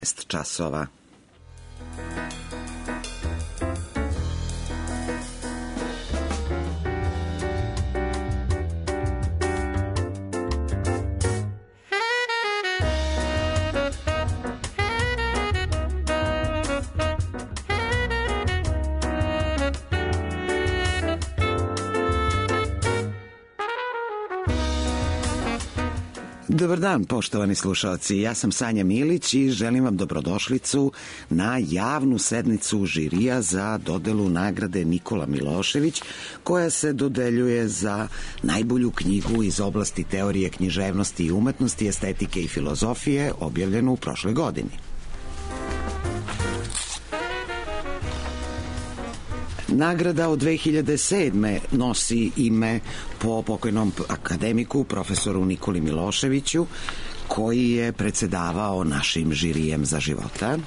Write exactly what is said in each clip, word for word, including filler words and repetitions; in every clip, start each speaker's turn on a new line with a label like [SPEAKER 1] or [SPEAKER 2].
[SPEAKER 1] časova. Dobar dan, poštovani slušalci. Ja sam Sanja Milić i želim vam dobrodošlicu na javnu sednicu žirija za dodelu nagrade Nikola Milošević, koja se dodeljuje za najbolju knjigu iz oblasti teorije književnosti i umetnosti, estetike i filozofije, objavljenu u prošloj godini. Nagrada od dve hiljade sedme nosi ime po pokojnom akademiku, profesoru Nikoli Miloševiću, koji je predsedavao našim žirijem za života.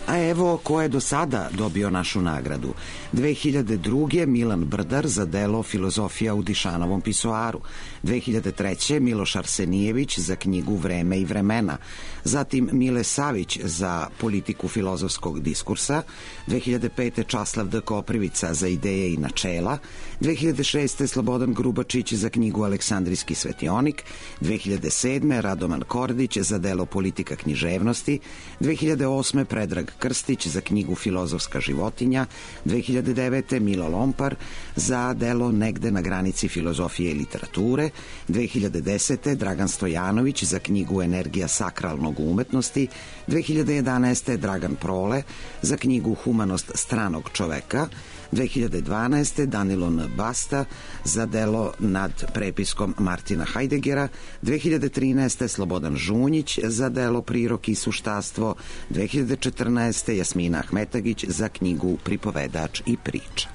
[SPEAKER 1] A evo ko je do sada dobio našu nagradu. dve hiljade druge. Milan Brdar za delo Filozofija u Dišanovom pisoaru. dve hiljade treće. Miloš Arsenijević za knjigu Vreme i vremena. Zatim Mile Savić za politiku filozofskog diskursa. dve hiljade pete. Časlav D. Koprivica za ideje i načela. dve hiljade šeste. Slobodan Grubačić za knjigu Aleksandrijski svetionik. dve hiljade sedme. Radoman Kordić za delo Politika književnosti. dve hiljade osme. Predrag Krstić za knjigu Filozofska životinja. dve hiljade devete. Milo Lompar za delo Negde na granici filozofije i literature. dve hiljade desete. Dragan Stojanović za knjigu Energija sakralnog u umetnosti. dve hiljade jedanaeste. Dragan Prole za knjigu Humanost stranog čoveka. dve hiljade dvanaeste. Danilo N. Basta za delo nad prepiskom Martina Hajdegjera. dve hiljade trinaeste. Slobodan Žunjić za delo Prirok i suštastvo. dve hiljade četrnaeste. Jasmina Ahmetagić za knjigu Pripovedač i priča.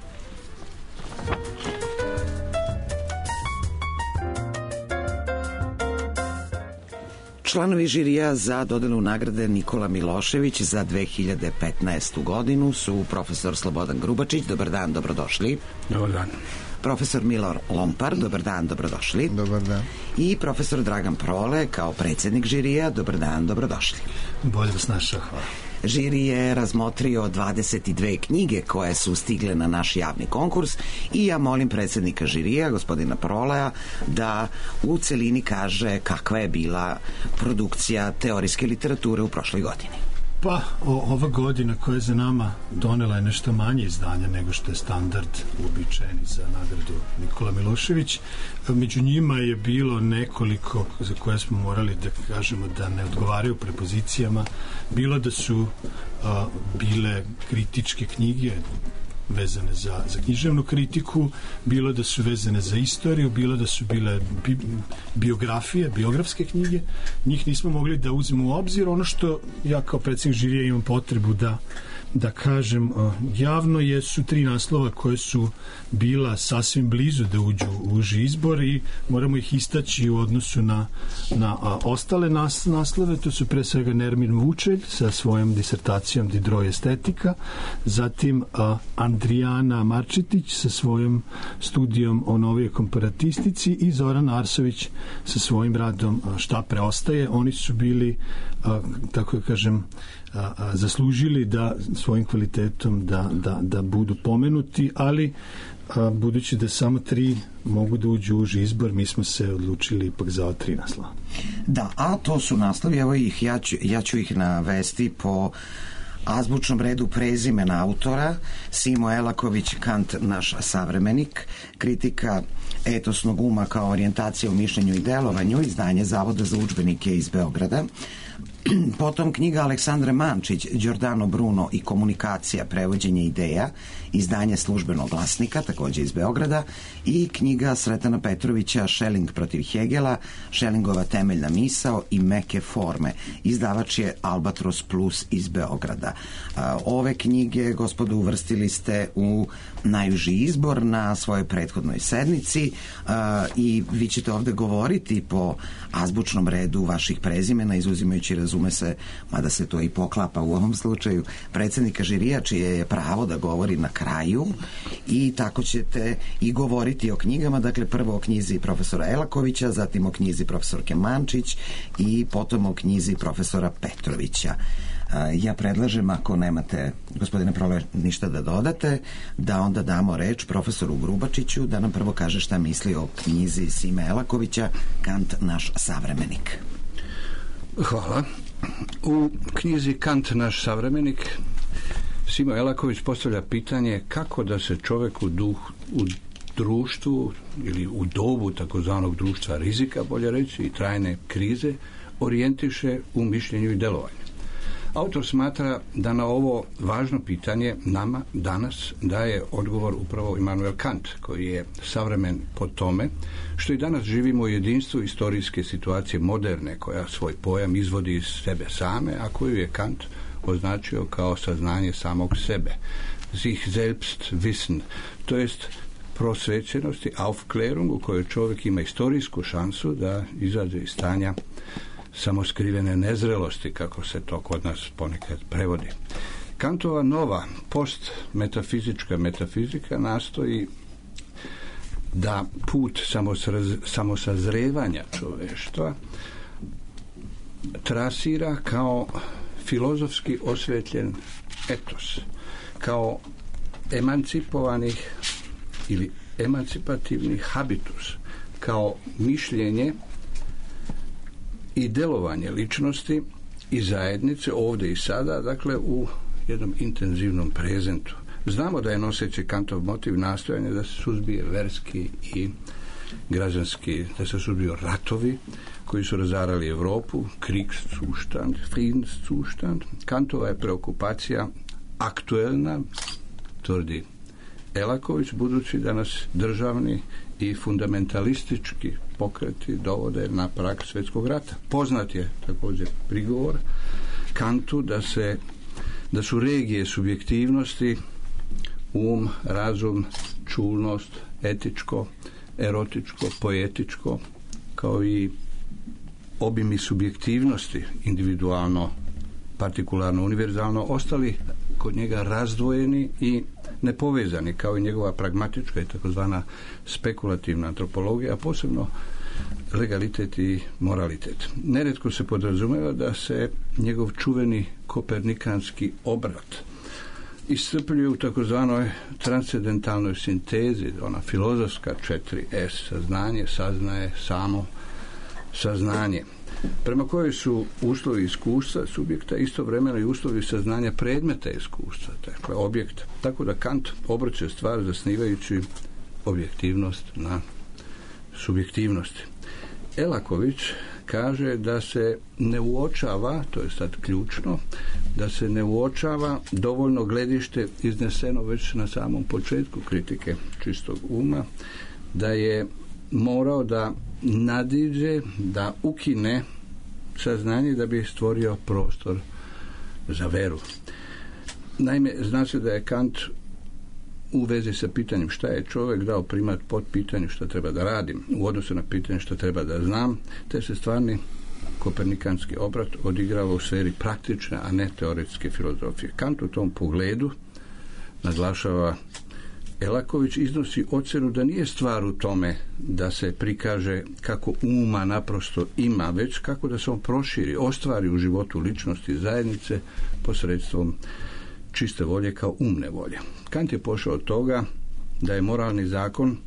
[SPEAKER 1] Članovi žirija za dodelu nagrade Nikola Milošević za dve hiljade petnaestu godinu su profesor Slobodan Grubačić, dobar dan, dobrodošli.
[SPEAKER 2] Dobar dan.
[SPEAKER 1] Profesor Milo Lompar, dobar dan, dobrodošli.
[SPEAKER 3] Dobar dan.
[SPEAKER 1] I profesor Dragan Prole, kao predsjednik žirija, dobar dan, dobrodošli.
[SPEAKER 2] Bolje vas našao, hvala.
[SPEAKER 1] Žiri je razmotrio dvadeset dve knjige koje su stigle na naš javni konkurs i ja molim predsjednika žirija, gospodina Prolea, da u celini kaže kakva je bila produkcija teorijske literature u prošloj godini.
[SPEAKER 2] Pa, o, ova godina koja je za nama donela je nešto manje izdanja nego što je standard uobičajeni za nagradu Nikola Milošević. Među njima je bilo nekoliko za koje smo morali da kažemo da ne odgovaraju prepozicijama. Bilo da su a, bile kritičke knjige vezane za, za književnu kritiku, bilo da su vezane za istoriju, bilo da su bile bi, biografije, biografske knjige. Njih nismo mogli da uzmemo u obzir. Ono što ja kao predsjednik žirija imam potrebu da da kažem javno jesu tri naslova koje su bila sasvim blizu da uđu u uži izbor i moramo ih istaći u odnosu na, na a, ostale nas, naslove. To su pre svega Nermin Vučelj sa svojom disertacijom Diderot estetika, zatim a, Andrijana Marčetić sa svojom studijom o novijoj komparatistici i Zoran Arsović sa svojim radom a, Šta preostaje. Oni su bili, a, tako da kažem, A, a, zaslužili da svojim kvalitetom da, da, da budu pomenuti, ali a, budući da samo tri mogu da uđu u uži izbor, mi smo se odlučili ipak za ova tri naslova.
[SPEAKER 1] Da, a to su naslovi, evo ih, ja ću, ja ću ih navesti po azbučnom redu prezimena autora. Simo Elaković, Kant, naš savremenik, kritika etosnog uma kao orijentacija u mišljenju i delovanju, izdanje Zavoda za udžbenike iz Beograda. Potom knjiga Aleksandre Mančić, Giordano Bruno i komunikacija, prevođenje ideja, izdanje Službenog glasnika, također iz Beograda, i knjiga Sretana Petrovića Schelling protiv Hegela, Schellingova temeljna misao i meke forme. Izdavač je Albatros Plus iz Beograda. Ove knjige, gospodo, uvrstili ste u najuži izbor na svojoj prethodnoj sednici i vi ćete ovde govoriti po azbučnom redu vaših prezimena, izuzimajući, razume se, mada se to i poklapa u ovom slučaju, predsednika žirija, čije je pravo da govori na kraju, i tako ćete i govoriti o knjigama, dakle prvo o knjizi profesora Elakovića, zatim o knjizi profesorke Mančić i potom o knjizi profesora Petrovića. Ja predlažem, ako nemate, gospodine Prole, ništa da dodate, da onda damo reč profesoru Grubačiću da nam prvo kaže šta misli o knjizi Sime Elakovića Kant, naš savremenik.
[SPEAKER 3] Hvala. U knjizi Kant, naš savremenik, Simo Elaković postavlja pitanje kako da se čovjek u, duh, u društvu ili u dobu takozvanog društva rizika, bolje reći, i trajne krize orijentiše u mišljenju i delovanju. Autor smatra da na ovo važno pitanje nama danas daje odgovor upravo Immanuel Kant, koji je savremen po tome što i danas živimo u jedinstvu istorijske situacije moderne, koja svoj pojam izvodi iz sebe same, a koju je Kant označio kao saznanje samog sebe, sich selbst wissen, to jest prosvećenosti, Aufklärung, u kojoj čovjek ima istorijsku šansu da izađe iz stanja samoskrivene nezrelosti, kako se to kod nas ponekad prevodi. Kantova nova postmetafizička metafizika nastoji da put samosraz, samosazrevanja čoveštva trasira kao filozofski osvjetljen etos, kao emancipovanih ili emancipativni habitus, kao mišljenje i delovanje ličnosti i zajednice ovdje i sada, dakle u jednom intenzivnom prezentu. Znamo da je noseći Kantov motiv nastojanje da se suzbije verski i građanski, da se suzbiju ratovi koji su razarali Europu, Kriegszustand, Friedenszustand. Kantova je preokupacija aktuelna, tvrdi Elaković, budući da nas državni i fundamentalistički pokreti dovode na prag svjetskog rata. Poznat je također prigovor Kantu da se da su regije subjektivnosti um, razum, čulnost, etičko, erotičko, poetičko, kao i obimi subjektivnosti, individualno, partikularno, univerzalno, ostali kod njega razdvojeni i nepovezani, kao i njegova pragmatička i takozvana spekulativna antropologija, a posebno legalitet i moralitet. Neretko se podrazumeva da se njegov čuveni kopernikanski obrat iscrpljuje u takozvanoj transcendentalnoj sintezi, ona filozofska četiri S, saznanje, saznaje, samo, saznanje, prema kojoj su uslovi iskustva subjekta istovremeno i uslovi saznanja predmeta iskustva, dakle objekta. Tako da Kant obrće stvar zasnivajući objektivnost na subjektivnosti. Elaković kaže da se ne uočava, to je sad ključno, da se ne uočava dovoljno gledište izneseno već na samom početku kritike čistog uma, da je morao da nadiđe, da ukine saznanje da bi stvorio prostor za veru. Naime, zna se da je Kant u vezi sa pitanjem šta je čovjek dao primat pod pitanju šta treba da radim u odnosu na pitanje šta treba da znam, te se stvarni kopernikanski obrat odigrava u sferi praktične, a ne teoretske filozofije. Kant u tom pogledu, naglašava Elaković, iznosi ocjenu da nije stvar u tome da se prikaže kako uma naprosto ima, već kako da se on proširi, ostvari u životu ličnosti zajednice posredstvom čiste volje kao umne volje. Kant je pošao od toga da je moralni zakon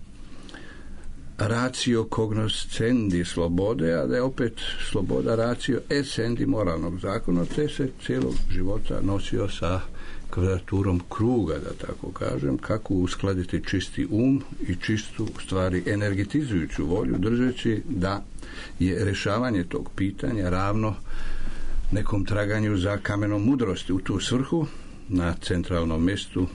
[SPEAKER 3] ratio cognoscendi slobode, a da je opet sloboda ratio essendi moralnog zakona, te se cijelog života nosio sa kvadraturom kruga, da tako kažem, kako uskladiti čisti um i čistu, stvari energetizujuću volju, držeći da je rješavanje tog pitanja ravno nekom traganju za kamenom mudrosti. U tu svrhu, na centralnom mjestu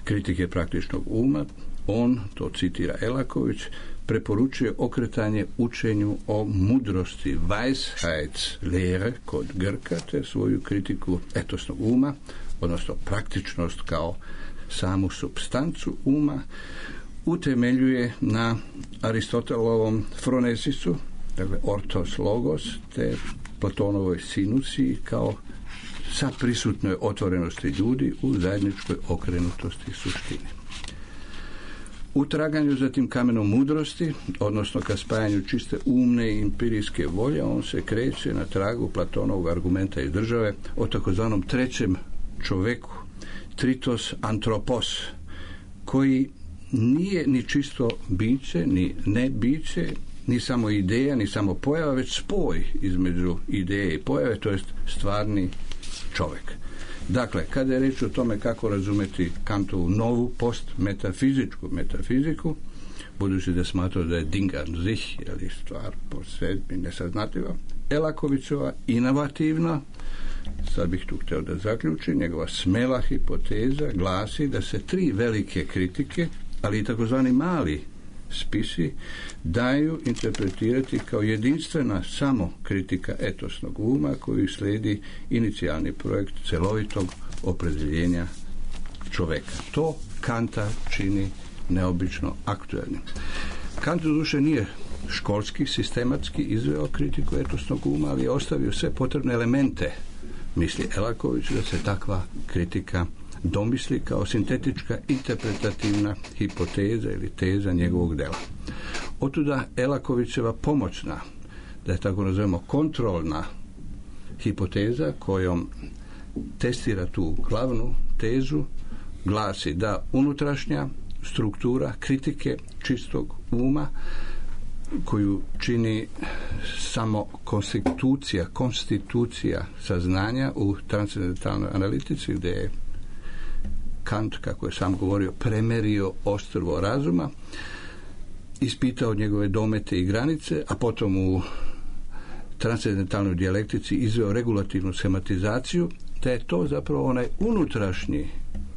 [SPEAKER 3] kritike praktičnog uma, on, to citira Elaković, preporučuje okretanje učenju o mudrosti, Weisheitslehre kod Grka, te svoju kritiku etosnog uma, odnosno praktičnost kao samu supstancu uma, utemeljuje na Aristotelovom fronesisu, dakle ortos logos, te Platonovoj sinusiji kao sa prisutnoj otvorenosti ljudi u zajedničkoj okrenutosti suštine. U traganju za tim kamenom mudrosti, odnosno ka spajanju čiste umne i empirijske volje, on se kreće na tragu Platonovog argumenta iz države o takozvanom trećem čoveku, tritos antropos, koji nije ni čisto biće, ni ne biće, ni samo ideja, ni samo pojava, već spoj između ideje i pojave, to jest stvarni čovjek. Dakle, kada je reč o tome kako razumeti Kantovu novu post-metafizičku metafiziku, budući da smatrao da je Ding an sich, ili stvar po sebi nesaznativa, Elakovićeva inovativna, sad bih tu htio da zaključim, njegova smela hipoteza glasi da se tri velike kritike, ali i takozvani mali spisi, daju interpretirati kao jedinstvena samo kritika etosnog uma koju slijedi inicijalni projekt celovitog opredjeljenja čoveka. To Kanta čini neobično aktuelnim. Kant doduše nije školski, sistematski izveo kritiku etosnog uma, ali je ostavio sve potrebne elemente, misli Elaković, da se takva kritika domisli kao sintetička interpretativna hipoteza ili teza njegovog dela. Otuda Elakovićeva pomoćna, da je tako nazovemo kontrolna hipoteza kojom testira tu glavnu tezu, glasi da unutrašnja struktura kritike čistog uma koju čini samo konstitucija, konstitucija saznanja u transcendentalnoj analitici, gdje je Kant, kako je sam govorio, premerio ostrvo razuma, ispitao njegove domete i granice, a potom u transcendentalnoj dijalektici izveo regulativnu sematizaciju, da je to zapravo onaj unutrašnji,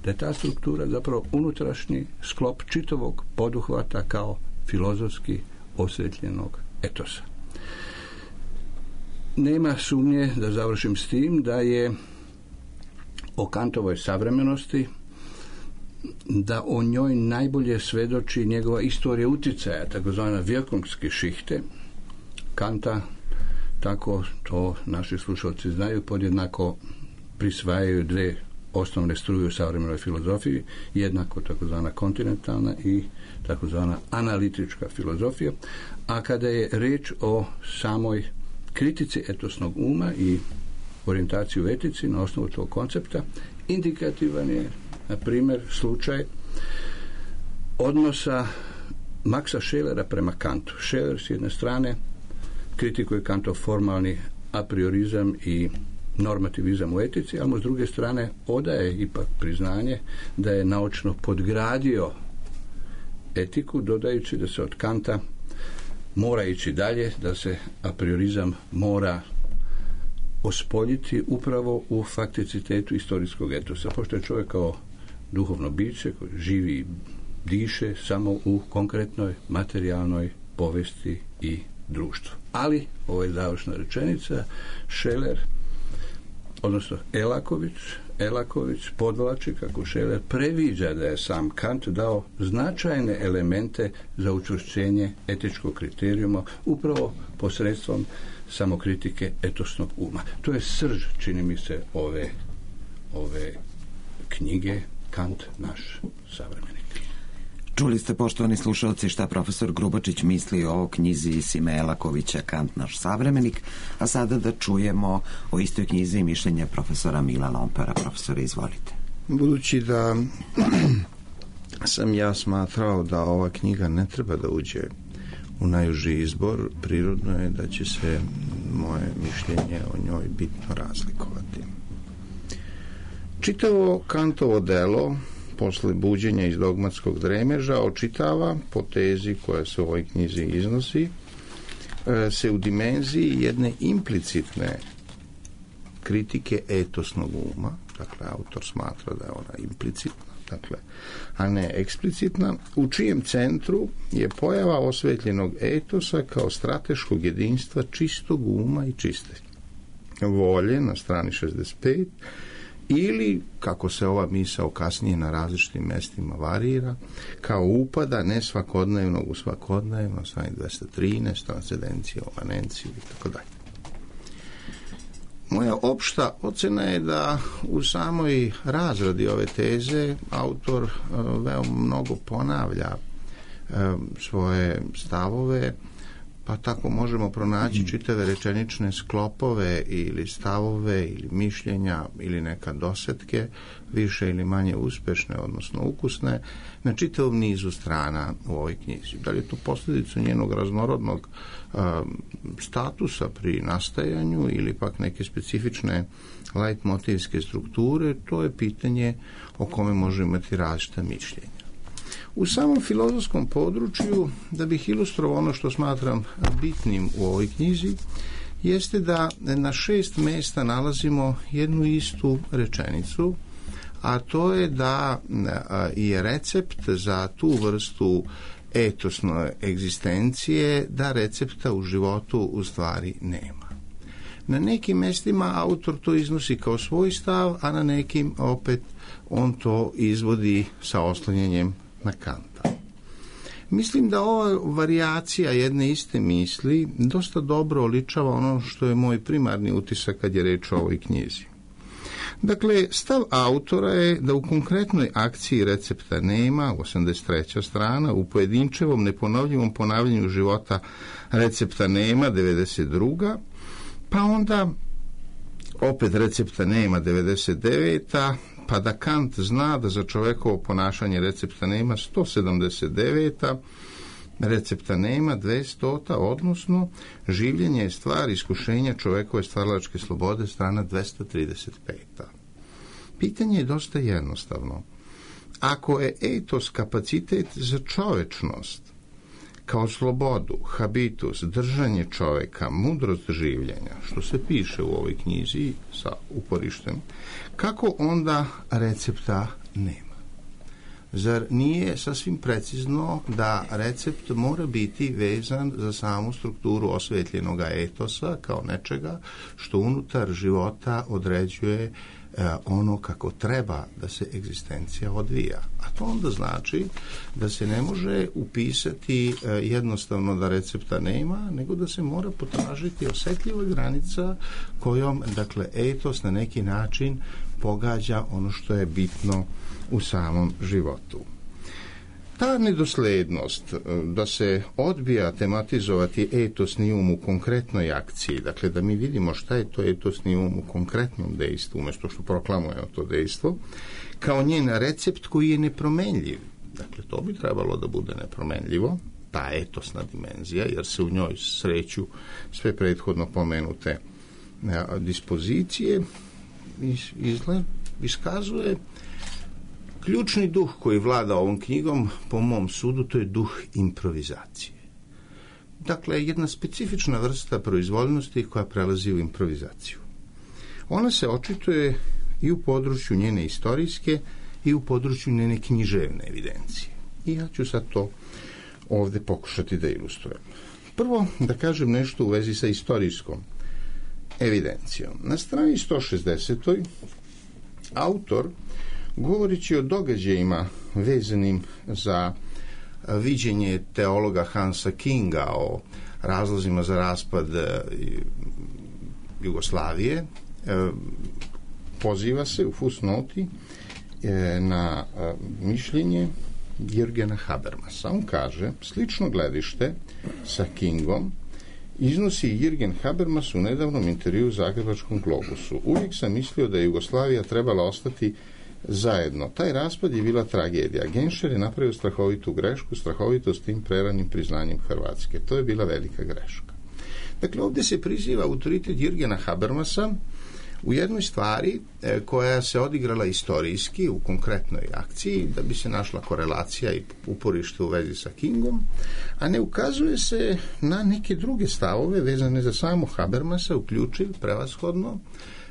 [SPEAKER 3] da je ta struktura zapravo unutrašnji sklop čitavog poduhvata kao filozofski osvjetljenog etosa. Nema sumnje, da završim s tim, da je o Kantovoj savremenosti, da o njoj najbolje svedoči njegova istorija utjecaja, takozvana Wirkungsgeschichte Kanta, tako to naši slušalci znaju, podjednako prisvajaju dve osnovne struje u savremenoj filozofiji, jednako takozvana kontinentalna i takozvana analitička filozofija, a kada je reč o samoj kritici etosnog uma i orijentaciju u etici na osnovu tog koncepta, indikativan je, na primjer, slučaj odnosa Maxa Schellera prema Kantu. Scheller s jedne strane kritikuje Kantov formalni apriorizam i normativizam u etici, ali mu s druge strane odaje ipak priznanje da je naučno podgradio etiku, dodajući da se od Kanta mora ići dalje, da se apriorizam mora ospoljiti upravo u fakticitetu istorijskog etosa, pošto je čovjek kao duhovno biće koji živi i diše samo u konkretnoj materijalnoj povesti i društvu. Ali, ovo je završna rečenica, Scheller, odnosno Elaković, Elaković podvlači kako Scheller previđa da je sam Kant dao značajne elemente za učvršćenje etičkog kriterijuma upravo posredstvom samokritike etosnog uma. To je srž, čini mi se, ove, ove knjige Kant, naš savremenik.
[SPEAKER 1] Čuli ste, poštovani slušalci, šta profesor Grubačić misli o knjizi Sime Elakovića Kant, naš savremenik, a sada da čujemo o istoj knjizi i mišljenje profesora Milana Ompera. Profesore, izvolite.
[SPEAKER 4] Budući da sam ja smatrao da ova knjiga ne treba da uđe u najuži izbor, prirodno je da će se moje mišljenje o njoj bitno razlikovati. Čitavo Kantovo delo posle buđenja iz dogmatskog dremeža očitava po tezi koja se u ovoj knjizi iznosi se u dimenziji jedne implicitne kritike etosnog uma, dakle autor smatra da je ona implicitna, dakle, a ne eksplicitna, u čijem centru je pojava osvetljenog etosa kao strateškog jedinstva čistog uma i čiste volje na strani šezdeset pet ili, kako se ova misao kasnije na različitim mestima varira, kao upada nesvakodnevnog u svakodnevno, strani dvesta trinaest, transcendencija, omanencija i tako dalje. Moja opšta ocena je da u samoj razradi ove teze autor veoma mnogo ponavlja svoje stavove, pa tako možemo pronaći čitave rečenične sklopove ili stavove ili mišljenja ili neka dosetke, više ili manje uspešne, odnosno ukusne, na čitavom nizu strana u ovoj knjizi. Da li je to posljedica njenog raznorodnog a, statusa pri nastajanju ili pak neke specifične leitmotivske strukture, to je pitanje o kome možemo imati različita mišljenja. U samom filozofskom području, da bih ilustrovao ono što smatram bitnim u ovoj knjizi, jeste da na šest mesta nalazimo jednu istu rečenicu, a to je da je recept za tu vrstu etosne egzistencije, da recepta u životu u stvari nema. Na nekim mestima autor to iznosi kao svoj stav, a na nekim opet on to izvodi sa oslanjanjem na Kanta. Mislim da ova varijacija jedne iste misli dosta dobro oličava ono što je moj primarni utisak kad je reč o ovoj knjizi. Dakle, stav autora je da u konkretnoj akciji recepta nema, osamdeset treća strana, u pojedinčevom neponovljivom ponavljanju života recepta nema, devedeset druga, pa onda opet recepta nema, devedeset deveta, pa da Kant zna da za čovekovo ponašanje recepta nema, sto sedamdeset deveta, recepta nema, dvestota, odnosno življenje je stvar iskušenja čovekove stvaralačke slobode, strana dvesta trideset peta. Pitanje je dosta jednostavno. Ako je etos kapacitet za čovečnost, kao slobodu, habitus, držanje čoveka, mudrost življenja, što se piše u ovoj knjizi sa uporištem, kako onda recepta nema? Zar nije sasvim precizno da recept mora biti vezan za samu strukturu osvetljenog etosa kao nečega što unutar života određuje ono kako treba da se egzistencija odvija. A to onda znači da se ne može upisati jednostavno da recepta nema, nego da se mora potražiti osetljiva granica kojom, dakle, etos na neki način pogađa ono što je bitno u samom životu. Ta nedoslednost da se odbija tematizovati etosni um u konkretnoj akciji, dakle da mi vidimo šta je to etosni um u konkretnom dejstvu, umjesto što proklamujemo to dejstvo, kao njen recept koji je nepromenljiv. Dakle, to bi trebalo da bude nepromenljivo, ta etosna dimenzija, jer se u njoj sreću sve prethodno pomenute dispozicije, izgled, iskazuje ključni duh koji vlada ovom knjigom, po mom sudu, to je duh improvizacije. Dakle, jedna specifična vrsta proizvoljnosti koja prelazi u improvizaciju. Ona se očituje i u području njene istorijske i u području njene književne evidencije. I ja ću sad to ovdje pokušati da ilustrujem. Prvo, da kažem nešto u vezi sa istorijskom evidencijom. Na strani sto šezdesetoj autor, govoreći o događajima vezanim za viđenje teologa Hansa Kinga o razlozima za raspad Jugoslavije, poziva se u fusnoti na mišljenje Jürgena Habermasa. On kaže, slično gledište sa Kingom iznosi Jürgen Habermas u nedavnom intervju u Zagrebačkom Globusu. Uvijek sam mislio da je Jugoslavija trebala ostati zajedno. Taj raspad je bila tragedija. Genscher je napravio strahovitu grešku, strahovito s tim preranim priznanjem Hrvatske. To je bila velika greška. Dakle, ovdje se priziva autoritet Jürgena Habermasa u jednoj stvari e, koja se odigrala istorijski u konkretnoj akciji, da bi se našla korelacija i uporište u vezi sa Kingom, a ne ukazuje se na neke druge stavove vezane za samo Habermasa, uključiv prevashodno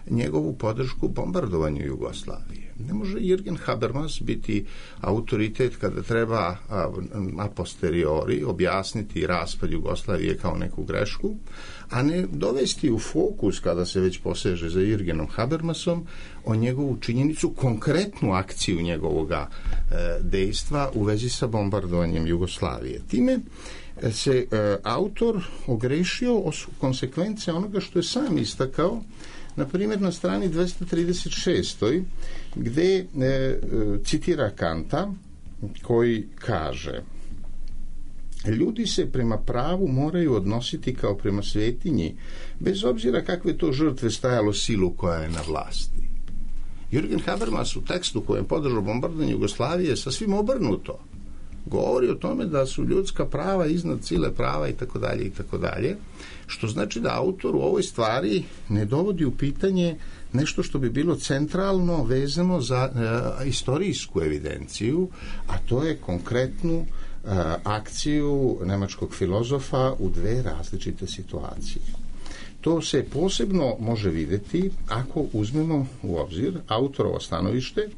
[SPEAKER 4] njegovu podršku bombardovanju Jugoslavije. Ne može Jürgen Habermas biti autoritet kada treba a, a posteriori objasniti raspad Jugoslavije kao neku grešku, a ne dovesti u fokus, kada se već poseže za Jürgenom Habermasom, o njegovu činjenicu, konkretnu akciju njegovoga e, dejstva u vezi sa bombardovanjem Jugoslavije. Time se e, autor ogrešio o konsekvence onoga što je sam istakao, na primjer na strani dvesta trideset šest. gde e, e, citira Kanta, koji kaže: ljudi se prema pravu moraju odnositi kao prema svetinji, bez obzira kakve to žrtve stajalo silu koja je na vlasti. Jürgen Habermas u tekstu kojem je podržao bombardovanje Jugoslavije sasvim obrnuto govori o tome da su ljudska prava iznad sile prava i tako dalje i tako dalje, što znači da autor u ovoj stvari ne dovodi u pitanje nešto što bi bilo centralno vezano za e, istorijsku evidenciju, a to je konkretnu e, akciju nemačkog filozofa u dve različite situacije. To se posebno može vidjeti ako uzmemo u obzir autorovo stanovište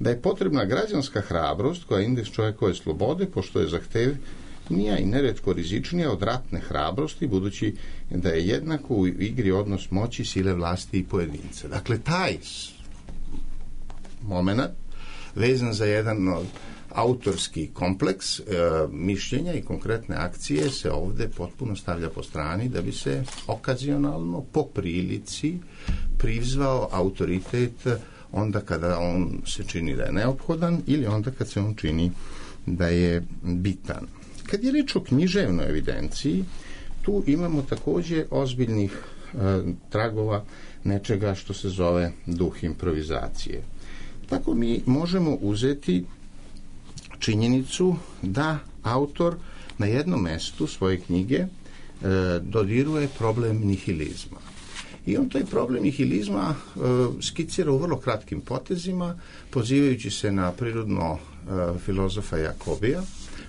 [SPEAKER 4] da je potrebna građanska hrabrost koja je indeks čovjekove slobode, pošto je zahtevnija i neretko rizičnija od ratne hrabrosti, budući da je jednako u igri odnos moći, sile vlasti i pojedince. Dakle, taj moment vezan za jedan autorski kompleks e, mišljenja i konkretne akcije se ovdje potpuno stavlja po strani da bi se okazionalno po prilici prizvao autoritet onda kada on se čini da je neophodan ili onda kad se on čini da je bitan. Kad je reč o književnoj evidenciji, tu imamo također ozbiljnih e, tragova nečega što se zove duh improvizacije. Tako mi možemo uzeti činjenicu da autor na jednom mestu svoje knjige e, dodiruje problem nihilizma. I on taj problem nihilizma e, skicira u vrlo kratkim potezima, pozivajući se na prirodno e, filozofa Jakobija,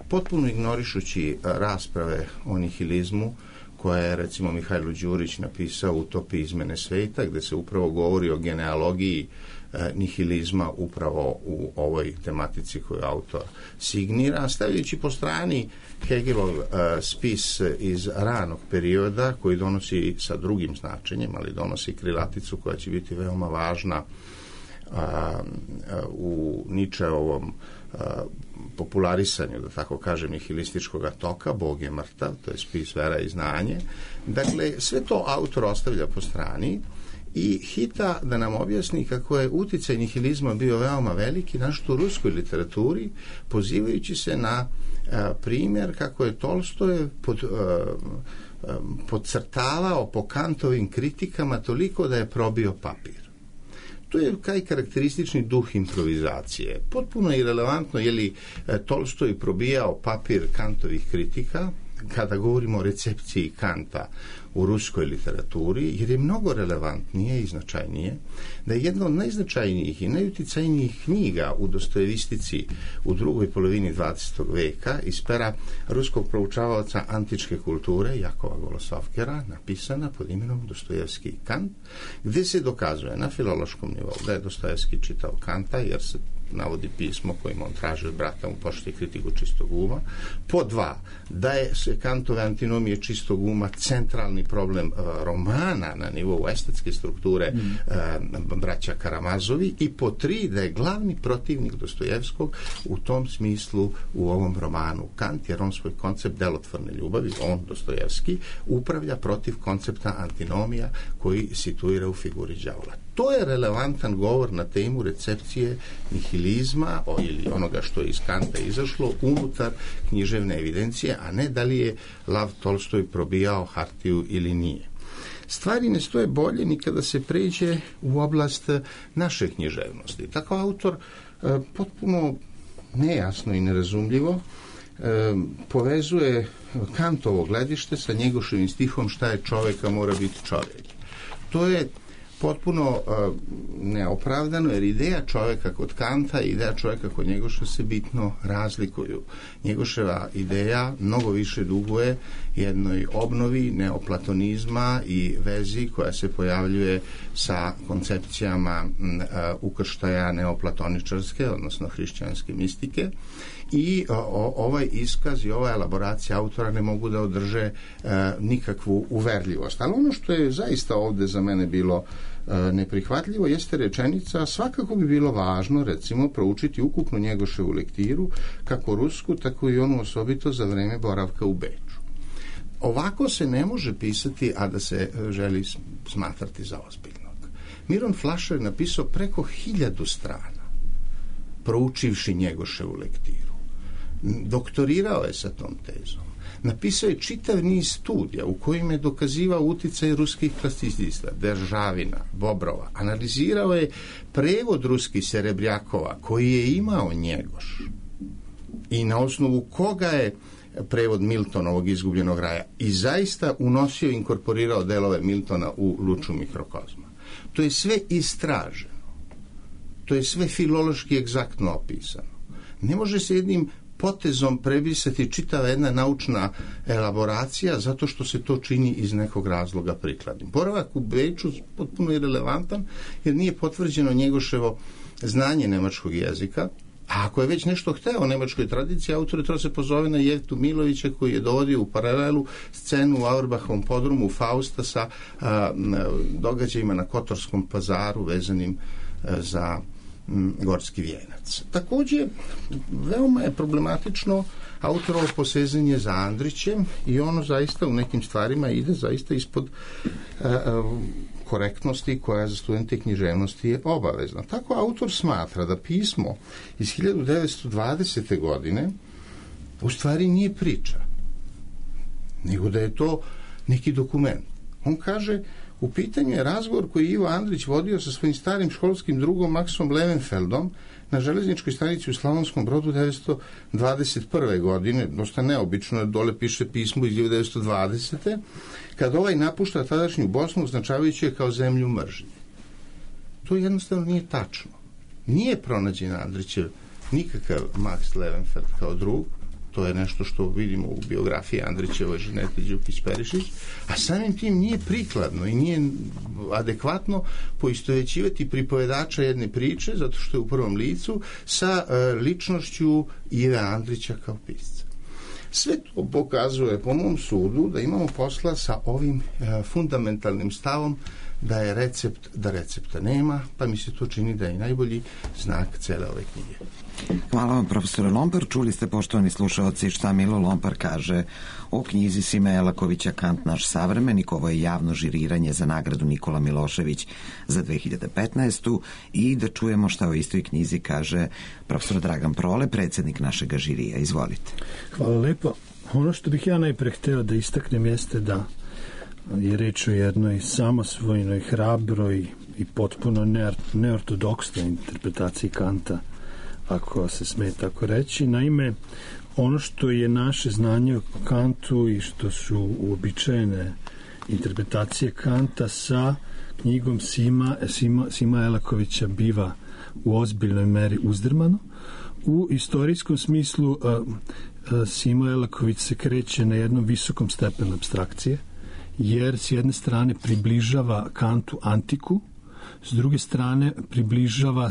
[SPEAKER 4] potpuno ignorišući rasprave o nihilizmu koje je recimo Mihajlo Đurić napisao u Utopiji izmene sveta, gdje se upravo govori o genealogiji e, nihilizma upravo u ovoj tematici koju autor signira, stavljajući po strani Hegelov e, spis iz ranog perioda koji donosi sa drugim značenjem, ali donosi krilaticu koja će biti veoma važna a, a, u Ničeovom a, popularisanju, da tako kažem, nihilističkog toka, Bog je mrtav, to je spis vera i znanje. Dakle, sve to autor ostavlja po strani i hita da nam objasni kako je uticaj nihilizma bio veoma veliki našto u ruskoj literaturi, pozivajući se na a, primjer kako je Tolstoj pod, a, a, podcrtavao po Kantovim kritikama toliko da je probio papir. To je kaj karakteristični duh improvizacije. Potpuno je irelevantno je li Tolstoj probijao papir Kantovih kritika kada govorimo o recepciji Kanta u ruskoj literaturi, jer je mnogo relevantnije i značajnije da je jedna od najznačajnijih i najuticajnijih knjiga u Dostojevistici u drugoj polovini dvadesetog veka iz pera ruskog proučavaoca antičke kulture Jakova Golosovkera, napisana pod imenom Dostojevski i Kant, gdje se dokazuje na filološkom nivou da je Dostojevski čitao Kanta, jer se navodi pismo kojim on traži od brata mu pošli kritiku čistog uma. Po dva, da je se Kantove antinomije čistog uma centralni problem uh, romana na nivou estetske strukture mm. uh, braća Karamazovi, i po tri, da je glavni protivnik Dostojevskog u tom smislu u ovom romanu Kant, jer on svoj koncept delotvorne ljubavi, on Dostojevski, upravlja protiv koncepta antinomija koji situira u figuri đavola. To je relevantan govor na temu recepcije nihilizma o, ili onoga što je iz Kanta izašlo unutar književne evidencije, a ne da li je Lav Tolstoj probijao hartiju ili nije. Stvari ne stoje bolje ni kada se pređe u oblast naše književnosti. Tako autor e, potpuno nejasno i nerazumljivo e, povezuje Kantovo gledište sa njegovim stihom šta je čovjek, a mora biti čovjek. To je potpuno uh, neopravdano, jer ideja čovjeka kod Kanta i ideja čovjeka kod Njegoša se bitno razlikuju. Njegoševa ideja mnogo više duguje jednoj obnovi neoplatonizma i vezi koja se pojavljuje sa koncepcijama uh, ukrštaja neoplatoničarske, odnosno hrišćanske mistike. I o, ovaj iskaz i ova elaboracija autora ne mogu da održe e, nikakvu uverljivost. Ali ono što je zaista ovde za mene bilo e, neprihvatljivo jeste rečenica: svakako bi bilo važno, recimo, proučiti ukupnu Njegoševu lektiru, kako rusku, tako i onu osobito za vreme boravka u Beču. Ovako se ne može pisati, a da se želi smatrati za ozbiljnog. Miron Flašer je napisao preko hiljadu strana, proučivši Njegoševu lektiru. Doktorirao je sa tom tezom. Napisao je čitav niz studija u kojima je dokazivao uticaj ruskih klasicista, Deržavina, Bobrova. Analizirao je prevod ruskih Serebrjakova koji je imao Njegoš i na osnovu koga je prevod Miltonovog Izgubljenog raja i zaista unosio i inkorporirao delove Miltona u Luču mikrokozma. To je sve istraženo. To je sve filološki egzaktno opisano. Ne može se jednim potezom prebrisati čitava jedna naučna elaboracija zato što se to čini iz nekog razloga prikladnim. Boravak u Beču potpuno je relevantan jer nije potvrđeno Njegoševo znanje nemačkog jezika, a ako je već nešto hteo o nemačkoj tradiciji, autor treba se pozove na Jeftu Milovića koji je dovodio u paralelu scenu u Auerbachovom podrumu Fausta sa a, događajima na Kotorskom pazaru vezanim a, za Gorski vijenac. Također, veoma je problematično autorovo posezanje za Andrićem i ono zaista u nekim stvarima ide zaista ispod uh, korektnosti koja za studente književnosti je obavezna. Tako autor smatra da pismo iz hiljadu devetsto dvadesete godine u stvari nije priča, nego da je to neki dokument. On kaže: u pitanju je razgovor koji Ivo Andrić vodio sa svojim starim školskim drugom Maksom Levenfeldom na železničkoj stanici u Slavonskom Brodu devetsto dvadeset prve. godine. Dosta neobično je, dole piše pismo iz hiljadu devetsto dvadesete. kad ovaj napušta tadašnju Bosnu označavajući je kao zemlju mržnje. To jednostavno nije tačno. Nije pronađen Andrićev nikakav Max Levenfeld kao drug. To je nešto što vidimo u biografiji Andrićevoj Žanete Đukić-Perišić, a samim tim nije prikladno i nije adekvatno poistovećivati pripovedača jedne priče, zato što je u prvom licu, sa uh, ličnošću Ive Andrića kao pisca. Sve to pokazuje, po mom sudu, da imamo posla sa ovim uh, fundamentalnim stavom da je recept, da recepta nema, pa mi se to čini da je najbolji znak cele ove knjige.
[SPEAKER 1] Hvala vam, profesore Lompar. Čuli ste, poštovani slušaoci, šta Milo Lompar kaže o knjizi Sime Elakovića Kant, naš savremenik. Ovo je javno žiriranje za nagradu Nikola Milošević za dve hiljade petnaestu. I da čujemo šta o istoj knjizi kaže profesor Dragan Prole, predsjednik našega žirija. Izvolite.
[SPEAKER 2] Hvala lepo. Ono što bih ja najpre hteo da istaknem jeste da je reč o jednoj samosvojnoj, hrabroj i potpuno neortodoksnoj interpretaciji Kanta, ako se sme tako reći. Naime, ono što je naše znanje o Kantu i što su uobičajene interpretacije Kanta sa knjigom Sima, Sima, Sima Elakovića biva u ozbiljnoj meri uzdrmano. U istorijskom smislu Simo Elaković se kreće na jednom visokom stepenu apstrakcije, jer s jedne strane približava Kantu antiku, s druge strane približava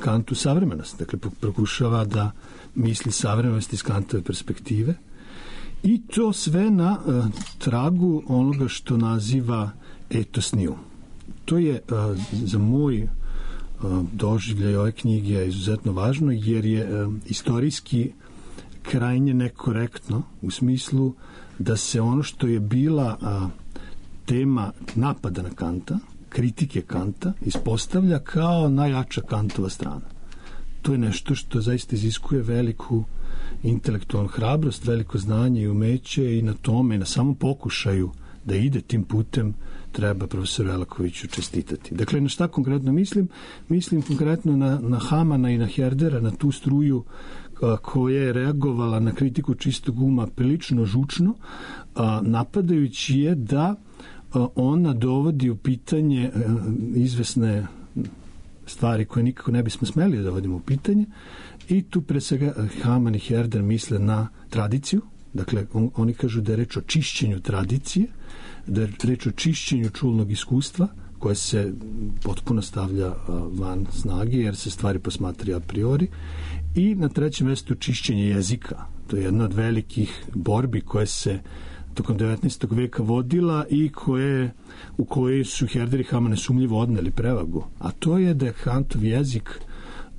[SPEAKER 2] Kantu savremenost, dakle pokušava da misli savremenost iz Kantove perspektive i to sve na uh, tragu onoga što naziva etos nihil. To je uh, za moj uh, doživljaj ove knjige izuzetno važno jer je uh, istorijski krajnje nekorektno u smislu da se ono što je bila a, tema napada na Kanta, kritike Kanta, ispostavlja kao najjača Kantova strana. To je nešto što zaista iziskuje veliku intelektualnu hrabrost, veliko znanje i umeće i na tome, na samom pokušaju da ide tim putem treba profesoru Elakoviću čestitati. Dakle, na šta konkretno mislim? Mislim konkretno na, na Hamana i na Herdera, na tu struju koja je reagovala na kritiku čistog uma prilično žučno, a, napadajući je da ona dovodi u pitanje izvesne stvari koje nikako ne bismo smeli da dovodimo u pitanje, i tu pre svega Hamann i Herder misle na tradiciju. Dakle, on, oni kažu da je reč o čišćenju tradicije, da je reč o čišćenju čulnog iskustva koje se potpuno stavlja van snage jer se stvari posmatraju a priori, i na trećem mjestu čišćenje jezika. To je jedna od velikih borbi koje se tokom devetnaestog veka vodila i koje, u kojoj su Herder i Hamann nesumnjivo odneli prevagu. A to je da je Kantov jezik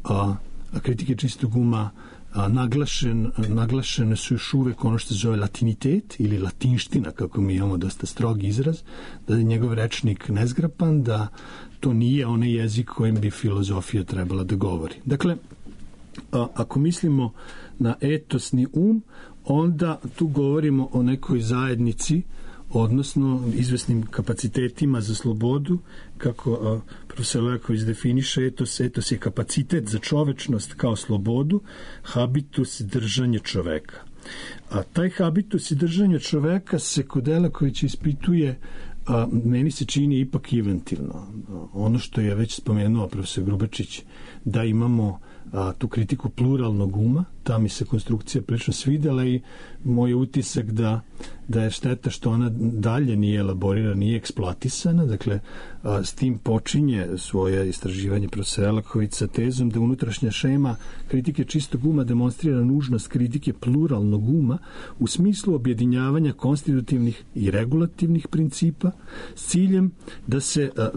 [SPEAKER 2] a, a kritike čistog uma a, naglašen, naglašene su još uvek ono što se zove latinitet ili latinština, kako mi imamo dosta strog izraz, da je njegov rečnik nezgrapan, da to nije onaj jezik kojim bi filozofija trebala da govori. Dakle, a, ako mislimo na etosni um, onda tu govorimo o nekoj zajednici, odnosno izvesnim kapacitetima za slobodu, kako a, profesor Leković definiše etos. Etos je kapacitet za čovečnost kao slobodu, habitus držanje čoveka. A taj habitus i držanje čoveka se kod Lekovića ispituje, a, meni se čini ipak inventivno. Ono što je već spomenuo profesor Grubačić, da imamo a, tu kritiku pluralnog uma, ta mi se konstrukcija prilično svidela i moj utisak da, da je šteta što ona dalje nije elaborirana, nije eksploatisana. Dakle, a, s tim počinje svoje istraživanje profesora Leković sa tezom da unutrašnja šema kritike čistog uma demonstrira nužnost kritike pluralnog uma u smislu objedinjavanja konstitutivnih i regulativnih principa s ciljem da se a,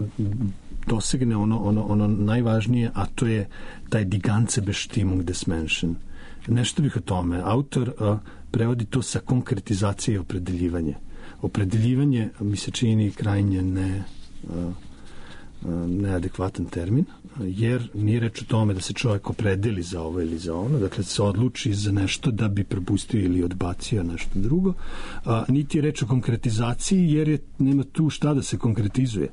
[SPEAKER 2] dosegne ono, ono, ono najvažnije, a to je taj die ganze Bestimmung des Menschen. Nešto bih o tome. Autor a, prevodi to sa konkretizacije i opredeljivanje. Opredeljivanje mi se čini krajnje ne, a, a, neadekvatan termin, jer nije reč o tome da se čovjek opredeli za ovo ili za ono, dakle se odluči za nešto da bi propustio ili odbacio nešto drugo, a, niti je reč o konkretizaciji, jer je, nema tu šta da se konkretizuje.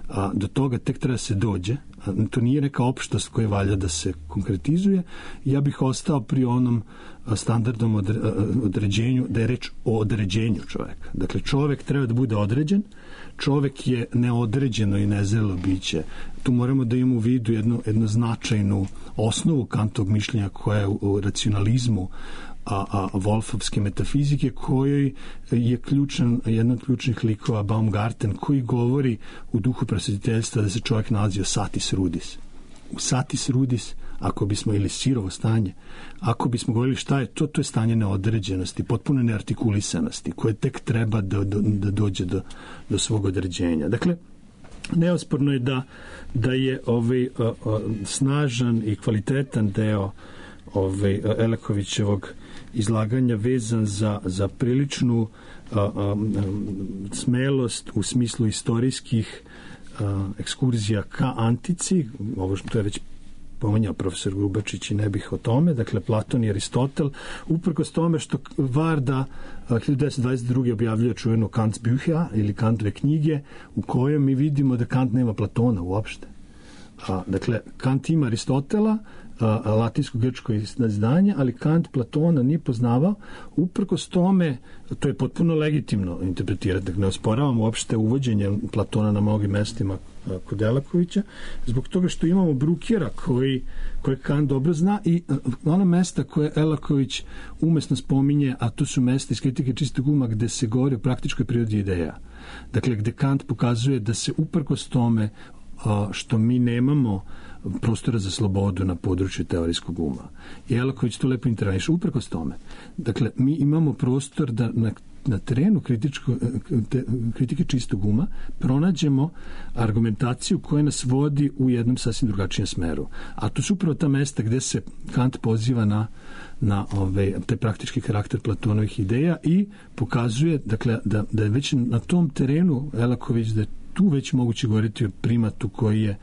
[SPEAKER 2] A, do toga tek treba se dođe. A, to nije neka opštost koja valja da se konkretizuje. Ja bih ostao pri onom a, standardnom odre, a, određenju, da je reč o određenju čoveka. Dakle, čovek treba da bude određen, čovek je neodređeno i nezrelo biće. Tu moramo da imamo u vidu jednu, jednu značajnu osnovu Kantovog mišljenja koja je u, u racionalizmu a, a Wolfovske metafizike, kojoj je ključan, jedan od ključnih likova Baumgarten, koji govori u duhu prosvetiteljstva da se čovjek nalazi u satis rudis. U satis rudis, ako bismo, ili sirovo stanje, ako bismo govorili šta je to, to je stanje neodređenosti, potpuno neartikulisanosti, koje tek treba da, da, da dođe do, do svog određenja. Dakle, neosporno je da, da je ovaj a, a, snažan i kvalitetan deo ovaj Elekovićevog izlaganja vezan za, za priličnu a, a, smelost u smislu istorijskih a, ekskurzija ka antici. Ovo što je već pomenjao profesor Grubačić i ne bih o tome. Dakle, Platon i Aristotel, uprkos tome što Varda hiljadu devetsto dvadeset druge objavljuje čuvenu Kants Bücher ili Kantove knjige, u kojoj mi vidimo da Kant nema Platona uopšte. A, dakle, Kant ima Aristotela, latinsko-grčko izdanje, ali Kant Platona nije poznavao. Uprkos tome, to je potpuno legitimno interpretirati, dakle, ne osporavam uopšte uvođenje Platona na mnogim mestima kod Elekovića, zbog toga što imamo Brukera koji, koje Kant dobro zna, i ona mesta koje Eleković umesno spominje, a to su mesta iz kritike čistog uma gde se govori o praktičkoj prirodi ideja. Dakle, gde Kant pokazuje da se uprkos tome što mi nemamo prostora za slobodu na području teorijskog uma. I Eleković tu lepo interveniše uprkos tome. Dakle, mi imamo prostor da na, na terenu kritičko, te, kritike čistog uma pronađemo argumentaciju koja nas vodi u jednom sasvim drugačijem smeru. A to su upravo ta mesta gde se Kant poziva na, na ove, te praktički karakter Platonovih ideja i pokazuje, dakle, da, da je već na tom terenu Eleković, da je tu već moguće govoriti o primatu koji je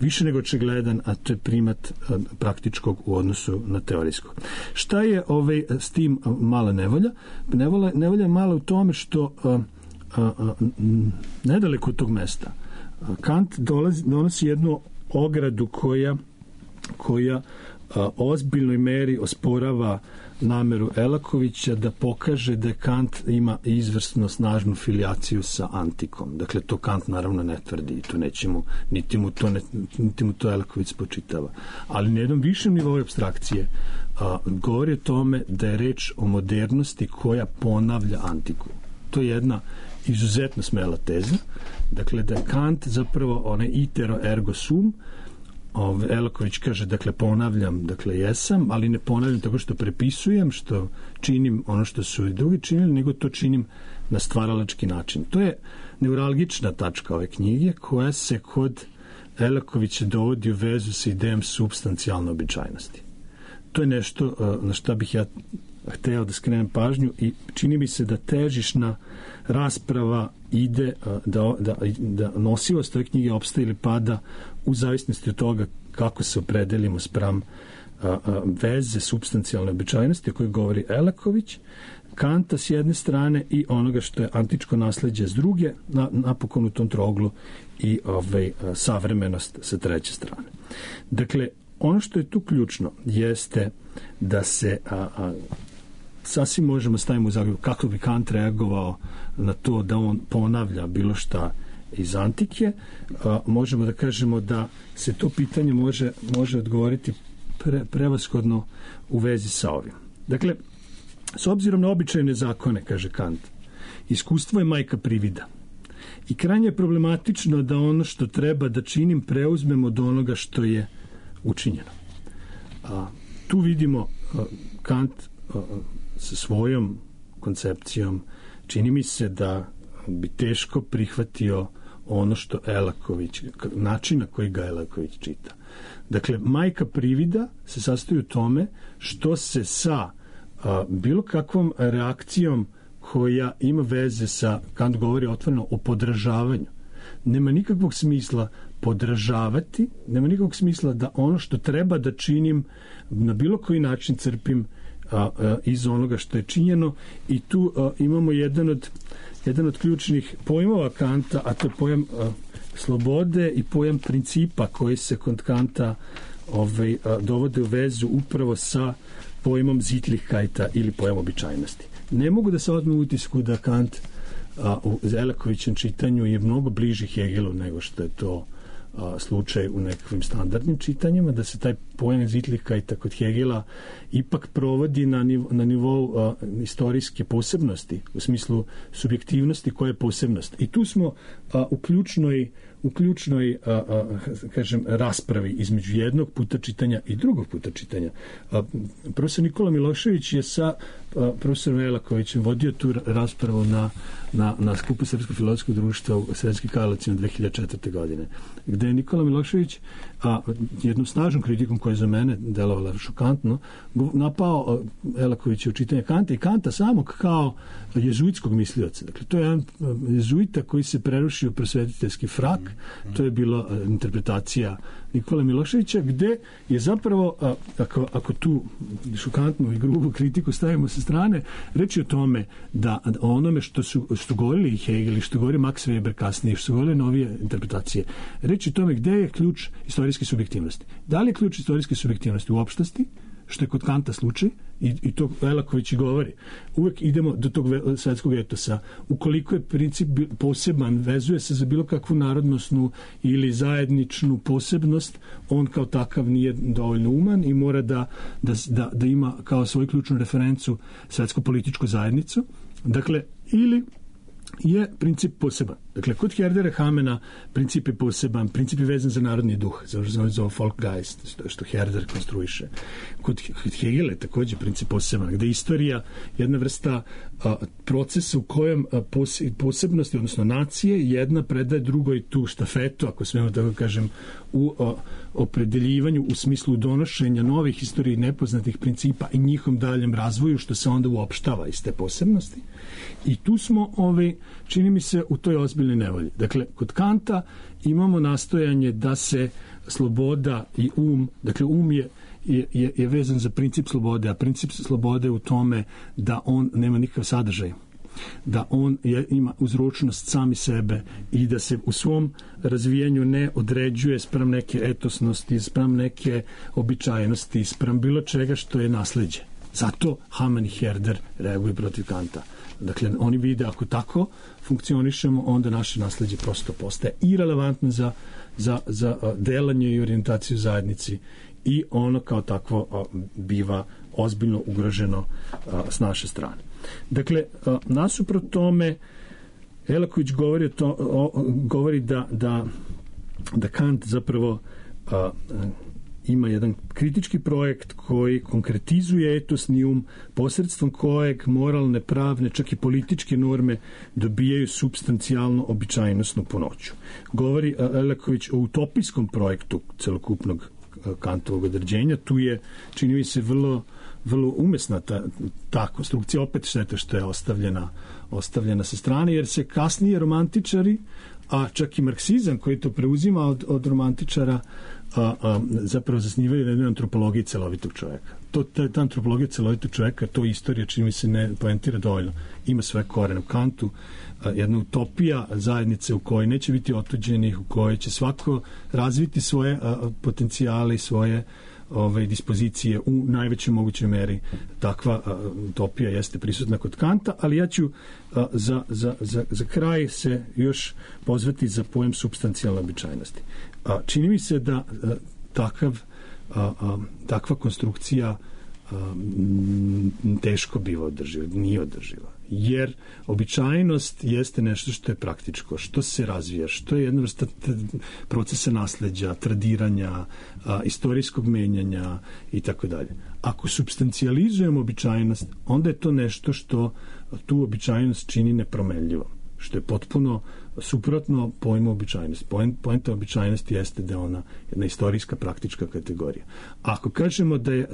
[SPEAKER 2] više nego očigledan, a to je primat praktičkog u odnosu na teorijskog. Šta je ovaj, s tim mala nevolja? Nevolja, nevolja je mala u tome što a, a, a, nedaleko od tog mesta Kant dolazi, donosi jednu ogradu koja, koja ozbiljnoj meri osporava nameru Elakovića da pokaže da Kant ima izvrsno snažnu filijaciju sa antikom. Dakle, to Kant naravno ne tvrdi i to nećemo, niti mu to, ne, niti mu to Elaković spočitava. Ali na jednom višem nivou apstrakcije a, govori o tome da je reč o modernosti koja ponavlja antiku. To je jedna izuzetno smela teza. Dakle, da je Kant zapravo onaj itero ergo sum. Elaković kaže, dakle, ponavljam, dakle, jesam, ali ne ponavljam tako što prepisujem, što činim ono što su i drugi činili, nego to činim na stvaralački način. To je neuralgična tačka ove knjige koja se kod Elakovića dovodi u vezu sa idejom supstancijalne običajnosti. To je nešto na šta bih ja hteo da skrenem pažnju i čini mi se da težišna rasprava ide da, da, da nosivost ove knjige opstaje ili pada u zavisnosti od toga kako se opredelimo spram a, a, veze supstancijalne običajnosti o kojoj govori Elaković, Kanta s jedne strane i onoga što je antičko nasleđe s druge, na, napokon u tom troglu i ovaj, a, savremenost sa treće strane. Dakle, ono što je tu ključno jeste da se a, a, sasvim možemo staviti u zagradu kako bi Kant reagovao na to da on ponavlja bilo šta iz antike. A, možemo da kažemo da se to pitanje može, može odgovoriti pre, prevashodno u vezi sa ovim. Dakle, s obzirom na običajne zakone, kaže Kant, iskustvo je majka privida. I krajnje je problematično da ono što treba da činim preuzmemo od onoga što je učinjeno. A, tu vidimo a, Kant a, sa svojom koncepcijom, čini mi se da bi teško prihvatio ono što Elaković, način na koji ga Elaković čita. Dakle, majka privida se sastoji u tome što se sa a, bilo kakvom reakcijom koja ima veze sa, Kant govori otvoreno o podražavanju. Nema nikakvog smisla podražavati, nema nikakvog smisla da ono što treba da činim na bilo koji način crpim a, a, iz onoga što je činjeno i tu a, imamo jedan od, jedan od ključnih pojmova Kanta, a to je pojam a, slobode i pojam principa koji se kod Kanta ovaj, a, dovode u vezu upravo sa pojmom Sittlichkeita ili pojam običajnosti. Ne mogu da se odme utisku da Kant a, u Elakovićem čitanju je mnogo bliži Hegelu nego što je to a, slučaj u nekakvim standardnim čitanjima, da se taj pojam Sittlichkeita kod Hegela ipak provodi na, nivo, na nivou a, istorijske posebnosti, u smislu subjektivnosti koja je posebnost. I tu smo a, u ključnoj u ključnoj a, a, kažem, raspravi između jednog puta čitanja i drugog puta čitanja. A, profesor Nikola Milošević je sa a, profesorom Elakovićem vodio tu raspravu na, na, na skupu Srpskog filozofskog društva u Sremskim Karlovcima dve hiljade četvrte. godine, gde je Nikola Milošević a, jednom snažnom kritikom koja je za mene delovala šokantno napao Elakovića u čitanje Kanta i Kanta samog kao jezuitskog mislioca. Dakle, to je jedan jezuita koji se prerušio prosvetiteljski frak. To je bila interpretacija Nikola Miloševića, gde je zapravo, ako, ako tu šokantnu i grubu kritiku stavimo sa strane, reći o tome da onome što su, što govorili i Hegel, što govori Max Weber kasnije, što su govorili novije interpretacije, reći o tome gde je ključ istorijske subjektivnosti. Da li je ključ istorijske subjektivnosti u opštosti, što je kod Kanta slučaj, i, i to Elaković i govori. Uvek idemo do tog svetskog etosa. Ukoliko je princip poseban, vezuje se za bilo kakvu narodnosnu ili zajedničnu posebnost, on kao takav nije dovoljno uman i mora da, da, da, da ima kao svoju ključnu referencu svetsko-političku zajednicu. Dakle, ili je princip poseban. Dakle, kod Herdera Hamena princip je poseban, princip je vezan za narodni duh, za, za, za Volksgeist, što, što Herder konstruiše. Kod Hegela je također princip poseban, gde je istorija jedna vrsta a, procesa u kojem a, pose, posebnosti, odnosno nacije, jedna predaje drugoj tu štafetu, ako smemo tako kažem, u a, opredeljivanju, u smislu donošenja novih istoriji nepoznatih principa i njihom daljem razvoju, što se onda uopštava iz te posebnosti. I tu smo, ovaj, čini mi se, u toj ozbiljnoj nevolji. Dakle, kod Kanta imamo nastojanje da se sloboda i um, dakle um je, je, je vezan za princip slobode, a princip slobode je u tome da on nema nikakav sadržaj. da on je, ima uzročnost sami sebe i da se u svom razvijanju ne određuje spram neke etosnosti, spram neke običajnosti, spram bilo čega što je nasleđe. Zato Hamann i Herder reaguju protiv Kanta. Dakle, oni vide ako tako funkcionišemo, onda naše nasleđe prosto postaje irelevantno za, za, za delanje i orijentaciju zajednici i ono kao takvo biva ozbiljno ugroženo s naše strane. Dakle, nasuprot tome, Elaković govori, to, o, govori da, da, da Kant zapravo a, ima jedan kritički projekt koji konkretizuje etosni um, posredstvom kojeg moralne, pravne, čak i političke norme dobijaju supstancijalno običajnostnu punoću. Govori Elaković o utopijskom projektu celokupnog Kantovog određenja. Tu je, čini mi se, vrlo, vrlo umesna ta, ta konstrukcija, opet šteta što je ostavljena, ostavljena sa strane, jer se kasnije romantičari, a čak i marksizam koji to preuzima od, od romantičara, a, a, zapravo zasnivaju na jednoj antropologiji celovitog čoveka. To, ta, ta antropologija celovitog čoveka, to istorija, čini mi se, ne poentira dovoljno. Ima svoje korene u Kantu, a, jedna utopija zajednice u kojoj neće biti otuđenih, u kojoj će svako razviti svoje a, potencijale i svoje ove dispozicije u najvećoj mogućoj meri. Takva a, utopija jeste prisutna kod Kanta, ali ja ću a, za, za, za, za kraj se još pozvati za pojem supstancijalne običajnosti. A, čini mi se da a, takav, a, a, takva konstrukcija a, m, teško biva održiva, nije održiva. Jer običajnost jeste nešto što je praktičko, što se razvija, što je jedna vrsta procesa nasleđa, tradiranja, a, istorijskog menjanja i tako dalje. Ako supstancializujemo običajnost, onda je to nešto što tu običajnost čini nepromenljivom, što je potpuno suprotno pojmu običajnosti. Poenta običajnosti jeste da je ona jedna istorijska, praktička kategorija. Ako kažemo da je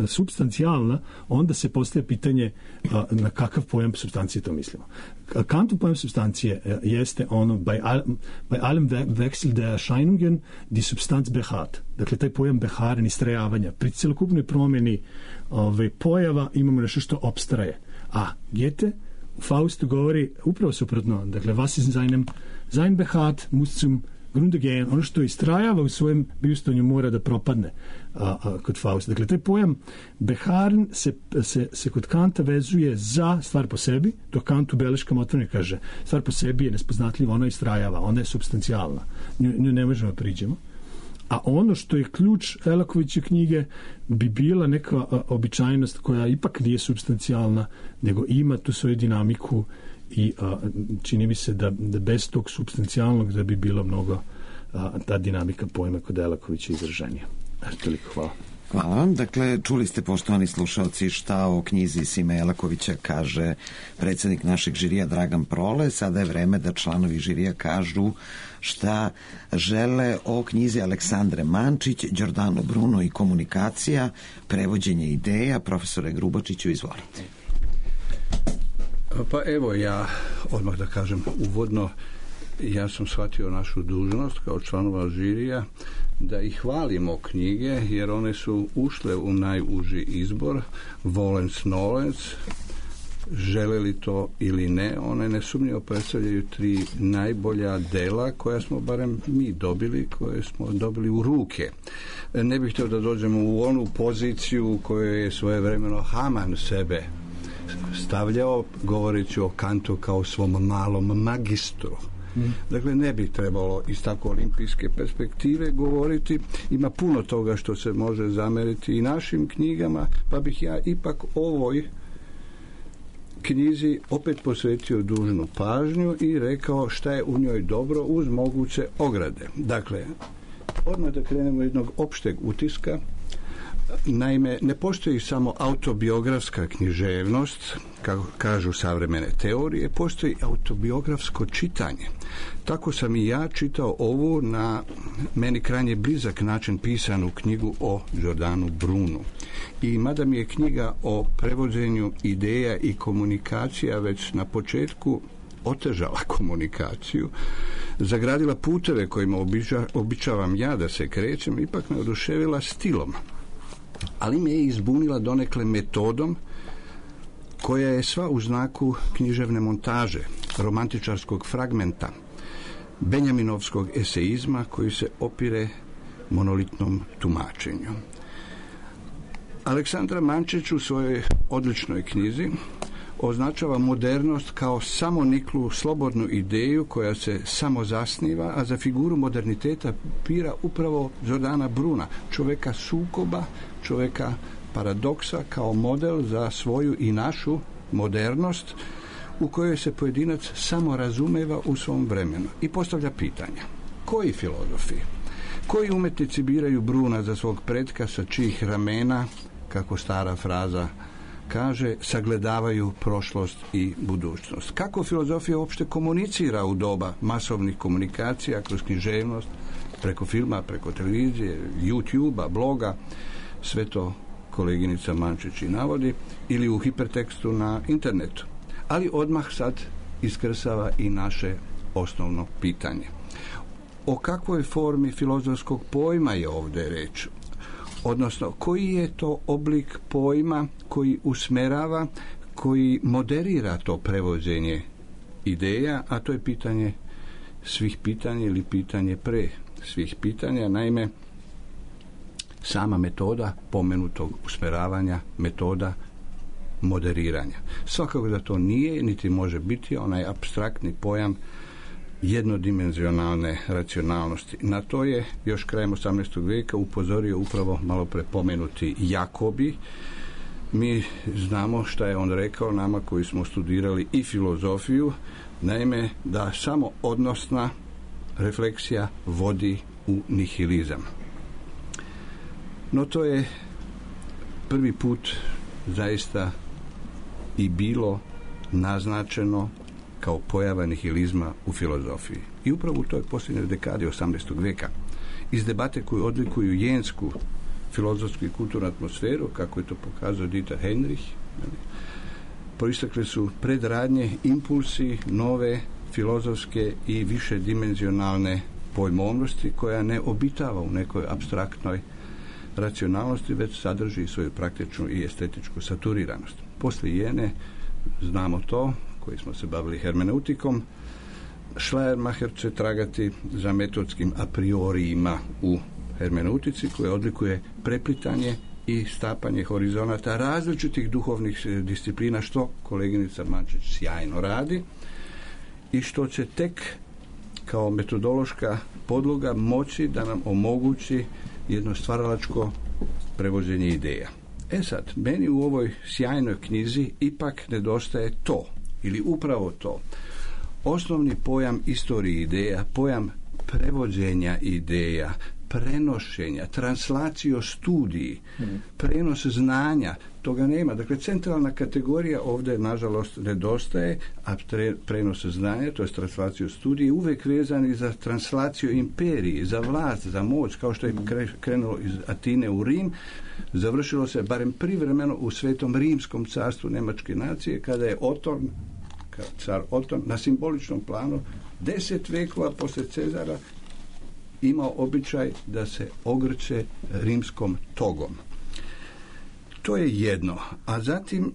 [SPEAKER 2] supstancijalna, onda se postavlja pitanje a, na kakav pojam supstancije to mislimo. Kantov pojam supstancije jeste ono bei, all, bei allem Wechsel der Erscheinungen die Substanz beharrt. Dakle, taj pojam beharen, istrajavanja. Pri celokupnoj promjeni ove, pojava imamo nešto što opstraje. A Goethe u Faustu govori upravo suprotno. Dakle, was ist seinem sein beharrt muss zum Grunde gehen. Ono što istrajava u svojem bivstvanju mora da propadne a, a, kod Fausta. Dakle, taj pojam beharn se, se, se kod Kanta vezuje za stvar po sebi, to Kant u beleškama otvoreno kaže, stvar po sebi je nespoznatljiva, ona istrajava, ona je supstancijalna. Nju, nju ne možemo priđemo. A ono što je ključ Elakoviće knjige bi bila neka a, običajnost koja ipak nije supstancijalna, nego ima tu svoju dinamiku i a, čini mi se da, da bez tog supstancijalnog da bi bilo mnogo a, ta dinamika pojma kod Elakovića izraženija. Toliko, hvala.
[SPEAKER 1] Hvala vam. Dakle, čuli ste, poštovani slušalci, šta o knjizi Sime Elakovića kaže predsjednik našeg žirija Dragan Prole. Sada je vreme da članovi žirija kažu šta žele o knjizi Aleksandre Mančić, Giordano Bruno i komunikacija, prevođenje ideja. Profesore Grubačiću, izvolite.
[SPEAKER 3] Pa evo, ja odmah da kažem uvodno, ja sam shvatio našu dužnost kao članova žirija da ih hvalimo knjige, jer one su ušle u najuži izbor, volens nolens, žele li to ili ne, one nesumnjivo predstavljaju tri najbolja dela koja smo barem mi dobili, koje smo dobili u ruke. Ne bih htio da dođemo u onu poziciju u kojoj je svojevremeno Hamann sebe stavljao, govoreći o Kantu kao svom malom magistru. Mm. Dakle, ne bi trebalo iz tako olimpijske perspektive govoriti. Ima puno toga što se može zameriti i našim knjigama, pa bih ja ipak ovoj knjizi opet posvetio dužnu pažnju i rekao šta je u njoj dobro uz moguće ograde. Dakle, odmah da krenemo jednog opšteg utiska. Naime, ne postoji samo autobiografska književnost, kako kažu savremene teorije, postoji autobiografsko čitanje. Tako sam i ja čitao ovu na meni krajnje blizak način pisanu knjigu o Giordanu Brunu. I mada mi je knjiga o prevođenju ideja i komunikacija već na početku otežala komunikaciju, zagradila puteve kojima običa, običavam ja da se krećem, ipak me oduševila stilom. Ali me je izbunila donekle metodom, koja je sva u znaku književne montaže, romantičarskog fragmenta, benjaminovskog eseizma koji se opire monolitnom tumačenju. Aleksandar Mančić u svojoj odličnoj knjizi označava modernost kao samoniklu slobodnu ideju koja se samo zasniva, a za figuru moderniteta pira upravo Giordana Bruna, čovjeka sukoba, čovjeka paradoksa kao model za svoju i našu modernost u kojoj se pojedinac samo razumeva u svom vremenu i postavlja pitanja. Koji filozofi, koji umetnici biraju Bruna za svog pretka sa čijih ramena, kako stara fraza kaže, sagledavaju prošlost i budućnost? Kako filozofija uopšte komunicira u doba masovnih komunikacija kroz književnost, preko filma, preko televizije, YouTube-a, bloga, sve to koleginica Mančić i navodi, ili u hipertekstu na internetu. Ali odmah sad iskrsava i naše osnovno pitanje. O kakvoj formi filozofskog pojma je ovdje reč? Odnosno, koji je to oblik pojma koji usmerava, koji moderira to prevođenje ideja, a to je pitanje svih pitanja ili pitanje pre svih pitanja. Naime, sama metoda pomenutog usmeravanja, metoda moderiranja. Svakako da to nije, niti može biti onaj apstraktni pojam jednodimenzionalne racionalnosti. Na to je još krajem osamnaestog vijeka upozorio upravo malo pre pomenuti Jacobi. Mi znamo šta je on rekao nama koji smo studirali i filozofiju, naime da samo odnosna refleksija vodi u nihilizam. No to je prvi put zaista i bilo naznačeno kao pojava nihilizma u filozofiji. I upravo u toj posljednjoj dekadi osamnaestog vijeka, iz debate koju odlikuju jensku filozofsku i kulturnu atmosferu, kako je to pokazao Dieter Heinrich, proistekle su predradnje, impulsi nove filozofske i višedimenzionalne pojmovnosti koja ne obitava u nekoj apstraktnoj racionalnosti, već sadrži svoju praktičnu i estetičku saturiranost. Poslije jene, znamo to, koji smo se bavili hermeneutikom, Schleiermacher će tragati za metodskim a priorijima u hermeneutici koje odlikuje preplitanje i stapanje horizonata različitih duhovnih disciplina, što koleginica Mančić sjajno radi i što će tek kao metodološka podloga moći da nam omogući jedno stvaralačko prevođenje ideja. E sad, meni u ovoj sjajnoj knjizi ipak nedostaje to, ili upravo to. Osnovni pojam istorije ideja, pojam prevođenja ideja, prenošenja, translacio studiji, mm. prenos znanja, toga nema. Dakle, centralna kategorija ovdje, nažalost, nedostaje, a tre, prenos znanja, to je translaciju studije, uvijek vezani za translaciju imperije, za vlast, za moć, kao što je krenulo iz Atine u Rim, završilo se barem privremeno u Svetom Rimskom carstvu nemačke nacije, kada je Oton, car Oton, na simboličnom planu, deset vekova poslije Cezara, imao običaj da se ogrče rimskom togom. To je jedno. A zatim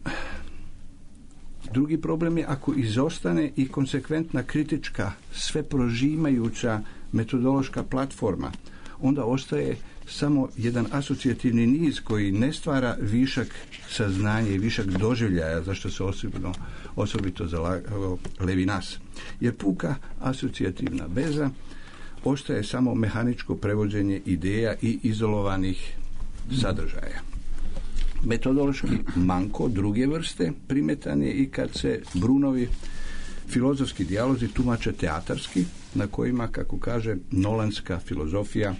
[SPEAKER 3] drugi problem je ako izostane i konsekventna kritička, sve prožimajuća metodološka platforma, onda ostaje samo jedan asocijativni niz koji ne stvara višak saznanja i višak doživljaja, za što se osobito, osobito zalagao Levinas. Jer puka asocijativna veza ostaje samo mehaničko prevođenje ideja i izolovanih sadržaja. Metodološki manko druge vrste primetan je i kad se Brunovi filozofski dijalozi tumače teatarski, na kojima, kako kaže, nolanska filozofija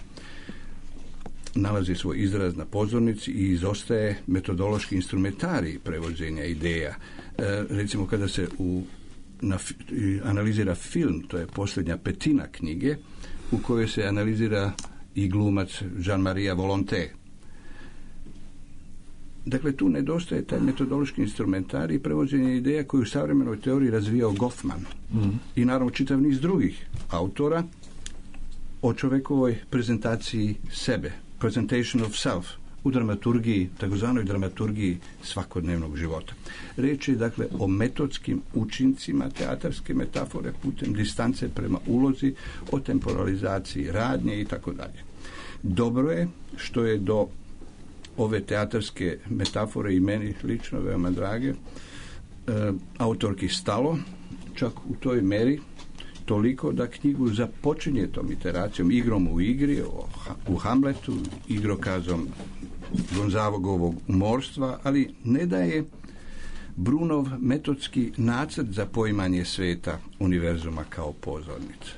[SPEAKER 3] nalazi svoj izraz na pozornici i izostaje metodološki instrumentarij prevođenja ideja. E, recimo kada se u, na, analizira film, to je posljednja petina knjige, u kojoj se analizira i glumac Jean-Marie Volonté. Dakle, tu nedostaje taj metodološki instrumentarij i prevođenje ideja koju u savremenoj teoriji razvijao Goffman mm. i naravno čitav niz drugih autora o čovekovoj prezentaciji sebe, presentation of self, u dramaturgiji, takozvanoj dramaturgiji svakodnevnog života. Riječ je dakle o metodskim učincima teatarske metafore putem distance prema ulozi, o temporalizaciji radnje i tako dalje. Dobro je što je do ove teatarske metafore i meni lično veoma drage e, autorki stalo, čak u toj meri toliko da knjigu započinje tom iteracijom, igrom u igri, u Hamletu, igrokazom Gonzagovog umorstva, ali ne daje Brunov metodski nacrt za poimanje sveta univerzuma kao pozornice.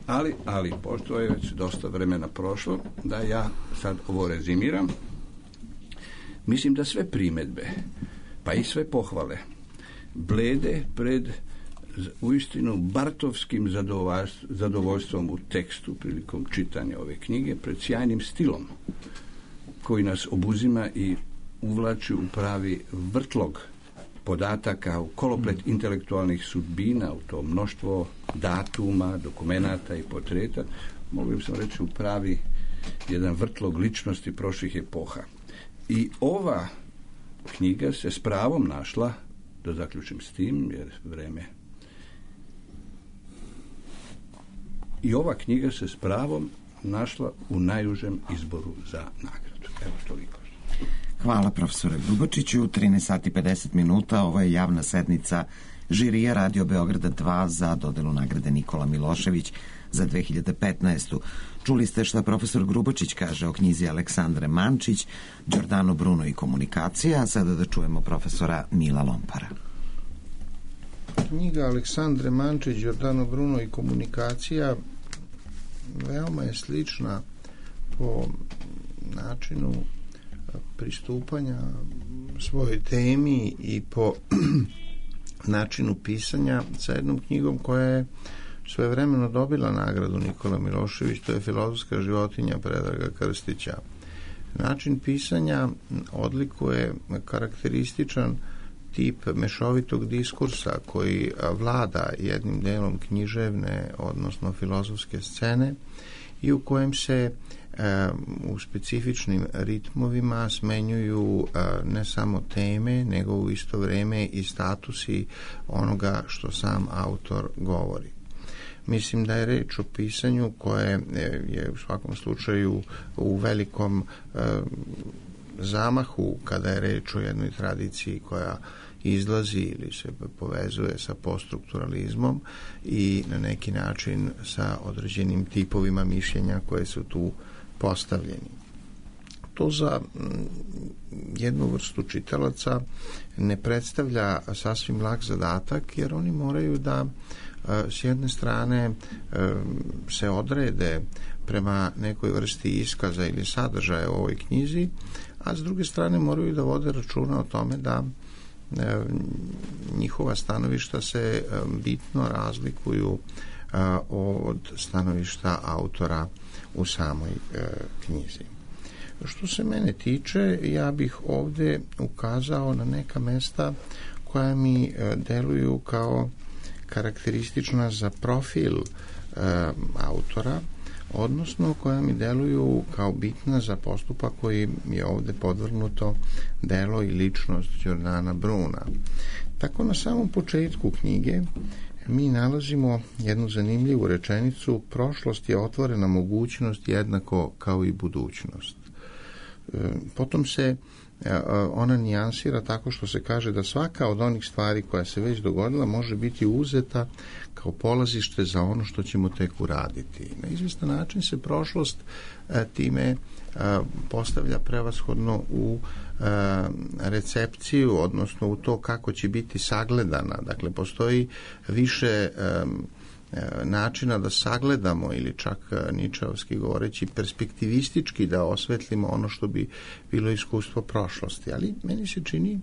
[SPEAKER 3] Ali, ali, pošto je već dosta vremena prošlo, da ja sad ovo rezimiram, mislim da sve primjedbe, pa i sve pohvale, blede pred uistinu bartovskim zadovoljstvom u tekstu prilikom čitanja ove knjige, pred sjajnim stilom koji nas obuzima i uvlači u pravi vrtlog podataka, u koloplet intelektualnih sudbina, u to mnoštvo datuma, dokumenata i portreta, mogli sam reći u pravi jedan vrtlog ličnosti prošlih epoha. I ova knjiga se s pravom našla, da zaključim s tim, jer vreme i ova knjiga se s pravom našla u najužem izboru za nagradu. Evo toliko.
[SPEAKER 1] Hvala profesore Grubačiću. U trinaest sati i pedeset minuta ovo je javna sednica žirija Radio Beograda dva za dodelu nagrade Nikola Milošević za dve hiljade petnaestu. Čuli ste šta profesor Grubačić kaže o knjizi Aleksandre Mančić, Đordano Bruno i komunikacija, a sada da čujemo profesora Mila Lompara.
[SPEAKER 4] Knjiga Aleksandre Mančić, Đordano Bruno i komunikacija veoma je slična po načinu pristupanja svojoj temi i po načinu pisanja sa jednom knjigom koja je svojevremeno dobila nagradu Nikola Milošević, to je Filozofska životinja Predraga Krstića. Način pisanja odlikuje karakterističan tip mešovitog diskursa koji vlada jednim delom književne, odnosno filozofske scene i u kojem se e, u specifičnim ritmovima smenjuju e, ne samo teme, nego u isto vreme i statusi onoga što sam autor govori. Mislim da je reč o pisanju koje je u svakom slučaju u velikom e, zamahu kada je reč o jednoj tradiciji koja izlazi ili se povezuje sa poststrukturalizmom i na neki način sa određenim tipovima mišljenja koje su tu postavljeni. To za jednu vrstu čitalaca ne predstavlja sasvim lak zadatak, jer oni moraju da s jedne strane se odrede prema nekoj vrsti iskaza ili sadržaja u ovoj knjizi, a s druge strane moraju da vode računa o tome da njihova stanovišta se bitno razlikuju od stanovišta autora u samoj knjizi. Što se mene tiče, ja bih ovdje ukazao na neka mesta koja mi deluju kao karakteristična za profil autora, odnosno koja mi deluju kao bitna za postupak koji je ovdje podvrgnuto delo i ličnost Đordana Bruna. Tako na samom početku knjige mi nalazimo jednu zanimljivu rečenicu: prošlost je otvorena mogućnost jednako kao i budućnost. Potom se ona nijansira tako što se kaže da svaka od onih stvari koja se već dogodila može biti uzeta kao polazište za ono što ćemo tek uraditi. Na izvjestan način se prošlost time postavlja prevashodno u recepciju, odnosno u to kako će biti sagledana. Dakle, postoji više načina da sagledamo, ili čak ničeovski govoreći perspektivistički da osvetlimo ono što bi bilo iskustvo prošlosti. Ali meni se čini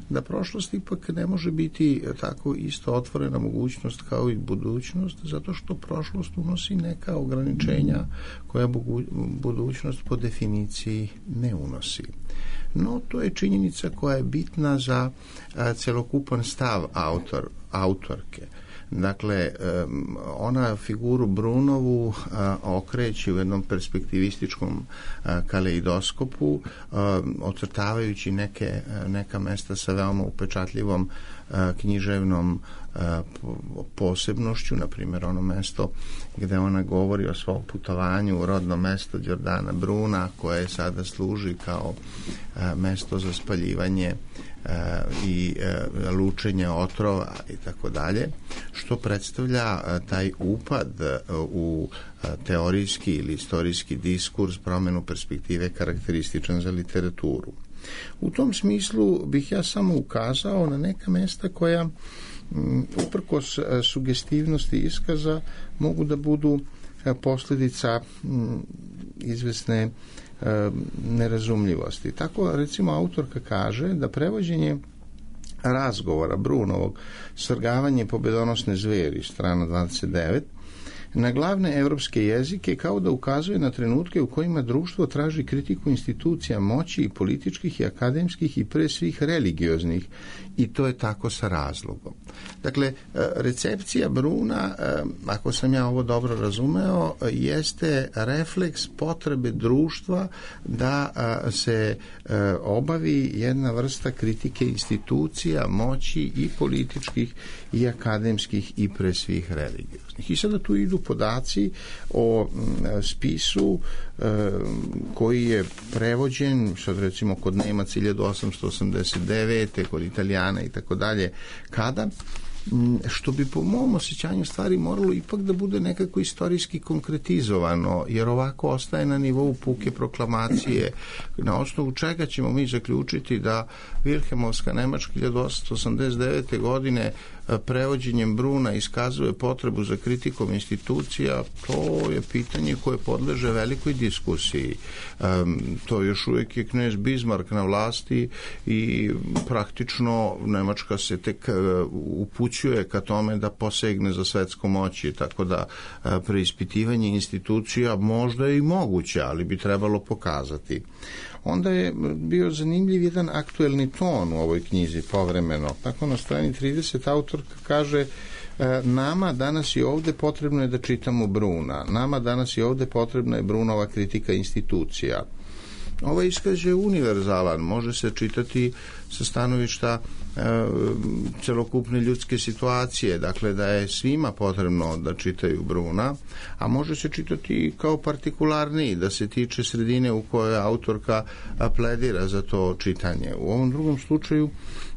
[SPEAKER 4] da prošlost ipak ne može biti tako isto otvorena mogućnost kao i budućnost, zato što prošlost unosi neka ograničenja koja budućnost po definiciji ne unosi. No, to je činjenica koja je bitna za celokupan stav autor, autorke. Dakle, ona figuru Brunovu okreće u jednom perspektivističkom kaleidoskopu, ocrtavajući neke, neka mesta sa veoma upečatljivom književnom posebnošću, na primjer ono mesto gde ona govori o svom putovanju u rodno mesto Đordana Bruna, koje sada služi kao mesto za spaljivanje i lučenje otrova i tako dalje, što predstavlja taj upad u teorijski ili istorijski diskurs, promenu perspektive karakterističan za literaturu. U tom smislu bih ja samo ukazao na neka mesta koja uprkos sugestivnosti iskaza mogu da budu posljedica izvesne nerazumljivosti. Tako, recimo, autorka kaže da prevođenje razgovora Brunovog Svrgavanje pobedonosne zveri, strana dvadeset devet, na glavne evropske jezike kao da ukazuje na trenutke u kojima društvo traži kritiku institucija moći i političkih i akademskih i pre svih religioznih, i to je tako sa razlogom. Dakle, recepcija Bruna, ako sam ja ovo dobro razumeo, jeste refleks potrebe društva da se obavi jedna vrsta kritike institucija moći i političkih i akademskih i pre svih religioznih. I sada tu idu podaci o spisu koji je prevođen, sad recimo kod Nemaca hiljadu osamsto osamdeset devete, kod Italijana i tako dalje, kada, što bi po mom osjećanju stvari moralo ipak da bude nekako istorijski konkretizovano, jer ovako ostaje na nivou puke proklamacije, na osnovu čega ćemo mi zaključiti da Vilhelmovska Nemačka hiljadu osamsto osamdeset devete godine prevođenjem Bruna iskazuje potrebu za kritikom institucija. To je pitanje koje podleže velikoj diskusiji. Um, to još uvijek je knez Bismarck na vlasti i praktično Nemačka se tek uh, upućuje ka tome da posegne za svetskom moći, tako da uh, preispitivanje institucija možda je i moguće, ali bi trebalo pokazati. Onda je bio zanimljiv jedan aktuelni ton u ovoj knjizi povremeno. Tako na strani trideset autorka kaže: nama danas i ovde potrebno je da čitamo Bruna. Nama danas i ovde potrebna je Brunova kritika institucija. Ovaj iskaz je univerzalan, može se čitati sa stanovišta e, celokupne ljudske situacije, dakle da je svima potrebno da čitaju Bruna, a može se čitati kao partikularniji, da se tiče sredine u kojoj autorka pledira za to čitanje. U ovom drugom slučaju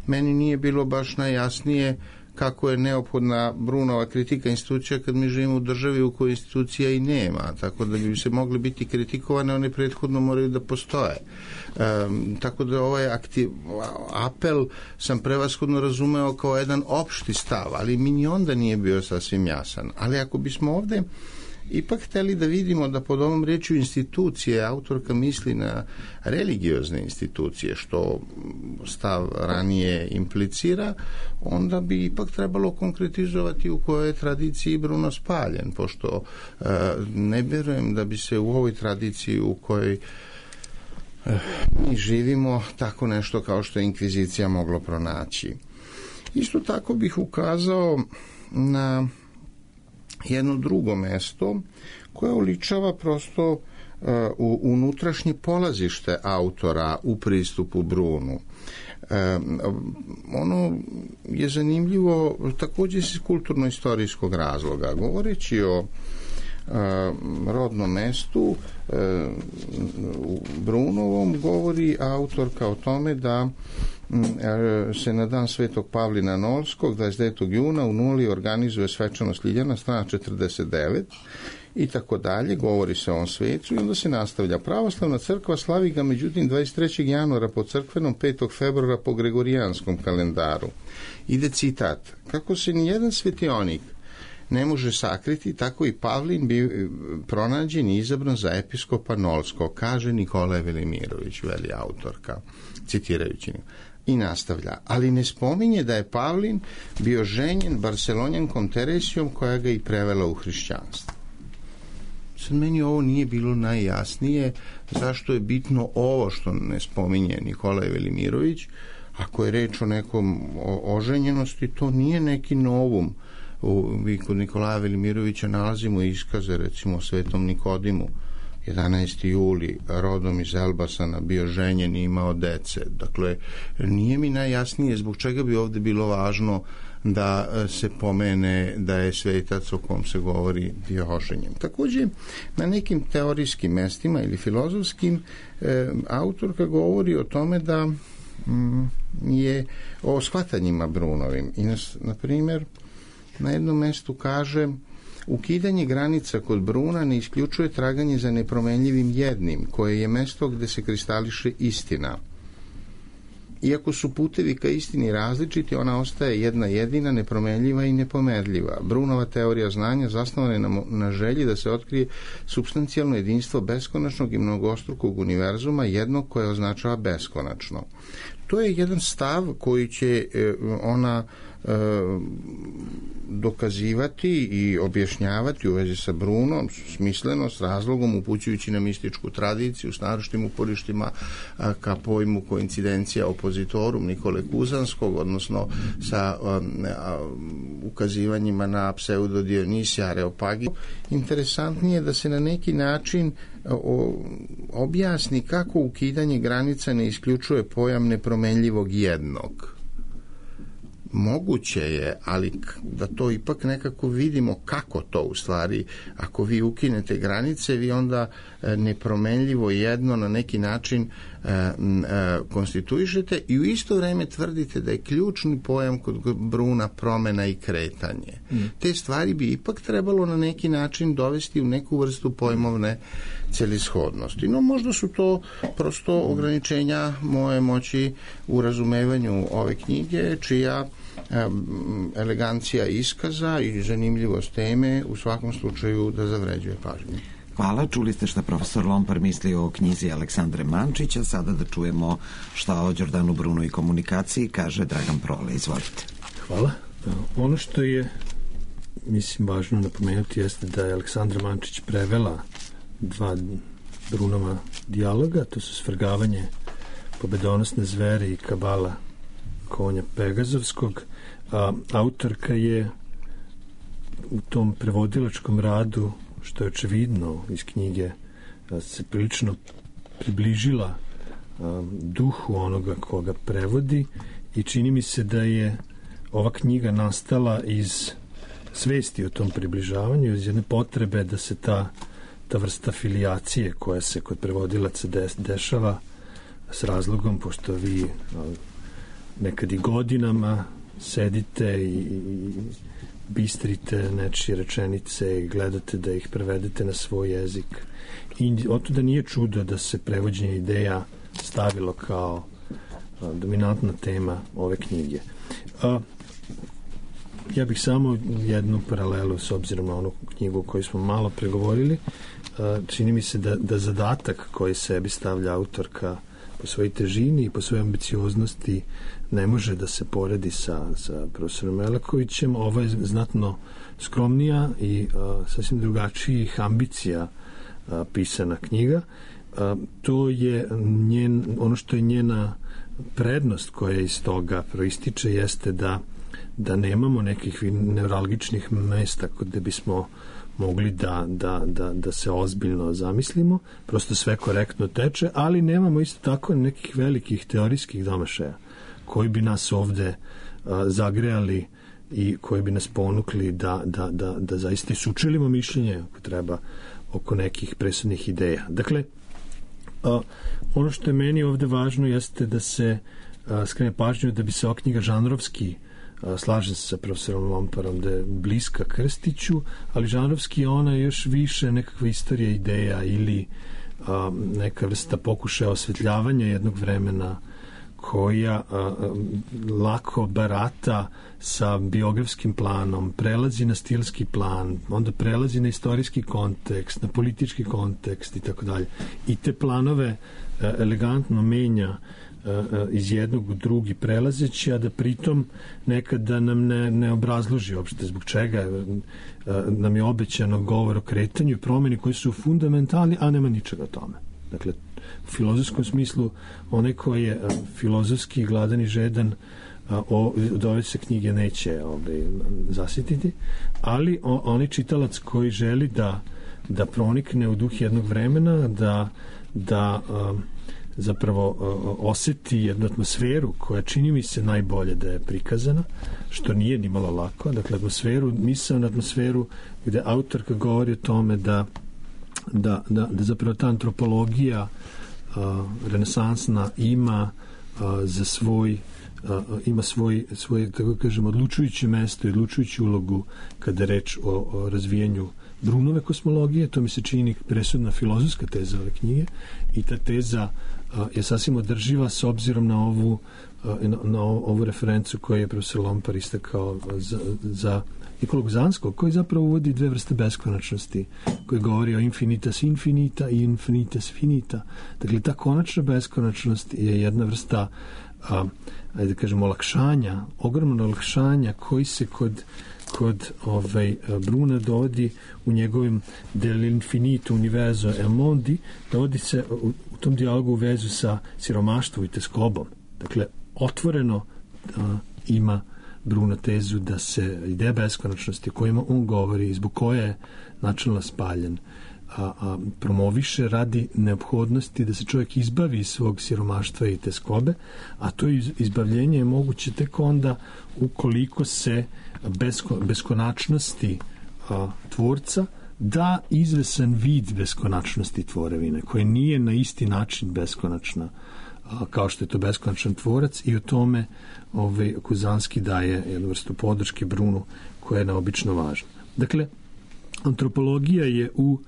[SPEAKER 4] meni nije bilo baš najjasnije kako je neophodna Brunova kritika institucija kad mi živimo u državi u kojoj institucija i nema, tako da bi se mogli biti kritikovane, one prethodno moraju da postoje. E, tako da ovaj aktiv, apel sam prevashodno razumeo kao jedan opšti stav, ali mi ni onda nije bio sasvim jasan. Ali ako bismo ovde ipak hteli da vidimo da pod ovom riječju institucije autorka misli na religiozne institucije, što stav ranije implicira, onda bi ipak trebalo konkretizovati u kojoj je tradiciji Bruno spaljen, pošto e, ne vjerujem da bi se u ovoj tradiciji u kojoj e, mi živimo tako nešto kao što je inkvizicija moglo pronaći. Isto tako bih ukazao na jedno drugo mesto koje uličava prosto uh, u unutrašnje polazište autora u pristupu Brunu. Um, ono je zanimljivo također iz kulturno-istorijskog razloga. Govoreći o uh, rodnom mestu uh, u Brunovom, govori autorka o tome da se na dan Svetog Pavlina Nolskog dvadeset devetog juna u Nuli organizuje svečanost Ljiljana, strana četrdeset devet, i tako dalje, govori se o ovom svecu i onda se nastavlja. Pravoslavna crkva slavi ga međutim dvadeset trećeg januara po crkvenom, petog februara po gregorijanskom kalendaru. Ide citat: kako se nijedan svetionik ne može sakriti, tako i Pavlin bi pronađen i izabran za episkopa Nolskog, kaže Nikolaj Velimirović, veli autorka, citirajući. I nastavlja, ali ne spominje da je Pavlin bio ženjen Barcelonjankom Teresijom, koja ga i prevela u hrišćanstvo. Sad meni ovo nije bilo najjasnije, zašto je bitno ovo što ne spominje Nikolaj Velimirović. Ako je reč o nekom oženjenosti, to nije neki novum u, mi kod Nikolaja Velimirovića nalazimo iskaze recimo o Svetom Nikodimu, jedanaesti juli, rodom iz Elbasana, bio ženjen i imao dece. Dakle, nije mi najjasnije zbog čega bi ovde bilo važno da se pomene da je svetac o kom se govori bio oženjen. Takođe, na nekim teorijskim mestima ili filozofskim e, autorka govori o tome da mm, je o shvatanjima Brunovim. I nas, na primjer, na jednom mestu kaže: ukidanje granica kod Bruna ne isključuje traganje za nepromenljivim jednim, koje je mesto gde se kristališe istina. Iako su putevi ka istini različiti, ona ostaje jedna jedina, nepromenljiva i nepomerljiva. Brunova teorija znanja zasnovana je na, na želji da se otkrije supstancijalno jedinstvo beskonačnog i mnogostrukog univerzuma, jednog koje označava beskonačno. To je jedan stav koji će e, ona e, dokazivati i objašnjavati u vezi sa Brunom, smisleno, s razlogom, upućujući na mističku tradiciju, s naročitim uporištima a, ka pojmu koincidencija opozitorum Nikole Kuzanskog, odnosno sa a, a, ukazivanjima na pseudo Dionisija Areopagiju. Interesantnije je da se na neki način o, objasni kako ukidanje granica ne isključuje pojam nepromenljivog jednog. Moguće je, ali da to ipak nekako vidimo kako to u stvari, ako vi ukinete granice, vi onda nepromenljivo jedno na neki način e, e, konstituišete i u isto vreme tvrdite da je ključni pojam kod Bruna promena i kretanje. Mm. Te stvari bi ipak trebalo na neki način dovesti u neku vrstu pojmovne celishodnosti. No, možda su to prosto ograničenja moje moći u razumevanju ove knjige, čija elegancija iskaza i zanimljivost teme u svakom slučaju da zavređuje pažnju.
[SPEAKER 1] Hvala, čuli ste šta profesor Lompar misli o knjizi Aleksandre Mančića. Sada da čujemo šta o Đordanu Brunu i komunikaciji kaže Dragan Prole. Izvolite.
[SPEAKER 2] Hvala. Ono što je, mislim, važno napomenuti jeste da je Aleksandra Mančić prevela dva Brunova dijaloga, to su Svrgavanje pobedonosne zvere i Kabala konja Pegazovskog. A, autorka je u tom prevodilačkom radu, što je očevidno iz knjige, a, se prilično približila a, duhu onoga koga prevodi i čini mi se da je ova knjiga nastala iz svesti o tom približavanju, iz jedne potrebe da se ta, ta vrsta filijacije koja se kod prevodilaca de, dešava s razlogom, pošto vi a, nekad i godinama sedite i, i bistrite nečije rečenice i gledate da ih prevedete na svoj jezik. I otuda nije čudo da se prevođenje ideja stavilo kao a, dominantna tema ove knjige. A, ja bih samo jednu paralelu s obzirom na onu knjigu o kojoj smo malo pregovorili. A, čini mi se da, da zadatak koji sebi stavlja autorka po svojoj težini i po svojoj ambicioznosti ne može da se poredi sa, sa profesorom Melakovićem. Ova je znatno skromnija i a, sasvim drugačijih ambicija a, pisana knjiga. A, to je njen, ono što je njena prednost koja iz toga proističe jeste da, da nemamo nekih neuralgičnih mesta gde bismo mogli da, da, da, da se ozbiljno zamislimo, prosto sve korektno teče, ali nemamo isto tako nekih velikih teorijskih domašaja koji bi nas ovde a, zagrejali i koji bi nas ponukli da, da, da, da zaista sučelimo mišljenje ako treba oko nekih presudnih ideja. Dakle, a, ono što je meni ovde važno jeste da se a, skrene pažnju da bi se ova knjiga žanrovski, slažem se sa profesorom Lomparom da je bliska Krstiću, ali žanrovski ona je još više nekakva istorija ideja ili a, neka vrsta pokušaja osvetljavanja jednog vremena koja a, a, lako barata sa biografskim planom, prelazi na stilski plan, onda prelazi na istorijski kontekst, na politički kontekst i tako dalje. I te planove a, elegantno menja iz jednog u drugi prelazeći, a da pritom nekada nam ne, ne obrazloži uopšte zbog čega nam je obećano govor o kretanju i promeni koji su fundamentalni, a nema ničega o tome. Dakle, u filozofskom smislu onaj koji je filozofski gladan i žedan o, od ove se knjige neće ovaj, zasititi, ali on, on je čitalac koji želi da, da pronikne u duh jednog vremena, da, da um, zapravo uh, oseti jednu atmosferu koja čini mi se najbolje da je prikazana, što nije ni malo lako. Dakle, atmosferu, misaonu atmosferu gde autorka govori o tome da, da, da, da zapravo ta antropologija uh, renesansna ima uh, za svoj Uh, ima svoj, svoj, tako kažem, odlučujuće mesto i odlučujuću ulogu kada je reč o, o razvijenju Brunove kosmologije. To mi se čini presudna filozofska teza ove knjige i ta teza uh, je sasvim održiva s obzirom na ovu, uh, na, na ovu referencu koju je profesor Lompar istakao za, za Nikolu Gzanskog, koji zapravo uvodi dve vrste beskonačnosti, koji govori o infinitas infinita i infinitas finita. Dakle, ta konačna beskonačnost je jedna vrsta a, ajde da kažemo, olakšanja, ogromno olakšanja koji se kod, kod ovaj, Bruna dovodi u njegovim del infinito universo el mondi, dovodi se u, u tom dijalogu u vezu sa siromaštvom i teskobom. Dakle, otvoreno a, ima Bruna tezu da se ideja beskonačnosti o kojima on govori i zbog koje je načelno spaljen A, a promoviše radi neophodnosti da se čovjek izbavi iz svog siromaštva i teskobe, a to izbavljenje je moguće tek onda ukoliko se besko, beskonačnosti a, tvorca da izvesan vid beskonačnosti tvorevine, koja nije na isti način beskonačna a, kao što je to beskonačan tvorac, i o tome ovaj, Kuzanski daje jednu vrstu podrške Brunu koja je neobično važna. Dakle, antropologija je u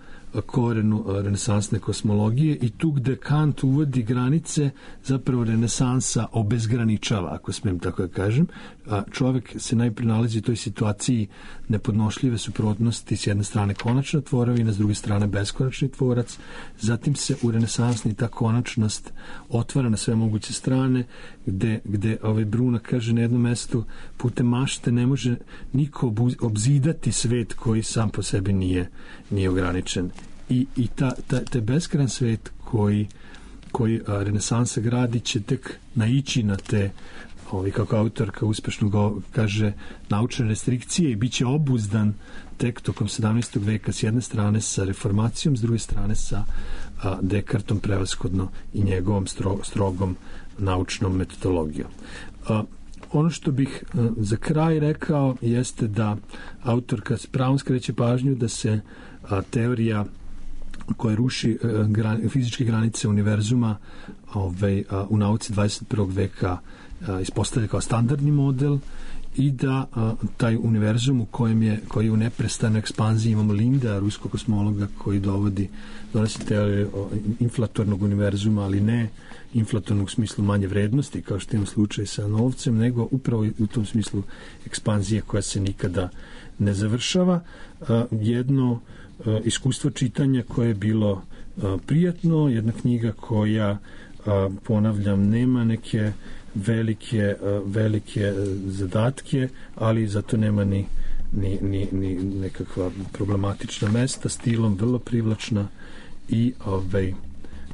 [SPEAKER 2] korenu renesansne kosmologije i tu gde Kant uvodi granice, zapravo renesansa obezgraničava, ako smijem tako da kažem. A čovjek se najprije nalazi u toj situaciji nepodnošljive suprotnosti, s jedne strane konačna tvorevina, s druge strane beskonačni tvorac. Zatim se u renesansni ta konačnost otvara na sve moguće strane, gde, gde ovaj Bruna kaže na jednom mestu, putem mašte ne može niko obzidati svet koji sam po sebi nije, nije ograničen. I, i ta, ta, ta beskrajan svet koji, koji a, renesansa gradi će tek naići na te, ovaj, kako autorka uspešno go, kaže, naučne restrikcije i bit će obuzdan tek tokom sedamnaestog veka, s jedne strane sa reformacijom, s druge strane sa a, Descartom prevashodno i njegovom stro, strogom naučnom metodologijom. A, ono što bih a, za kraj rekao jeste da autorka s pravom skreće pažnju da se a, teorija koja ruši a, gran, fizičke granice univerzuma ovaj, a, u nauci dvadeset prvog veka a, ispostavlja kao standardni model i da a, taj univerzum u kojem je, koji je u neprestanoj ekspanziji, imamo Linda, ruskog kosmologa, koji dovodi donosi teoriju inflatornog univerzuma, ali ne inflatornog u smislu manje vrednosti, kao što imamo slučaj sa novcem, nego upravo u tom smislu ekspanzije koja se nikada ne završava. A, jedno a, iskustvo čitanja koje je bilo a, prijatno, jedna knjiga koja, a, ponavljam, nema neke velike, velike zadatke, ali zato nema ni, ni, ni, ni nekakva problematična mesta, stilom vrlo privlačna i ovaj,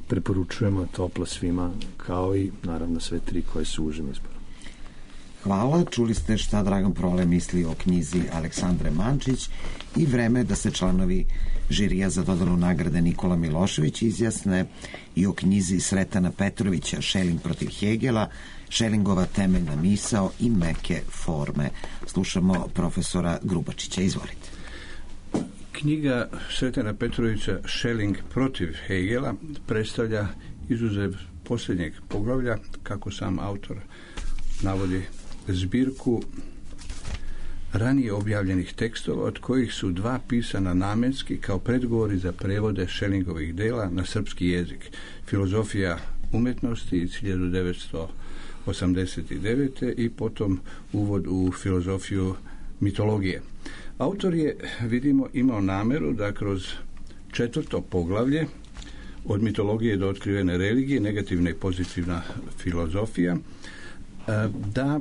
[SPEAKER 2] preporučujemo toplo svima, kao i naravno sve tri koje su u užem izboru.
[SPEAKER 1] Hvala, čuli ste šta Dragan Prole misli o knjizi Aleksandre Mančić i vreme da se članovi žirija za dodelu nagrade Nikola Milošević izjasne i o knjizi Sretana Petrovića Schelling protiv Hegela, Schellingova temeljna misao i meke forme. Slušamo profesora Grubačića, izvolite.
[SPEAKER 3] Knjiga Sretana Petrovića Schelling protiv Hegela predstavlja izuzev posljednjeg poglavlja, kako sam autor navodi, zbirku ranije objavljenih tekstova, od kojih su dva pisana namenski kao predgovori za prevode Schellingovih dela na srpski jezik. Filozofija umetnosti iz hiljadu devetsto osamdeset devete i potom uvod u filozofiju mitologije. Autor je, vidimo, imao nameru da kroz četvrto poglavlje od mitologije do otkrivene religije, negativna i pozitivna filozofija, da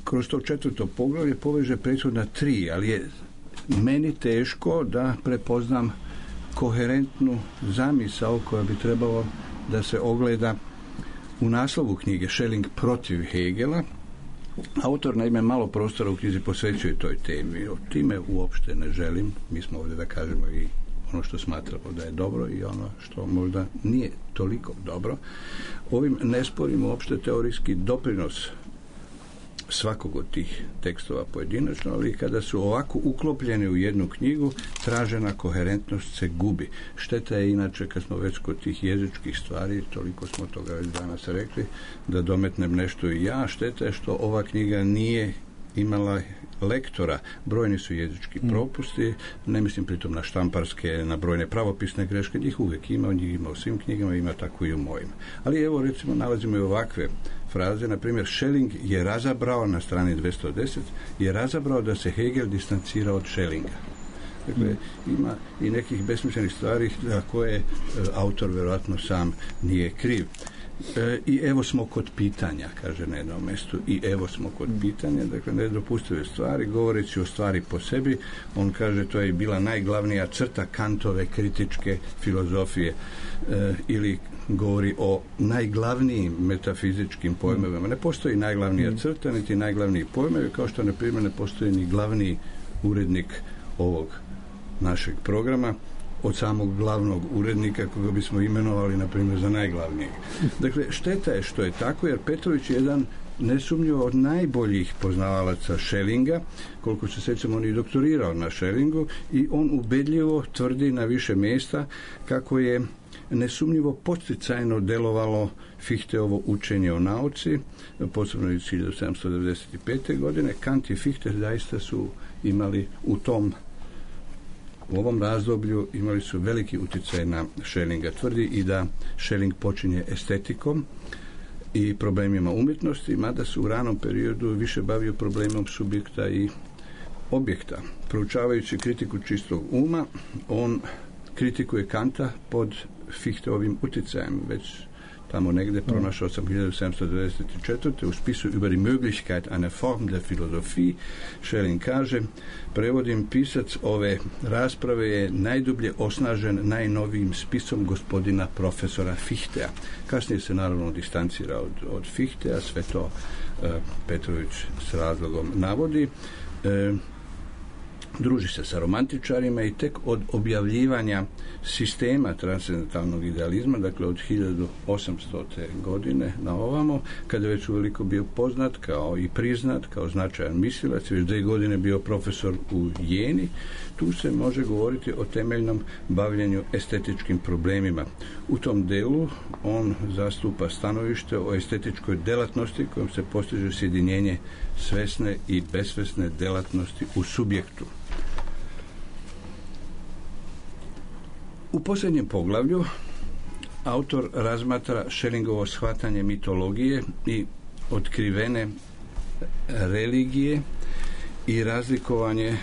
[SPEAKER 3] kroz to četvrto poglavlje poveže prethodna tri, ali je meni teško da prepoznam koherentnu zamisao koja bi trebalo da se ogleda u naslovu knjige Schelling protiv Hegela, Autor naime malo prostora u knjizi posvećuje toj temi. O time uopšte ne želim. Mi smo ovdje da kažemo i ono što smatramo da je dobro i ono što možda nije toliko dobro. Ovim ne sporimo uopšte teorijski doprinos svakog od tih tekstova pojedinačno, ali kada su ovako uklopljeni u jednu knjigu, tražena koherentnost se gubi. Šteta je inače, kad smo već kod tih jezičkih stvari, toliko smo toga već danas rekli, da dometnem nešto i ja, šteta je što ova knjiga nije imala lektora. Brojni su jezički propusti, ne mislim pritom na štamparske, na brojne pravopisne greške, njih uvijek ima, njih ima u svim knjigama, ima tako i u mojim. Ali evo, recimo, nalazimo i ovakve fraze, na primjer, Schelling je razabrao, na strani dvjesto deset, je razabrao da se Hegel distancira od Schellinga. Dakle, ima i nekih besmislenih stvari za koje e, autor vjerojatno sam nije kriv. E, I evo smo kod pitanja, kaže na jednom mjestu, i evo smo kod pitanja, dakle nedopustive stvari, govoreći o stvari po sebi, on kaže to je bila najglavnija crta Kantove kritičke filozofije, e, ili govori o najglavnijim metafizičkim pojmovima. Ne postoji najglavnija crta, niti najglavniji pojmovi, kao što, na primjer, ne postoji ni glavni urednik ovog našeg programa od samog glavnog urednika koga bismo imenovali, na primjer, za najglavnijeg. Dakle, šteta je što je tako, jer Petrović je jedan nesumnjivo od najboljih poznavalaca Schellinga, koliko se sjećam, on i doktorirao na Schellingu, i on ubedljivo tvrdi na više mjesta kako je nesumnjivo podsticajno delovalo Fichteovo učenje o nauci, posebno iz hiljadu sedamsto devedeset pete. godine. Kant i Fichte zaista su imali u tom u ovom razdoblju imali su veliki utjecaj na Schellinga. Tvrdi i da Schelling počinje estetikom i problemima umjetnosti, mada se u ranom periodu više bavio problemom subjekta i objekta. Proučavajući kritiku čistog uma, on kritikuje Kanta pod Fichteovim utjecajem. Već tamo negdje pronašao sam hiljadu sedamsto devedeset četvrte. u spisu Über die Möglichkeit einer Form der Philosophie Schelling kaže, prevodim, pisac ove rasprave je najdublje osnažen najnovijim spisom gospodina profesora Fichtea. Kasnije se naravno distancira od, od Fichtea, sve to uh, Petrović s razlogom navodi. Uh, druži se sa romantičarima i tek od objavljivanja sistema transcendentalnog idealizma, dakle od hiljadu osamstote. godine na ovamo, kada već uveliko bio poznat kao i priznat kao značajan mislilac, već dvije godine bio profesor u Jeni, tu se može govoriti o temeljnom bavljenju estetičkim problemima. U tom delu on zastupa stanovište o estetičkoj delatnosti kojom se postiže sjedinjenje svesne i besvesne delatnosti u subjektu. U posljednjem poglavlju autor razmatra Schellingovo shvatanje mitologije i otkrivene religije i razlikovanje,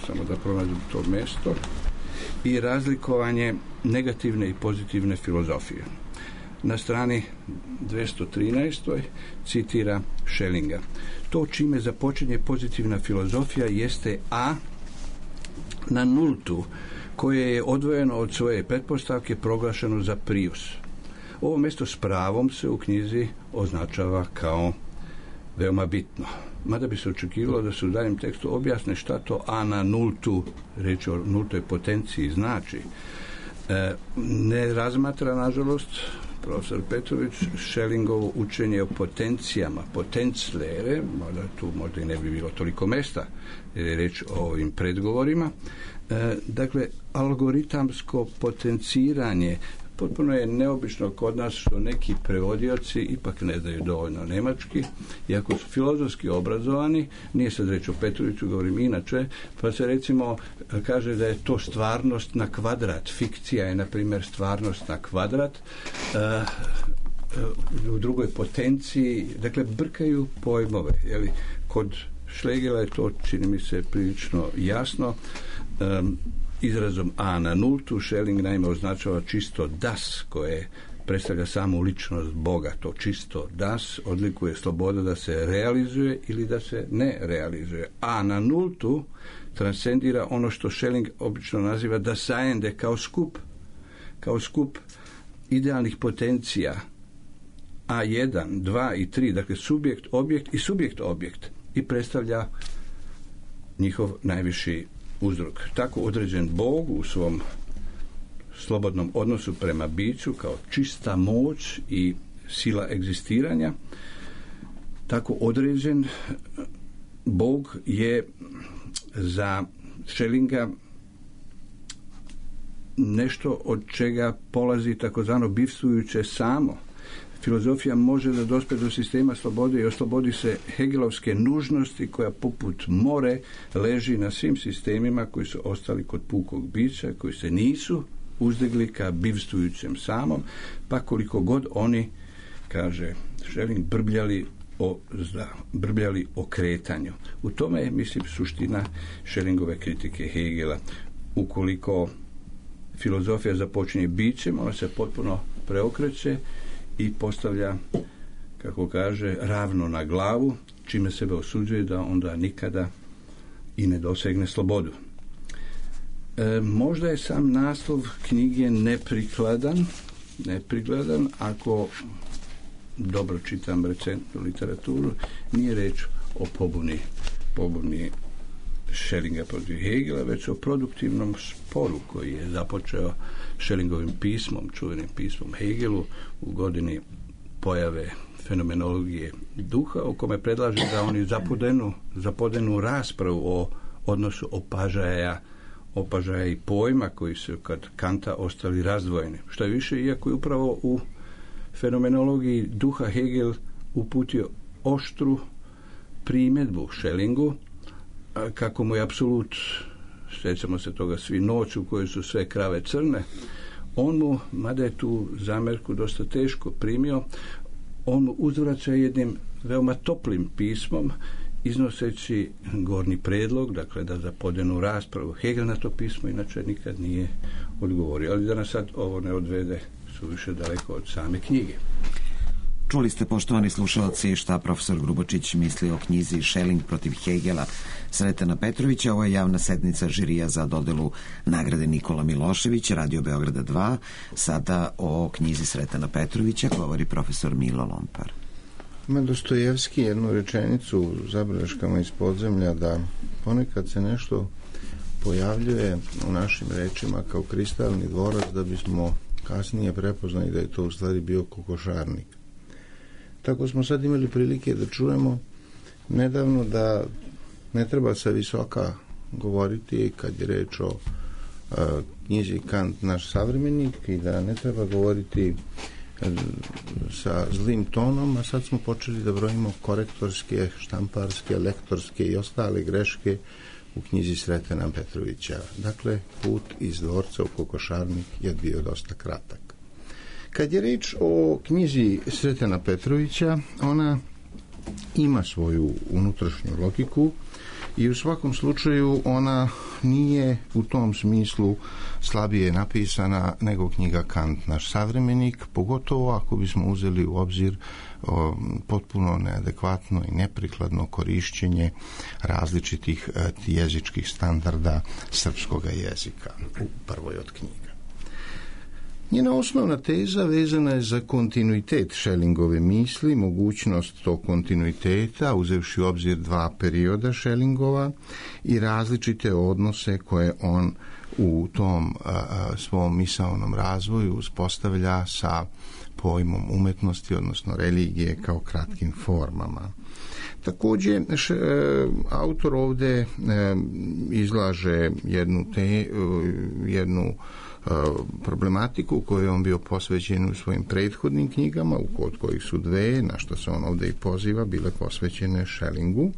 [SPEAKER 3] samo da pronađem to mjesto, i razlikovanje negativne i pozitivne filozofije. Na strani dvjesto trinaest. citira Schellinga. To čime započinje pozitivna filozofija jeste A na nultu, koje je odvojeno od svoje pretpostavke proglašeno za prius. Ovo mjesto s pravom se u knjizi označava kao veoma bitno. Mada bi se očekivalo da se u daljem tekstu objasne šta to A na nultu, reč o nultoj potenciji, znači. E, ne razmatra, nažalost, profesor Petrović Schellingovo učenje o potencijama, potenclere, možda tu možda i ne bi bilo toliko mjesta, jer je reč o ovim predgovorima. E, dakle, algoritamsko potenciranje potpuno je neobično kod nas što neki prevodioci ipak ne znaju dovoljno nemački, iako su filozofski obrazovani, nije sad reč o Petroviću, govorim inače, pa se recimo kaže da je to stvarnost na kvadrat. Fikcija je, na primjer, stvarnost na kvadrat. E, u drugoj potenciji, dakle, brkaju pojmove. Jeli, kod Schlegela je to, čini mi se, prilično jasno. Um, izrazom A na nultu Schelling naime označava čisto das, koje predstavlja samu ličnost Boga. To čisto das odlikuje sloboda da se realizuje ili da se ne realizuje. A na nultu transcendira ono što Schelling obično naziva das Seiende, kao skup, kao skup idealnih potencija, A jedan, dva i tri, dakle subjekt, objekt i subjekt, objekt, i predstavlja njihov najviši uzrok. Tako određen Bog u svom slobodnom odnosu prema biću kao čista moć i sila egzistiranja, tako određen Bog je za Schellinga nešto od čega polazi takozvano bivstvujuće samo. Filozofija može da dospe do sistema slobode i oslobodi se hegelovske nužnosti koja poput more leži na svim sistemima koji su ostali kod pukog bića, koji se nisu uzdegli ka bivstvujućem samom, pa koliko god oni, kaže Schelling, brbljali o, brbljali o kretanju. U tome je, mislim, suština Schellingove kritike Hegela. Ukoliko filozofija započinje bićem, ona se potpuno preokreće i postavlja, kako kaže, ravno na glavu, čime sebe osuđuje da onda nikada i ne dosegne slobodu. E, možda je sam naslov knjige neprikladan, neprikladan ako dobro čitam recentnu literaturu, nije reč o pobuni, pobuni Schellinga protiv Hegela, već o produktivnom sporu koji je započeo Schellingovim pismom, čuvenim pismom Hegelu u godini pojave fenomenologije duha, o kome predlaže da oni zapodenu, zapodenu raspravu o odnosu opažaja, opažaja i pojma koji su kod Kanta ostali razdvojeni. Što je više, iako je upravo u fenomenologiji duha Hegel uputio oštru primjedbu Schellingu, kako mu je apsolut, sjećamo se toga svi, noć u kojoj su sve krave crne, on mu, mada je tu zamerku dosta teško primio, on mu uzvraća jednim veoma toplim pismom, iznoseći gornji predlog, dakle da zapodenu raspravu. Hegel na to pismo inače nikad nije odgovorio, ali da nas sad ovo ne odvede suviše daleko od same knjige.
[SPEAKER 1] Čuli ste, poštovani slušalci, šta profesor Grubočić misli o knjizi Schelling protiv Hegela Sretena Petrovića. Ovo je javna sednica žirija za dodelu nagrade Nikola Milošević, Radio Beograda dva. Sada o knjizi Sretena Petrovića govori profesor Milo Lompar.
[SPEAKER 4] Ima Dostojevski jednu rečenicu u Zabrlješkama iz podzemlja, da ponekad se nešto pojavljuje u našim rečima kao kristalni dvorac, da bismo kasnije prepoznali da je to u stvari bio kokošarnik. Tako smo sad imali prilike da čujemo nedavno da ne treba sa visoka govoriti kad je reč o uh, knjizi Kant naš savremenik i da ne treba govoriti uh, sa zlim tonom, a sad smo počeli da brojimo korektorske, štamparske, lektorske i ostale greške u knjizi Sretena Petrovića. Dakle, put iz dvorca u kokošarnik je bio dosta kratak. Kad je reč o knjizi Sretena Petrovića, ona ima svoju unutrašnju logiku i u svakom slučaju ona nije u tom smislu slabije napisana nego knjiga Kant naš savremenik, pogotovo ako bismo uzeli u obzir o, potpuno neadekvatno i neprikladno korišćenje različitih et, jezičkih standarda srpskog jezika u prvoj od knjiga. Njena osnovna teza vezana je za kontinuitet Schellingove misli, mogućnost tog kontinuiteta, uzevši u obzir dva perioda Schellingova i različite odnose koje on u tom a, svom misaonom razvoju uspostavlja sa pojmom umetnosti, odnosno religije kao kratkim formama. Također, š, e, autor ovdje e, izlaže jednu, te, jednu problematiku koju je on bio posvećen u svojim prethodnim knjigama, od kojih su dve, na što se on ovdje i poziva, bile posvećene Schellingu.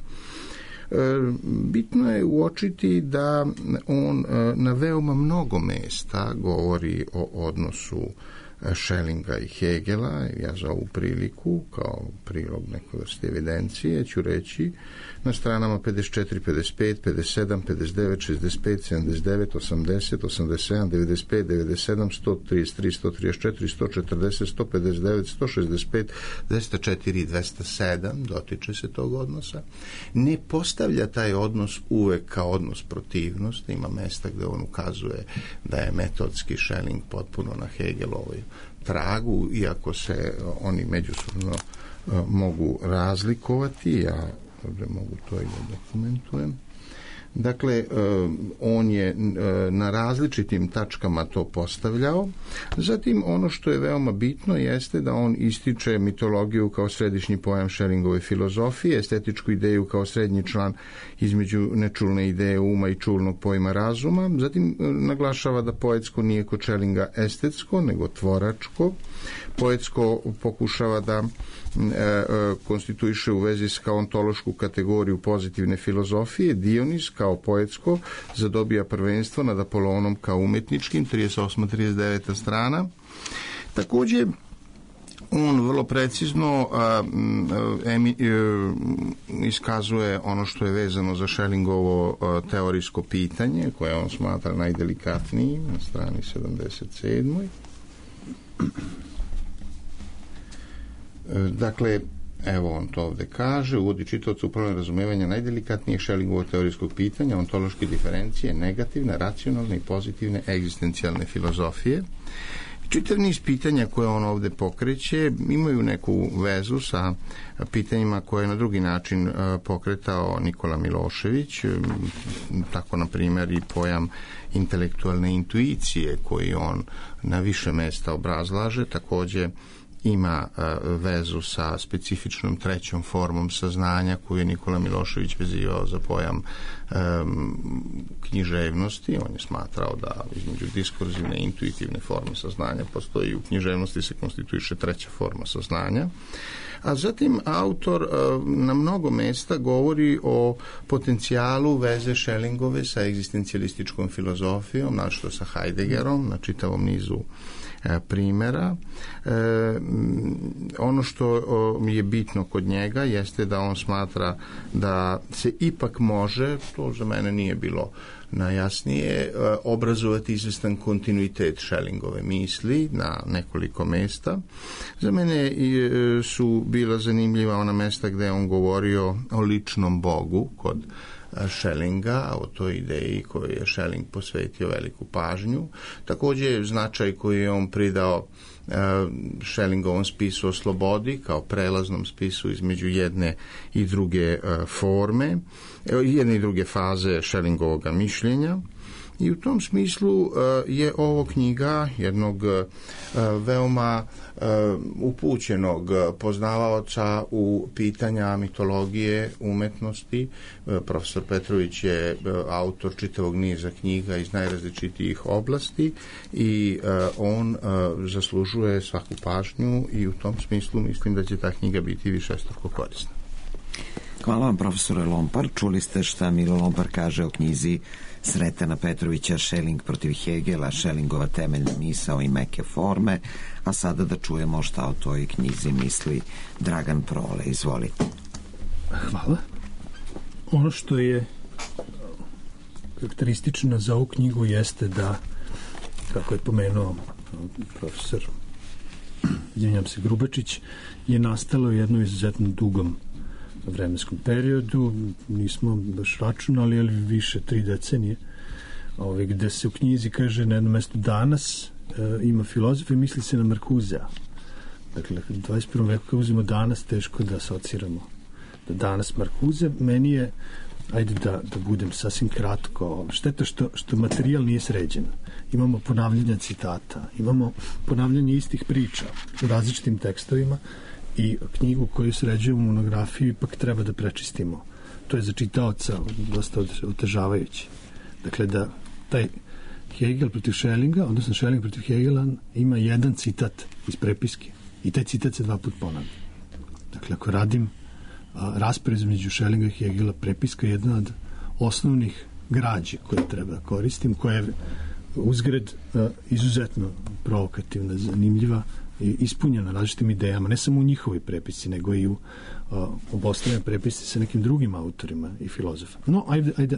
[SPEAKER 4] Bitno je uočiti da on na veoma mnogo mesta govori o odnosu Schellinga i Hegela. Ja za ovu priliku, kao prilog neke vrste evidencije, ću reći na stranama pedeset četiri, pedeset pet, pedeset sedam, pedeset devet, šezdeset pet, sedamdeset devet, osamdeset, osamdeset sedam, devedeset pet, devedeset sedam, sto trideset tri, sto trideset četiri, sto četrdeset, sto pedeset devet, sto šezdeset pet, dvesta četiri i dvesta sedam, dotiče se tog odnosa. Ne postavlja taj odnos uvek kao odnos protivnosti, ima mesta gde on ukazuje da je metodski Schelling potpuno na Hegelovoj tragu, iako se oni međusobno mogu razlikovati. Ja dobro mogu to i da dokumentujem. Dakle, on je na različitim tačkama to postavljao. Zatim, ono što je veoma bitno jeste da on ističe mitologiju kao središnji pojam Schellingove filozofije, estetičku ideju kao srednji član između nečulne ideje uma i čulnog pojma razuma. Zatim, naglašava da poetsko nije kod Schellinga estetsko, nego tvoračko. Poetsko pokušava da konstituiše u vezi s kao ontološku kategoriju pozitivne filozofije. Dionis kao poetsko zadobija prvenstvo nad Apolonom kao umetničkim, trideset osma trideset deveta strana. Također on vrlo precizno a, emi, a, iskazuje ono što je vezano za Schellingovo a, teorijsko pitanje, koje on smatra najdelikatnijim, na strani sedamdeset sedmoj. Dakle, evo on to ovdje kaže, uvodi čitaoca u problem razumevanja najdelikatnijeg Schellingovog teorijskog pitanja, ontološke diferencije, negativne, racionalne i pozitivne egzistencijalne filozofije. Čitav niz pitanja koje on ovdje pokreće imaju neku vezu sa pitanjima koje je na drugi način pokretao Nikola Milošević, tako na primjer i pojam intelektualne intuicije koji on na više mesta obrazlaže, također ima vezu sa specifičnom trećom formom saznanja koju je Nikola Milošević vezivao za pojam um, književnosti. On je smatrao da između diskurzivne i intuitivne forme saznanja postoji, u književnosti se konstituiše treća forma saznanja. A zatim autor uh, na mnogo mesta govori o potencijalu veze Schellingove sa egzistencijalističkom filozofijom, našto sa Heideggerom, na čitavom nizu primjera. E, ono što je bitno kod njega jeste da on smatra da se ipak može, to za mene nije bilo najjasnije, obrazovati izvestan kontinuitet Schellingove misli na nekoliko mesta. Za mene su bila zanimljiva ona mesta gdje on govorio o ličnom Bogu kod Schellinga, o toj ideji koju je Schelling posvetio veliku pažnju. Također značaj koji je on pridao uh, Schellingovom spisu o slobodi kao prelaznom spisu između jedne i druge uh, forme, jedne i druge faze Schellingovog mišljenja. I u tom smislu uh, je ovo knjiga jednog uh, veoma uh, upućenog poznavaoca u pitanja mitologije, umetnosti. Uh, profesor Petrović je uh, autor čitavog niza knjiga iz najrazličitijih oblasti i uh, on uh, zaslužuje svaku pažnju i u tom smislu mislim da će ta knjiga biti višestruko korisna.
[SPEAKER 1] Hvala vam, profesore Lompar. Čuli ste šta Milo Lompar kaže o knjizi Sretena Petrovića Schelling protiv Hegela, Schellingova temeljna misao i meke forme, a sada da čujemo šta o toj knjizi misli Dragan Prole. Izvolite.
[SPEAKER 2] Hvala. Ono što je karakteristično za ovu knjigu jeste da, kako je pomenuo profesor izvinjam se Grubačić, je nastalo u jednom izuzetno dugom vremenskom periodu, nismo baš računali, ali više tri decenije, ove, gde se u knjizi kaže na jednom mestu danas e, ima filozofa i misli se na Markuzea. Dakle, u dvadeset prvom veku kad uzimo danas, teško da asociramo da danas Markuze. Meni je, ajde da, da budem sasvim kratko, šteta što, što materijal nije sređen. Imamo ponavljanja citata, imamo ponavljanje istih priča u različitim tekstovima, i knjigu koju sređujemo u monografiji ipak treba da prečistimo. To je za čitaoca dosta otežavajući. Dakle, da taj Hegel protiv Schellinga, odnosno Schelling protiv Hegela, ima jedan citat iz prepiske i taj citat se dva put ponavlja. Dakle, ako radim raspored između Schellinga i Hegela, prepiska je jedna od osnovnih građe koje treba koristim, koja je uzgred a, izuzetno provokativna, zanimljiva i ispunjena različitim idejama, ne samo u njihovoj prepisci, nego i u a, obostrane prepisci sa nekim drugim autorima i filozofima. No, ajde, ajde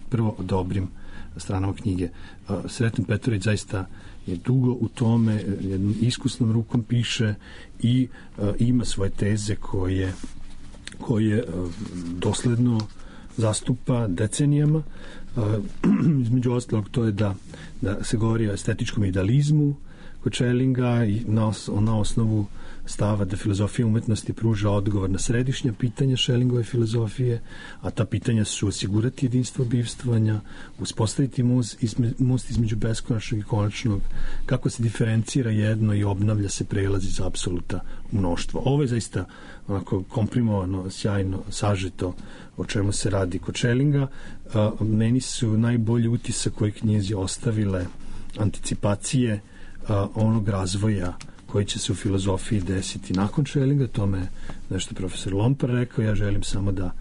[SPEAKER 2] prvo o dobrim stranama knjige. A, Sreten Petrović zaista je dugo u tome, jednom iskusnom rukom piše i a, ima svoje teze koje koje a, dosledno zastupa decenijama. Uh, između ostalog to je da, da se govori o estetičkom idealizmu, kod Schellinga i na, na osnovu stava da filozofija umetnosti pruža odgovor na središnja pitanja Schellingove filozofije, a ta pitanja su osigurati jedinstvo bivstvovanja, uspostaviti most, izme, most između beskonačnog i konačnog, kako se diferencira jedno i obnavlja se prelaz iz apsoluta u mnoštvo. Ovo je zaista onako komprimovano, sjajno, sažeto o čemu se radi kod Schellinga. A, meni su najbolji utisak koje knjizi ostavile anticipacije a, onog razvoja koji će se u filozofiji desiti nakon Schellinga. To me nešto profesor Lompar rekao, ja želim samo da,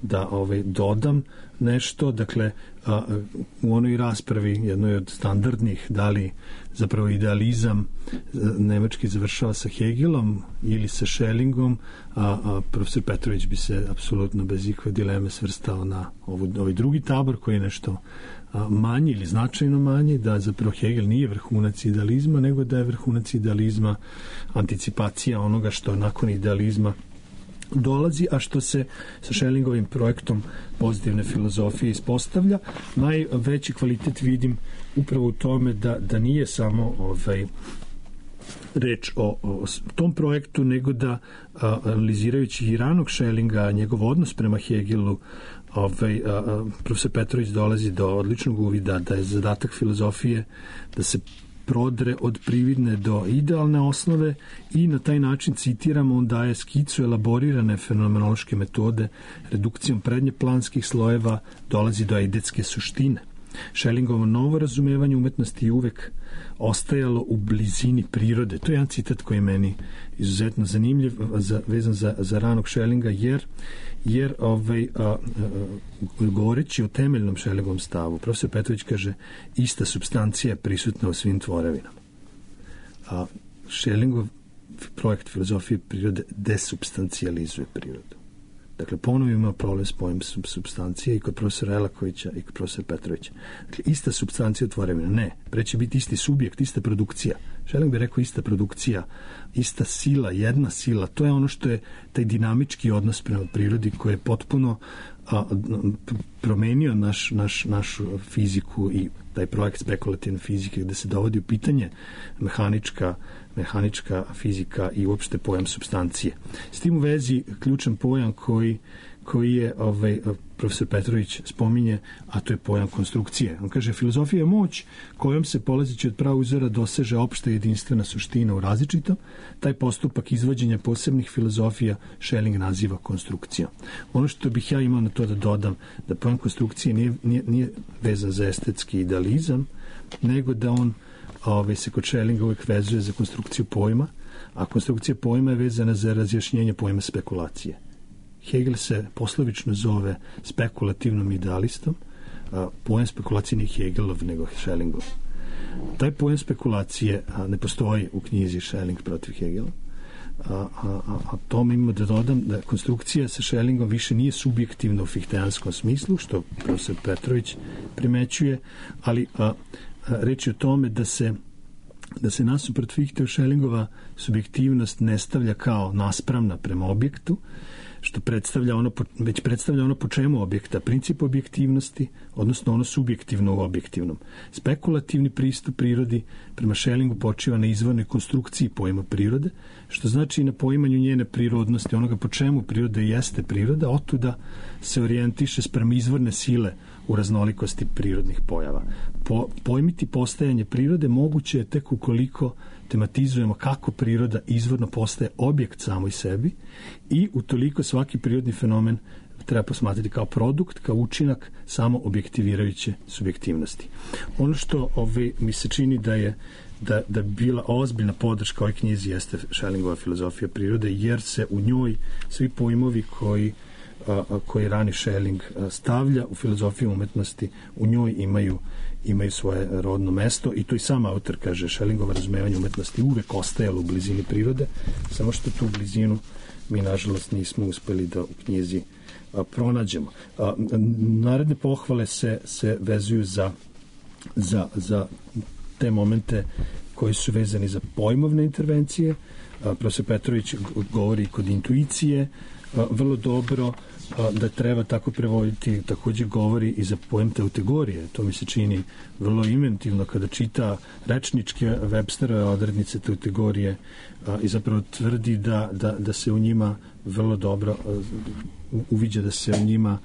[SPEAKER 2] da ovaj, dodam nešto. Dakle, a, u onoj raspravi, jednoj od standardnih, da li zapravo idealizam nemački završava sa Hegelom ili sa Schellingom, a, a profesor Petrović bi se apsolutno bez ikakve dileme svrstao na ovu, ovaj drugi tabor koji je nešto manji ili značajno manji, da zapravo Hegel nije vrhunac idealizma, nego da je vrhunac idealizma anticipacija onoga što nakon idealizma dolazi, a što se sa Schellingovim projektom pozitivne filozofije ispostavlja. Najveći kvalitet vidim upravo u tome da, da nije samo ovaj, reč o, o tom projektu, nego da a, analizirajući i ranog Schellinga, njegov odnos prema Hegelu, ovaj, a, a, profesor Petrović dolazi do odličnog uvida da je zadatak filozofije da se prodre od prividne do idealne osnove i na taj način, citiramo, on daje skicu elaborirane fenomenološke metode, redukcijom prednjeplanskih slojeva dolazi do eidetske suštine. Schellingovo novo razumevanje umetnosti je uvek ostajalo u blizini prirode. To je jedan citat koji je meni izuzetno zanimljiv, za, vezan za, za ranog Schellinga, jer, jer ovaj, a, a, govoreći o temeljnom Schellingovom stavu, profesor Petrović kaže, ista supstancija je prisutna u svim tvorevinama. A Schellingov projekt filozofije prirode desubstancijalizuje prirodu. Dakle, ponovno ima problem s pojem substancije i kod profesora Elakovića i kod profesora Petrovića. Dakle, ista substancija u tvorevina. Ne, preće biti isti subjekt, ista produkcija. Schelling bi rekao ista produkcija, ista sila, jedna sila. To je ono što je taj dinamički odnos prema prirodi koji je potpuno a, promenio naš, naš, našu fiziku i taj projekt spekulativne fizike gde se dovodi u pitanje mehanička mehanička fizika i uopšte pojam supstancije. S tim u vezi ključan pojam koji, koji je ovaj, profesor Petrović spominje, a to je pojam konstrukcije. On kaže, filozofija je moć kojom se polazeći od prava uzora doseže opšta jedinstvena suština u različitom. Taj postupak izvođenja posebnih filozofija Schelling naziva konstrukcijom. Ono što bih ja imao na to da dodam, da pojam konstrukcije nije, nije, nije vezan za estetski idealizam, nego da on Ove, se kod Schellinga uvijek vezuje za konstrukciju pojma, a konstrukcija pojma je vezana za razjašnjenje pojma spekulacije. Hegel se poslovično zove spekulativnom idealistom, a pojam spekulacije nije Hegelov, nego Schellingov. Taj pojam spekulacije a, ne postoji u knjizi Schelling protiv Hegela, a, a, a tome imamo da dodam da konstrukcija sa Schellingom više nije subjektivna u fihteanskom smislu, što profesor Petrović primećuje, ali a, reč je o tome da se da se nasuprot Fichte Schellingova subjektivnost ne stavlja kao naspravna prema objektu, što predstavlja ono, već predstavlja ono po čemu objekta, princip objektivnosti, odnosno ono subjektivno u objektivnom. Spekulativni pristup prirodi prema Schellingu počiva na izvornoj konstrukciji pojma prirode, što znači i na poimanju njene prirodnosti, onoga po čemu priroda jeste priroda, otuda se orijentiše sprem izvorne sile u raznolikosti prirodnih pojava. Po, pojmiti postajanje prirode moguće je tek ukoliko tematizujemo kako priroda izvorno postaje objekt samoj sebi i utoliko svaki prirodni fenomen treba posmatrati kao produkt, kao učinak samo objektivirajuće subjektivnosti. Ono što ovaj, mi se čini da je da, da bila ozbiljna podrška ovoj knjizi jeste Schellingova filozofija prirode, jer se u njoj svi pojmovi koji a, a, koji rani Schelling a, stavlja u filozofiju umetnosti, u njoj imaju imaju svoje rodno mesto i to i sam autor kaže, Schellingova razumevanje umetnosti uvek ostajalo u blizini prirode, samo što tu blizinu mi nažalost nismo uspeli da u knjizi a, pronađemo. A, naredne pohvale se, se vezuju za, za, za te momente koji su vezani za pojmovne intervencije. A, profesor Petrović govori kod intuicije a, vrlo dobro, da treba tako prevoditi, takođe govori i za pojem teutegorije. To mi se čini vrlo inventivno kada čita rečničke Websterove odrednice teutegorije i zapravo tvrdi da, da, da se u njima vrlo dobro uviđa da se u njima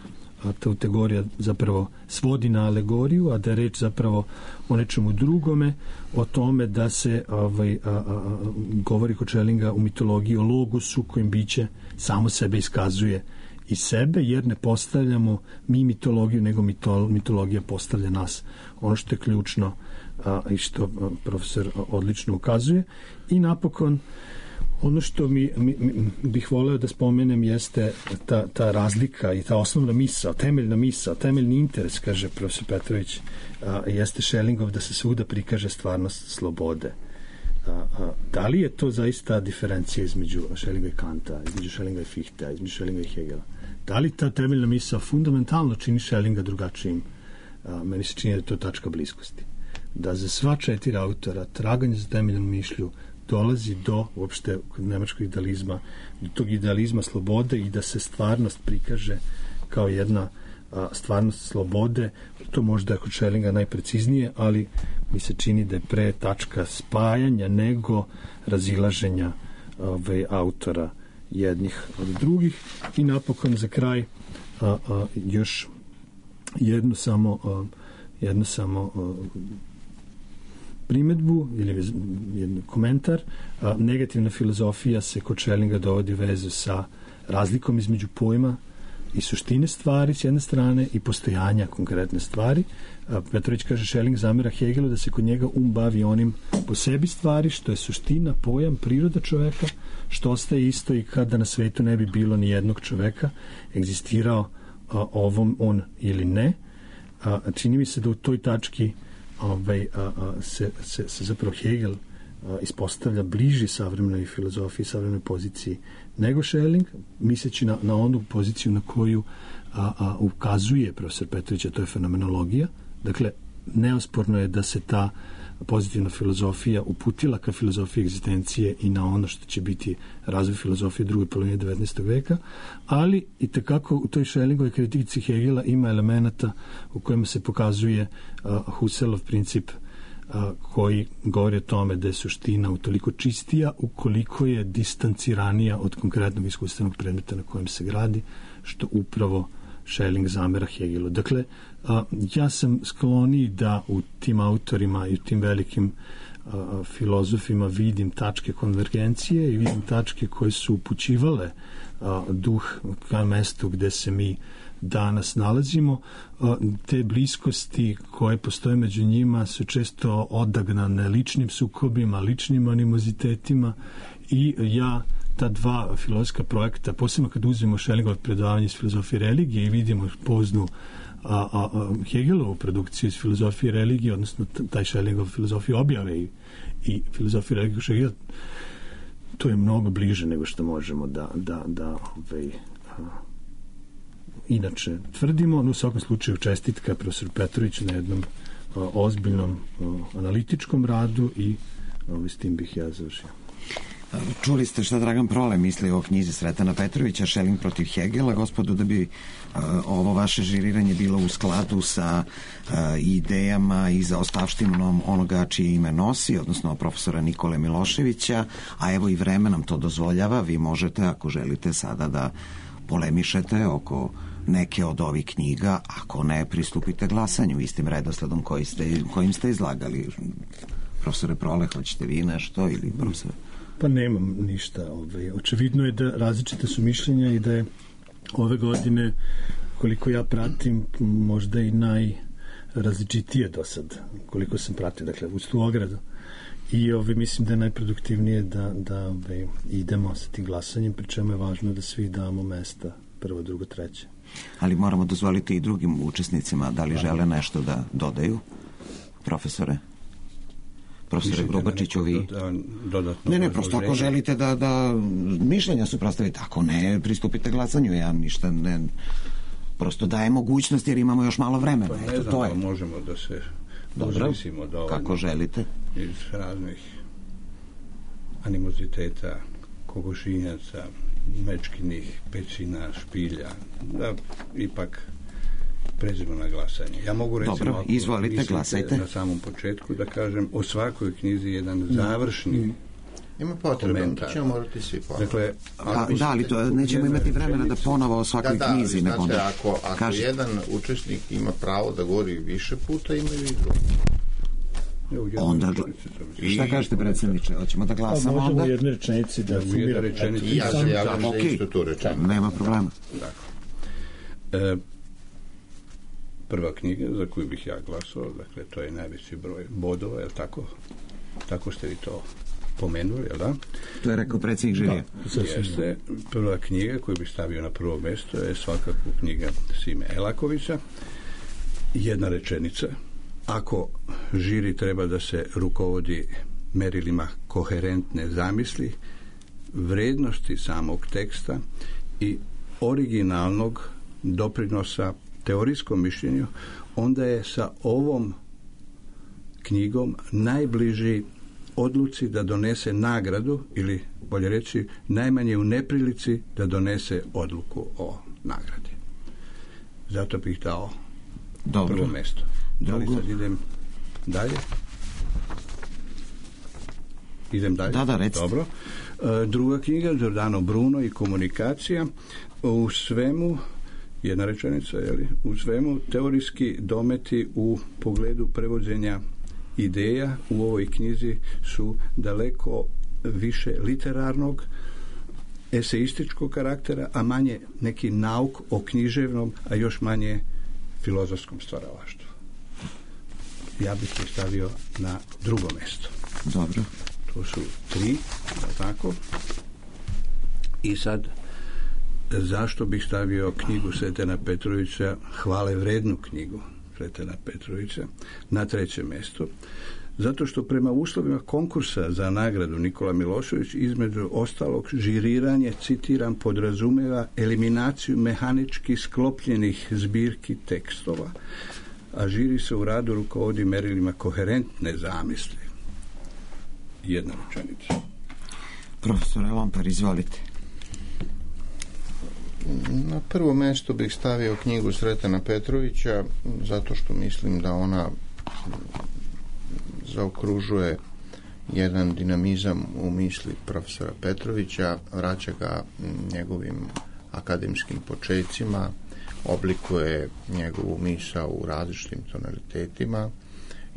[SPEAKER 2] teutegorija zapravo svodi na alegoriju, a da je reč zapravo o nečemu drugome, o tome da se ovaj, a, a, govori kod Schellinga u mitologiji o logosu kojim biće samo sebe iskazuje i sebe, jer ne postavljamo mi mitologiju, nego mitolo, mitologija postavlja nas. Ono što je ključno a, i što a, profesor odlično ukazuje. I napokon ono što mi, mi, mi bih voleo da spomenem jeste ta, ta razlika i ta osnovna misao, temeljna misao, temeljni interes, kaže profesor Petrović, a, jeste Schellingov da se svuda prikaže stvarnost slobode. A, a, da li je to zaista diferencija između Schellinga i Kanta, između Schellinga i Fichtea, između Schellinga i Hegela? Da li ta temeljna misao fundamentalno čini Schellinga drugačijim? A, meni se čini da je to tačka bliskosti. Da za sva četiri autora traganje za temeljnom mišlju dolazi do uopšte nemačkog idealizma, do tog idealizma slobode i da se stvarnost prikaže kao jedna a, stvarnost slobode. To možda je kod Schellinga najpreciznije, ali mi se čini da je pre tačka spajanja nego razilaženja ove, autora jednih od drugih. I napokon za kraj a, a, još jednu samo a, jednu samo a, primetbu ili jedan komentar. A, negativna filozofija se kod Schellinga dovodi vezu sa razlikom između pojma i suštine stvari s jedne strane i postojanja konkretne stvari. A, Petrović kaže Schelling zamera Hegelu da se kod njega um bavi onim po sebi stvari što je suština, pojam, priroda čoveka, što ostaje isto i kada na svetu ne bi bilo ni jednog čoveka, egzistirao a, ovom on ili ne. A, čini mi se da u toj tački Ovaj, a, a, se, se, se zapravo Hegel a, ispostavlja bliži savremenoj filozofiji, savremenoj poziciji nego Schelling, misleći na, na onu poziciju na koju a, a, ukazuje profesor Petrović, a to je fenomenologija. Dakle, neosporno je da se ta pozitivna filozofija uputila ka filozofiji egzistencije i na ono što će biti razvoj filozofije druge polovine devetnaestog veka, ali i tekako u toj Schellingovoj kritici Hegela ima elemenata u kojima se pokazuje uh, Husserlov princip uh, koji govori o tome da je suština utoliko čistija ukoliko je distanciranija od konkretnog iskustvenog predmeta na kojem se gradi, što upravo Schelling zamera Hegelu. Dakle, a, ja sam skloniji da u tim autorima i u tim velikim a, filozofima vidim tačke konvergencije i vidim tačke koje su upućivale a, duh ka mestu gde se mi danas nalazimo. A, te bliskosti koje postoje među njima su često odagnane ličnim sukobima, ličnim animozitetima i ja ta dva filozofska projekta, posebno kad uzmemo Schellingov predavanje iz filozofije religije i vidimo poznu a, a, a Hegelovu produkciju iz filozofije religije, odnosno taj Schellingov filozofiju objave i, i filozofiju religije Hegela, to je mnogo bliže nego što možemo da, da, da ovaj, a, inače tvrdimo. No, u svakom slučaju čestitka profesor Petrović na jednom a, ozbiljnom a, analitičkom radu i a, s tim bih ja završio.
[SPEAKER 1] Čuli ste šta Dragan Prole misli o knjizi Sretana Petrovića, Schelling protiv Hegela, gospodu, da bi uh, ovo vaše žiriranje bilo u skladu sa uh, idejama i zaostavštinom onoga čije ime nosi, odnosno profesora Nikole Miloševića, a evo i vreme nam to dozvoljava, vi možete, ako želite sada da polemišete oko neke od ovih knjiga, ako ne, pristupite glasanju istim redosledom koji ste, kojim ste izlagali. Profesore Prole, hoćete vi nešto ili profesor?
[SPEAKER 2] Pa nemam ništa. Ovaj. Očevidno je da različite su mišljenja i da je ove godine, koliko ja pratim, možda i najrazličitije do sad, koliko sam pratio, dakle, uz tu ogradu. I ovaj, mislim da je najproduktivnije da, da ovaj, idemo sa tim glasanjem, pri čemu je važno da svi damo mesta prvo, drugo, treće.
[SPEAKER 1] Ali moramo dozvoliti i drugim učesnicima da li žele nešto da dodaju, profesore? Profesore Grubačiću, vi...
[SPEAKER 3] Dodatno
[SPEAKER 1] ne, ne, prosto ako želite da, da mišljenja suprotstavite, ako ne, pristupite glasanju, ja ništa ne... Prosto daje mogućnost jer imamo još malo vremena.
[SPEAKER 3] Pa ne
[SPEAKER 1] Eto,
[SPEAKER 3] znam,
[SPEAKER 1] to je.
[SPEAKER 3] možemo da se uzvisimo dovoljno.
[SPEAKER 1] Kako želite.
[SPEAKER 3] Iz raznih animoziteta, kokošinjaca, Mečkinih, Pecina, Špilja, da ipak pređemo na glasanje. Ja mogu recimo,
[SPEAKER 1] dobro, izvolite, glasajte.
[SPEAKER 3] Na samom početku da kažem o svakoj knjizi jedan završni
[SPEAKER 4] Ima potrebe,
[SPEAKER 3] komentar.
[SPEAKER 4] ćemo morati svi ponovno.
[SPEAKER 3] Dakle,
[SPEAKER 1] Pa, da, ali to nećemo imati vremena da ponovo o svakoj
[SPEAKER 4] da, da,
[SPEAKER 1] knjizi.
[SPEAKER 4] znate,
[SPEAKER 1] Nego
[SPEAKER 4] ako, ako
[SPEAKER 1] Kažete.
[SPEAKER 4] jedan učesnik ima pravo da govori više puta, imaju i drugi.
[SPEAKER 1] Onda, šta kažete, predsjedniče? Hoćemo da
[SPEAKER 2] A
[SPEAKER 1] glasamo
[SPEAKER 2] možemo
[SPEAKER 1] onda?
[SPEAKER 2] u jednoj rečenici da
[SPEAKER 3] u jednoj rečenici.
[SPEAKER 4] I ja se javljam za
[SPEAKER 1] Okej.
[SPEAKER 4] isto tu rečenicu.
[SPEAKER 1] Nema problema.
[SPEAKER 3] E, prva knjiga za koju bih ja glasao, dakle, to je najveći broj bodova, je li tako? Tako ste vi to pomenuli, je li da?
[SPEAKER 1] To je rekao predsjednik žirija.
[SPEAKER 3] Jeste. Prva knjiga koju bih stavio na prvo mjesto je svakako knjiga Sime Elakovića. Jedna rečenica. Ako žiri treba da se rukovodi merilima koherentne zamisli, vrednosti samog teksta i originalnog doprinosa teorijskom mišljenju, onda je sa ovom knjigom najbliži odluci da donese nagradu, ili bolje reći najmanje u neprilici da donese odluku o nagradi. Zato bih dao
[SPEAKER 1] Dobro.
[SPEAKER 3] prvo mjesto. Da li
[SPEAKER 1] Drugo.
[SPEAKER 3] sad idem dalje? Idem dalje?
[SPEAKER 1] Da, da, recite.
[SPEAKER 3] Dobro. E, druga knjiga, Giordano Bruno i komunikacija. U svemu, jedna rečenica, je li? U svemu teorijski dometi u pogledu prevođenja ideja u ovoj knjizi su daleko više literarnog, eseističkog karaktera, a manje neki nauk o književnom, a još manje filozofskom stvaralaštvu. Ja bih je stavio na drugo mjesto.
[SPEAKER 1] Dobro.
[SPEAKER 3] To su tri, tako. I sad, zašto bih stavio knjigu Sretena Petrovića, hvale vrednu knjigu Sretena Petrovića, na treće mjesto? Zato što prema uslovima konkursa za nagradu Nikola Milošević, između ostalog, žiriranje, citiram, podrazumeva eliminaciju mehanički sklopljenih zbirki tekstova, a žiri se u radu rukovodi merilima koherentne zamisli. Jedna rečenica.
[SPEAKER 1] Profesore Lompar, izvolite.
[SPEAKER 4] Na prvo mjesto bih stavio knjigu Sretena Petrovića, zato što mislim da ona zaokružuje jedan dinamizam u misli profesora Petrovića, vraća ga njegovim akademskim počecima, oblikuje njegovu misao u različitim tonalitetima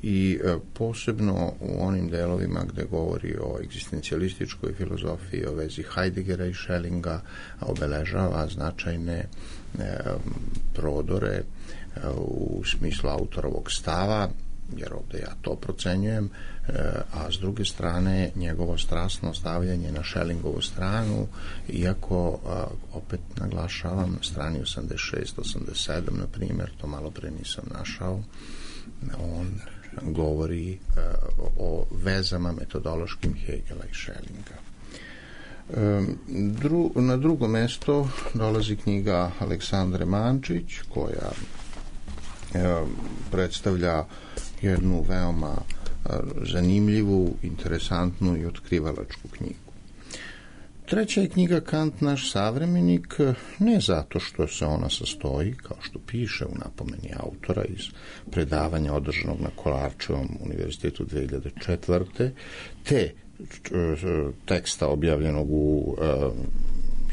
[SPEAKER 4] i posebno u onim delovima gde govori o egzistencijalističkoj filozofiji, o vezi Heideggera i Schellinga, obeležava značajne e, prodore e, u smislu autorovog stava, jer ovdje ja to procenjujem, a s druge strane njegovo strasno stavljanje na Schellingovu stranu, iako opet naglašavam na strani osamdeset šest osamdeset sedam, na primjer, to malo pre nisam našao, on govori o vezama metodološkim Hegela i Schellinga. Dru, na drugo mesto dolazi knjiga Aleksandre Mančić, koja predstavlja jednu veoma zanimljivu, interesantnu i otkrivalačku knjigu. Treća je knjiga Kant, naš savremenik, ne zato što se ona sastoji, kao što piše u napomeni autora iz predavanja održanog na Kolarčevom univerzitetu dve hiljade četvrte, te teksta objavljenog u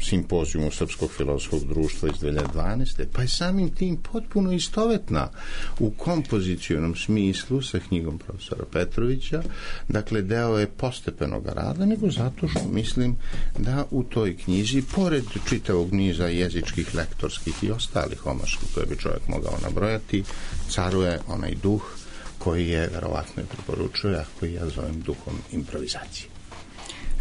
[SPEAKER 4] simpozijumu Srpskog filozofskog društva iz dve hiljade dvanaeste, pa je samim tim potpuno istovetna u kompozicionom smislu sa knjigom profesora Petrovića. Dakle, deo je postepenog rada, nego zato što mislim da u toj knjizi, pored čitavog niza jezičkih, lektorskih i ostalih omaški koje bi čovjek mogao nabrojati, caruje onaj duh koji je, verovatno i preporučuje, a koji ja zovem duhom improvizacije.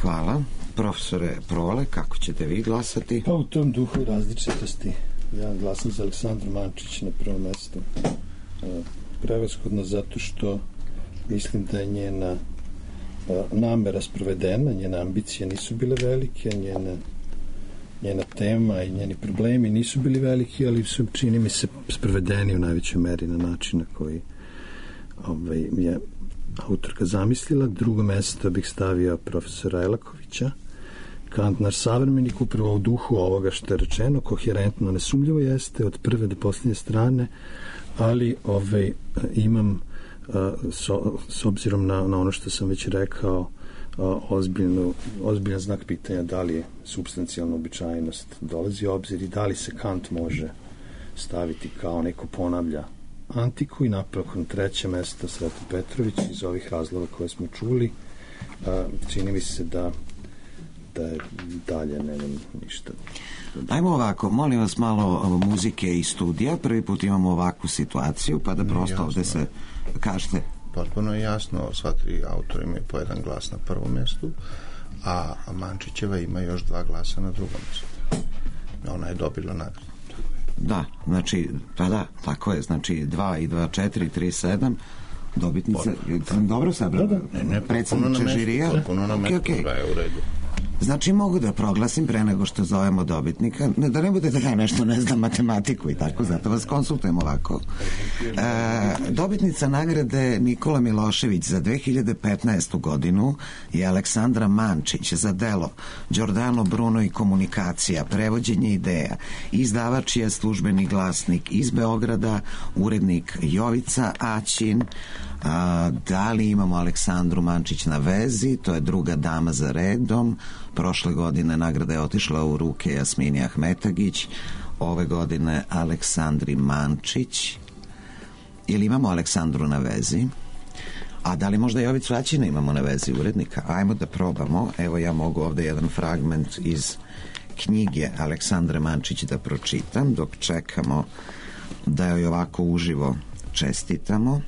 [SPEAKER 1] Hvala. Profesore Prole, kako ćete vi glasati?
[SPEAKER 2] Pa u tom duhu različitosti. Ja glasam za Aleksandru Mančić na prvom mjestu. Prevashodno zato što mislim da je njena namera sprovedena, njene ambicije nisu bile velike, njena, njena tema i njeni problemi nisu bili veliki, ali su, čini mi se, sprovedeni u najvećoj meri na način na koji ovaj, je autorka zamislila. Drugo mesto bih stavio profesora Elakovića, Kant naš savremenik upravo u duhu ovoga što je rečeno, koherentno, nesumljivo jeste od prve do posljednje strane, ali ovaj, imam so, s obzirom na, na ono što sam već rekao, ozbiljno, ozbiljan znak pitanja da li je supstancijalna običajnost dolazi u obzir i da li se Kant može staviti kao neko ponavlja antiku. I napokon treće mesto Sreto Petrović iz ovih razloga koje smo čuli. Čini mi se da da je dalje nemam ništa.
[SPEAKER 1] Ajmo ovako, molim vas malo muzike i studija. Prvi put imamo ovakvu situaciju, pa da prosto ovde se kažete.
[SPEAKER 4] Potpuno je jasno, sva tri autora imaju po jedan glas na prvom mjestu, a Mančićeva ima još dva glasa na drugom mjestu. Ona je dobila nagradu.
[SPEAKER 1] Da, znači, pa da, tako je, znači dva i dva, četiri, tri, sedam, dobitnica, sam dobro sabrao,
[SPEAKER 4] ne, ne,
[SPEAKER 1] predsjedniče žirija,
[SPEAKER 4] potpuno na mestu,
[SPEAKER 1] okay, okay.
[SPEAKER 4] Da je u redu.
[SPEAKER 1] Znači mogu da proglasim pre nego što zovemo dobitnika, ne, da ne bude da ja nešto ne znam matematiku i tako, zato vas konsultujem ovako. E, dobitnica nagrade Nikola Milošević za dve hiljade petnaestu godinu je Aleksandra Mančić za delo Giordano Bruno i komunikacija, prevođenje ideja. Izdavač je Službeni glasnik iz Beograda, urednik Jovica Aćin. A, da li imamo Aleksandru Mančić na vezi, to je druga dama za redom. Prošle godine nagrada je otišla u ruke Jasmini Ahmetagić, ove godine Aleksandri Mančić. Ili imamo Aleksandru na vezi? A da li možda Jovicu Aćina imamo na vezi, urednika? Ajmo da probamo. Evo ja mogu ovde jedan fragment iz knjige Aleksandre Mančić da pročitam dok čekamo da joj ovako uživo čestitamo.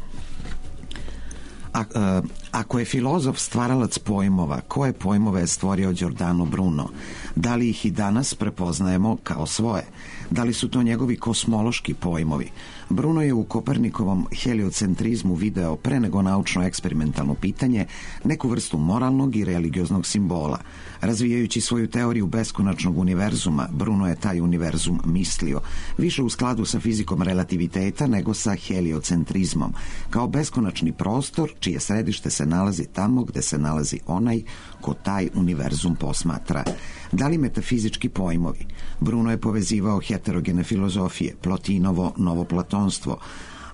[SPEAKER 1] A, a, ako je filozof stvaralac pojmova, koje pojmove je stvorio Giordano Bruno? Da li ih i danas prepoznajemo kao svoje? Da li su to njegovi kosmološki pojmovi? Bruno je u Kopernikovom heliocentrizmu video pre nego naučno eksperimentalno pitanje neku vrstu moralnog i religioznog simbola. Razvijajući svoju teoriju beskonačnog univerzuma, Bruno je taj univerzum mislio, više u skladu sa fizikom relativiteta nego sa heliocentrizmom, kao beskonačni prostor čije središte se nalazi tamo gde se nalazi onaj ko taj univerzum posmatra. Da li metafizički pojmovi? Bruno je povezivao heterogene filozofije, Plotinovo novoplatonstvo,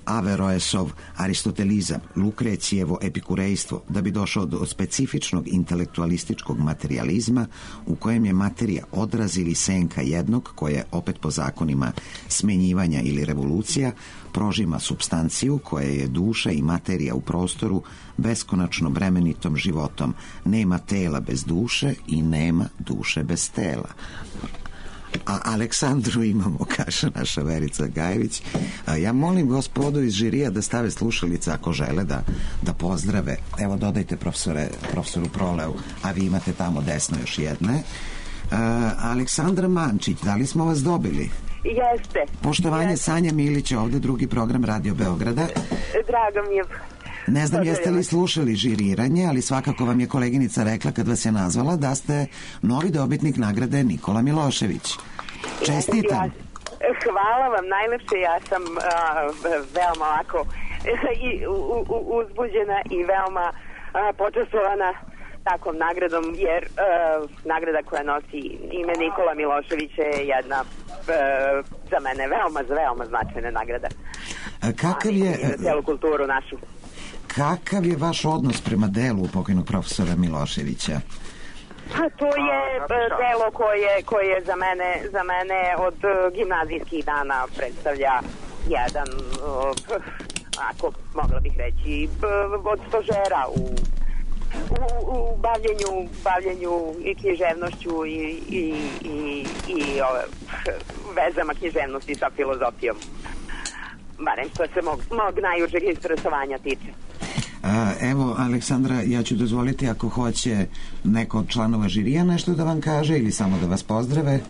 [SPEAKER 1] Averroesov aristotelizam, Lukrecijevo epikurejstvo, da bi došao do specifičnog intelektualističkog materijalizma u kojem je materija odraz ili senka jednog koje opet po zakonima smenjivanja ili revolucija prožima supstanciju koja je duša i materija u prostoru beskonačno bremenitom životom. Nema tela bez duše i nema duše bez tela. A Aleksandru imamo, kaže naša Verica Gajević. A ja molim gospodu iz žirija da stave slušalice ako žele da, da pozdrave. Evo dodajte profesore, profesoru Proleu, a vi imate tamo desno još jedne. A, Aleksandra Mančić, da li smo vas dobili?
[SPEAKER 5] Jeste.
[SPEAKER 1] Poštovanje,
[SPEAKER 5] Jeste.
[SPEAKER 1] Sanja Milić ovde, drugi program Radio Beograda.
[SPEAKER 5] Drago mi je.
[SPEAKER 1] Ne znam jeste li slušali žiriranje, ali svakako vam je koleginica rekla kad vas je nazvala da ste novi dobitnik nagrade Nikola Milošević. Čestitam.
[SPEAKER 5] Hvala vam najlepše, ja sam uh, veoma ovako i u, u, uzbuđena i veoma uh, počastovana takvom nagradom, jer uh, nagrada koja nosi ime Nikola Milošević je jedna uh, za mene veoma, veoma značajna nagrada.
[SPEAKER 1] A kakav je...
[SPEAKER 5] Za celu kulturu našu.
[SPEAKER 1] Kakav je vaš odnos prema delu pokojnog profesora Miloševića?
[SPEAKER 5] Pa to je delo koje, koje za mene, za mene od gimnazijskih dana predstavlja jedan, ako mogla bih reći, od stožera u, u, u bavljenju, bavljenju i književnošću i, i, i, i ove, vezama književnosti sa filozofijom. Barem što se mog, mog najužeg interesovanja tiče.
[SPEAKER 1] A, evo, Aleksandra, ja ću dozvoliti ako hoće neko od članova žirija nešto da vam kaže ili samo da vas pozdrave.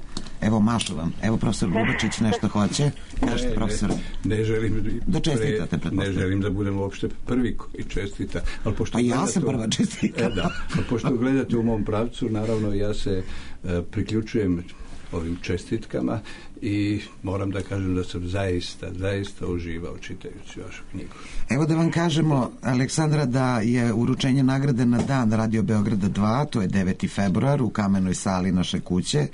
[SPEAKER 1] Evo, mašu vam. Evo, profesor Lubačić nešto hoće. Kažete, profesor.
[SPEAKER 3] Ne, ne želim
[SPEAKER 1] da čestitate,
[SPEAKER 3] ne želim da budem uopšte prvi i čestita. Ali pošto
[SPEAKER 1] a ja sam prva čestita.
[SPEAKER 3] E, da, ali pošto gledate u mom pravcu, naravno ja se uh, priključujem ovim čestitkama i moram da kažem da sam zaista, zaista uživao čitajući vašu knjigu.
[SPEAKER 1] Evo da vam kažemo, Aleksandra, da je uručenje nagrade na dan Radio Beograda dva, to je deveti februar u kamenoj sali naše kuće.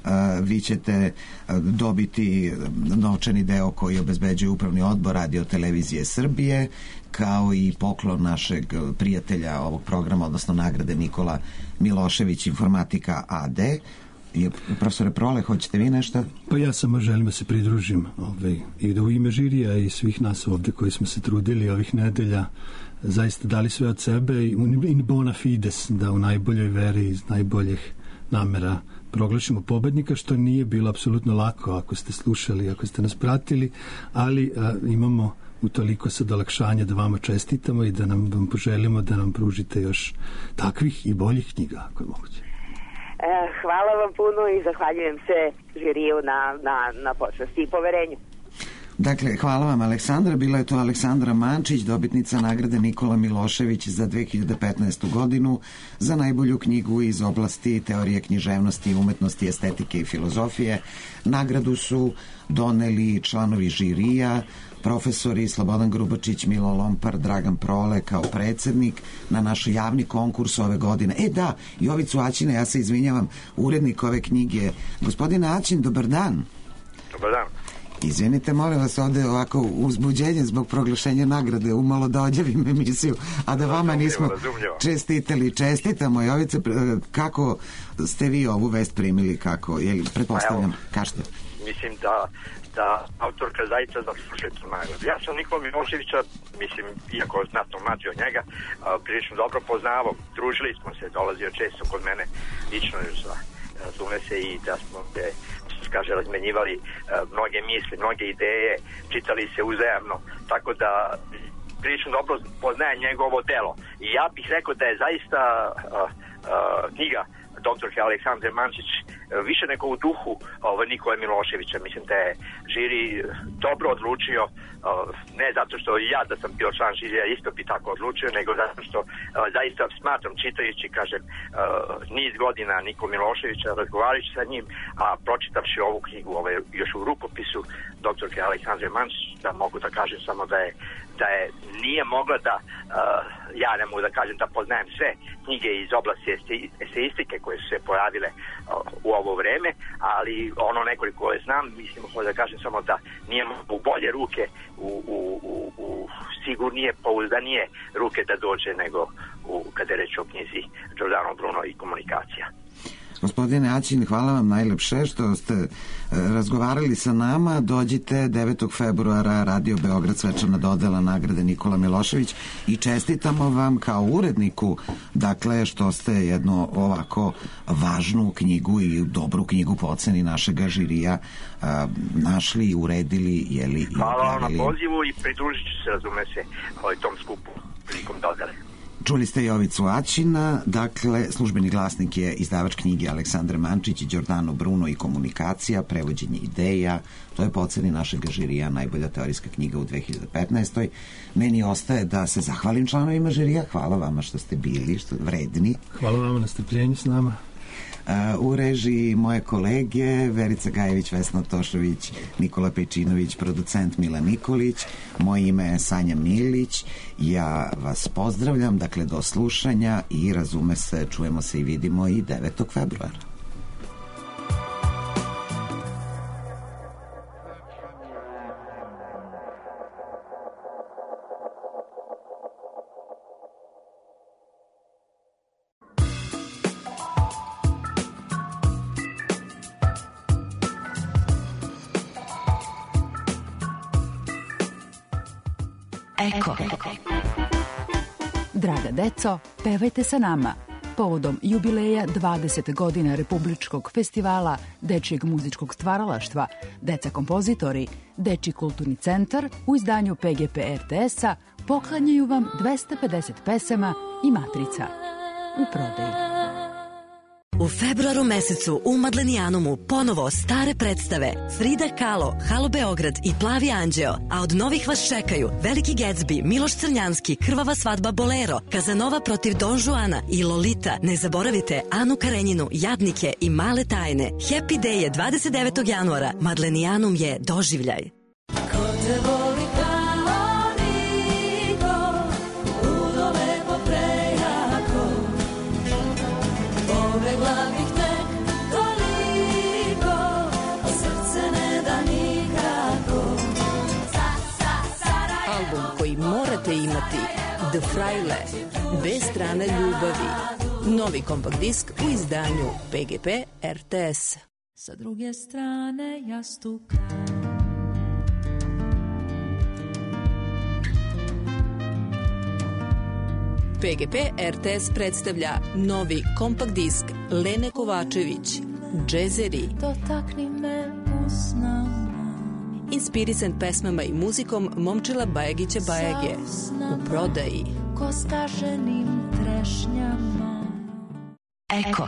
[SPEAKER 1] Uh, vi ćete uh, dobiti novčani deo koji obezbeđuje upravni odbor Radio Televizije Srbije, kao i poklon našeg prijatelja ovog programa, odnosno nagrade Nikola Milošević, Informatika A D. I, profesore Prole, hoćete vi nešto?
[SPEAKER 2] Pa ja samo želim da se pridružim ovaj, i da u ime žirija i svih nas ovde koji smo se trudili ovih nedelja zaista dali sve od sebe i in bona fides, da u najboljoj veri iz najboljih namera proglašimo pobednika, što nije bilo apsolutno lako ako ste slušali, ako ste nas pratili, ali a, imamo utoliko sad olakšanja da vama čestitamo i da nam vam poželimo da nam pružite još takvih i boljih knjiga, ako je moguće.
[SPEAKER 5] Hvala vam puno i zahvaljujem se žiriju na, na, na počasti i poverenju.
[SPEAKER 1] Dakle, hvala vam, Aleksandra. Bila je to Aleksandra Mančić, dobitnica nagrade Nikola Milošević za dve hiljade petnaestu godinu za najbolju knjigu iz oblasti teorije književnosti, umetnosti, estetike i filozofije. Nagradu su doneli članovi žirija, profesori Slobodan Grubačić, Milo Lompar, Dragan Prole kao predsednik na naš javni konkurs ove godine. E da, Jovicu Aćina, ja se izvinjavam, urednik ove knjige. Gospodine Aćin, dobar dan.
[SPEAKER 6] Dobar dan.
[SPEAKER 1] Izvinite, molim vas, ovde ovako uzbuđenje zbog proglašenja nagrade, umalo da odjavim emisiju, a da vama nismo čestitali. Čestitamo, Jovice, kako ste vi ovu vest primili, kako, je li, pretpostavljam, kažete?
[SPEAKER 6] Mislim da da autorka zaista zaslužuje tu nagradu. Ja sam Nikola Miloševića, mislim, iako znatno mlađi od njega, prilično dobro poznavao. Družili smo se, dolazio često kod mene lično, razume se, i da smo se, kaže, razmenjivali mnoge misli, mnoge ideje, čitali se uzajamno, tako da prilično dobro poznaje njegovo delo. I ja bih rekao da je zaista a, a, knjiga doktorke Aleksandre Mančić više nego u duhu ovaj, Nikola Miloševića. Mislim da je žiri dobro odlučio, ne zato što ja da sam bio član žirija isto bi tako odlučio, nego zato što zaista smatram, čitajući, kažem, niz godina Nikola Miloševića, razgovarajući sa njim, a pročitavši ovu knjigu, ovaj, još u rukopisu doktorke Aleksandre Mančić, da mogu da kažem samo da je da je nije mogla da ja ne mogu da kažem da poznajem sve knjige iz oblasti eseistike koje su se pojavile u ovo vreme, ali ono nekoliko koje znam, mislim da kažem samo da nije u bolje ruke, u, u, u, u sigurnije, pouzdanije ruke da dođe nego u, kada je reč o knjizi Giordano Bruno i Komunikacija.
[SPEAKER 1] Gospodine Aćin, hvala vam najlepše što ste e, razgovarali sa nama. Dođite devetog februara, Radio Beograd, svečana dodela nagrade Nikola Milošević, i čestitamo vam kao uredniku, dakle, što ste jednu ovako važnu knjigu i dobru knjigu po oceni našega žirija a, našli i uredili, jeli, i
[SPEAKER 6] hvala vam na pozivu i pridružit ću se, razume se, ovaj tom skupu prilikom dodele.
[SPEAKER 1] Čuli ste Jovicu Aćina, dakle, Službeni glasnik je izdavač knjige Aleksandre Mančić i Giordano Bruno i Komunikacija, prevođenje ideja. To je po oceni našeg žirija najbolja teorijska knjiga u dve hiljade petnaestoj. Meni ostaje da se zahvalim članovima žirija. Hvala vama što ste bili, što vredni.
[SPEAKER 2] Hvala vama na strpljenju s nama.
[SPEAKER 1] U režiji moje kolege Verica Gajević, Vesna Tošović, Nikola Pejčinović, producent Mila Nikolić, moje ime je Sanja Milić. Ja vas pozdravljam, dakle, do slušanja i, razume se, čujemo se i vidimo i devetog februara.
[SPEAKER 7] Eko. Draga deco, pevajte sa nama. Povodom jubileja dvadeset godina Republičkog festivala dečijeg muzičkog stvaralaštva, Deca kompozitori, Dečiji kulturni centar u izdanju P G P R T S-a poklanjaju vam dvesta pedeset pesama i matrica u prodaju.
[SPEAKER 8] U februaru mesecu u Madlenijanumu ponovo stare predstave Frida Kahlo, Halo Beograd i Plavi anđeo, a od novih vas čekaju Veliki Gatsby, Miloš Crnjanski, Krvava svadba Bolero, Kazanova protiv Don Juana i Lolita. Ne zaboravite Anu Karenjinu, Jadnike i Male tajne. Happy Day je dvadeset devetog januara. Madlenijanum je doživljaj.
[SPEAKER 9] Ko te voli kao niko, ludo lepo prejako, pobegla bih tek toliko, a srce ne da nikako.
[SPEAKER 10] Album koji morate imati, The Fraile, dve strane ljubavi. Novi kompakt disk u izdanju P G P R T S.
[SPEAKER 9] Sa druge strane jastuka.
[SPEAKER 10] P G P R T S predstavlja novi kompakt disk Lene Kovačević, Džezeri.
[SPEAKER 9] Dotakni me usnama.
[SPEAKER 10] Inspirisan pesmama i muzikom Momčila Bajagića Bajage. U prodaji.
[SPEAKER 9] Ko staženim trešnjama.
[SPEAKER 8] Eko.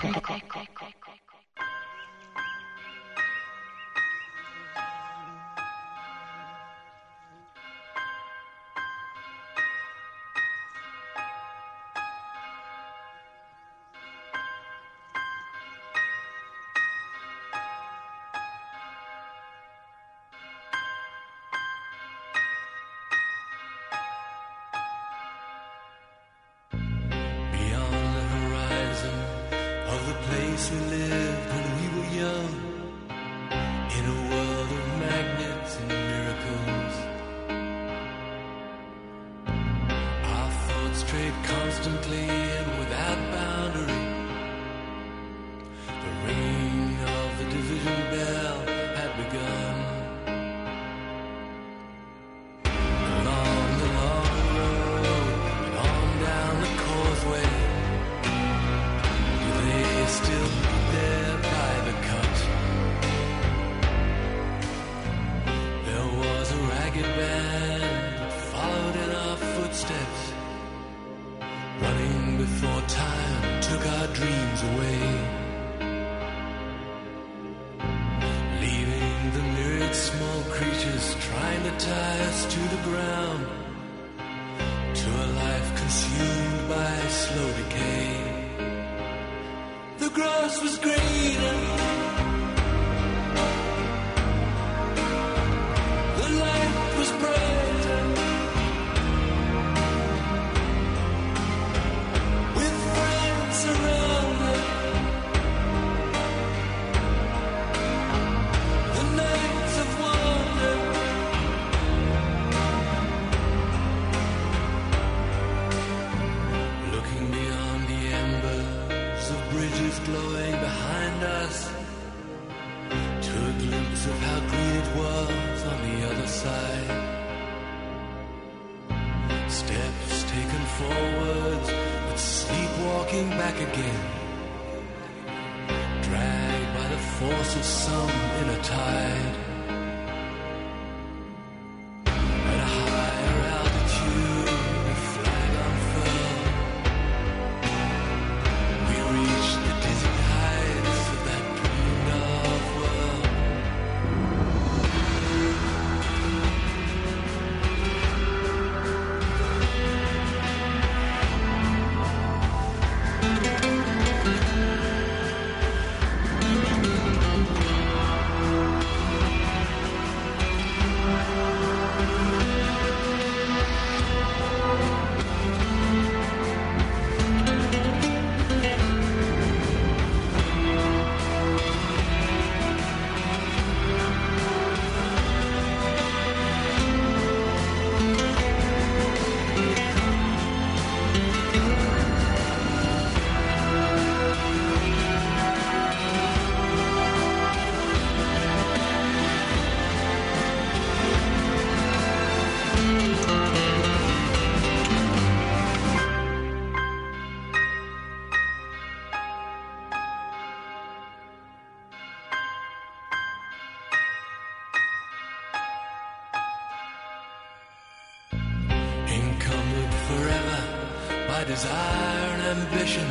[SPEAKER 11] desire and ambition.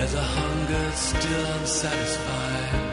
[SPEAKER 11] There's a hunger still unsatisfied.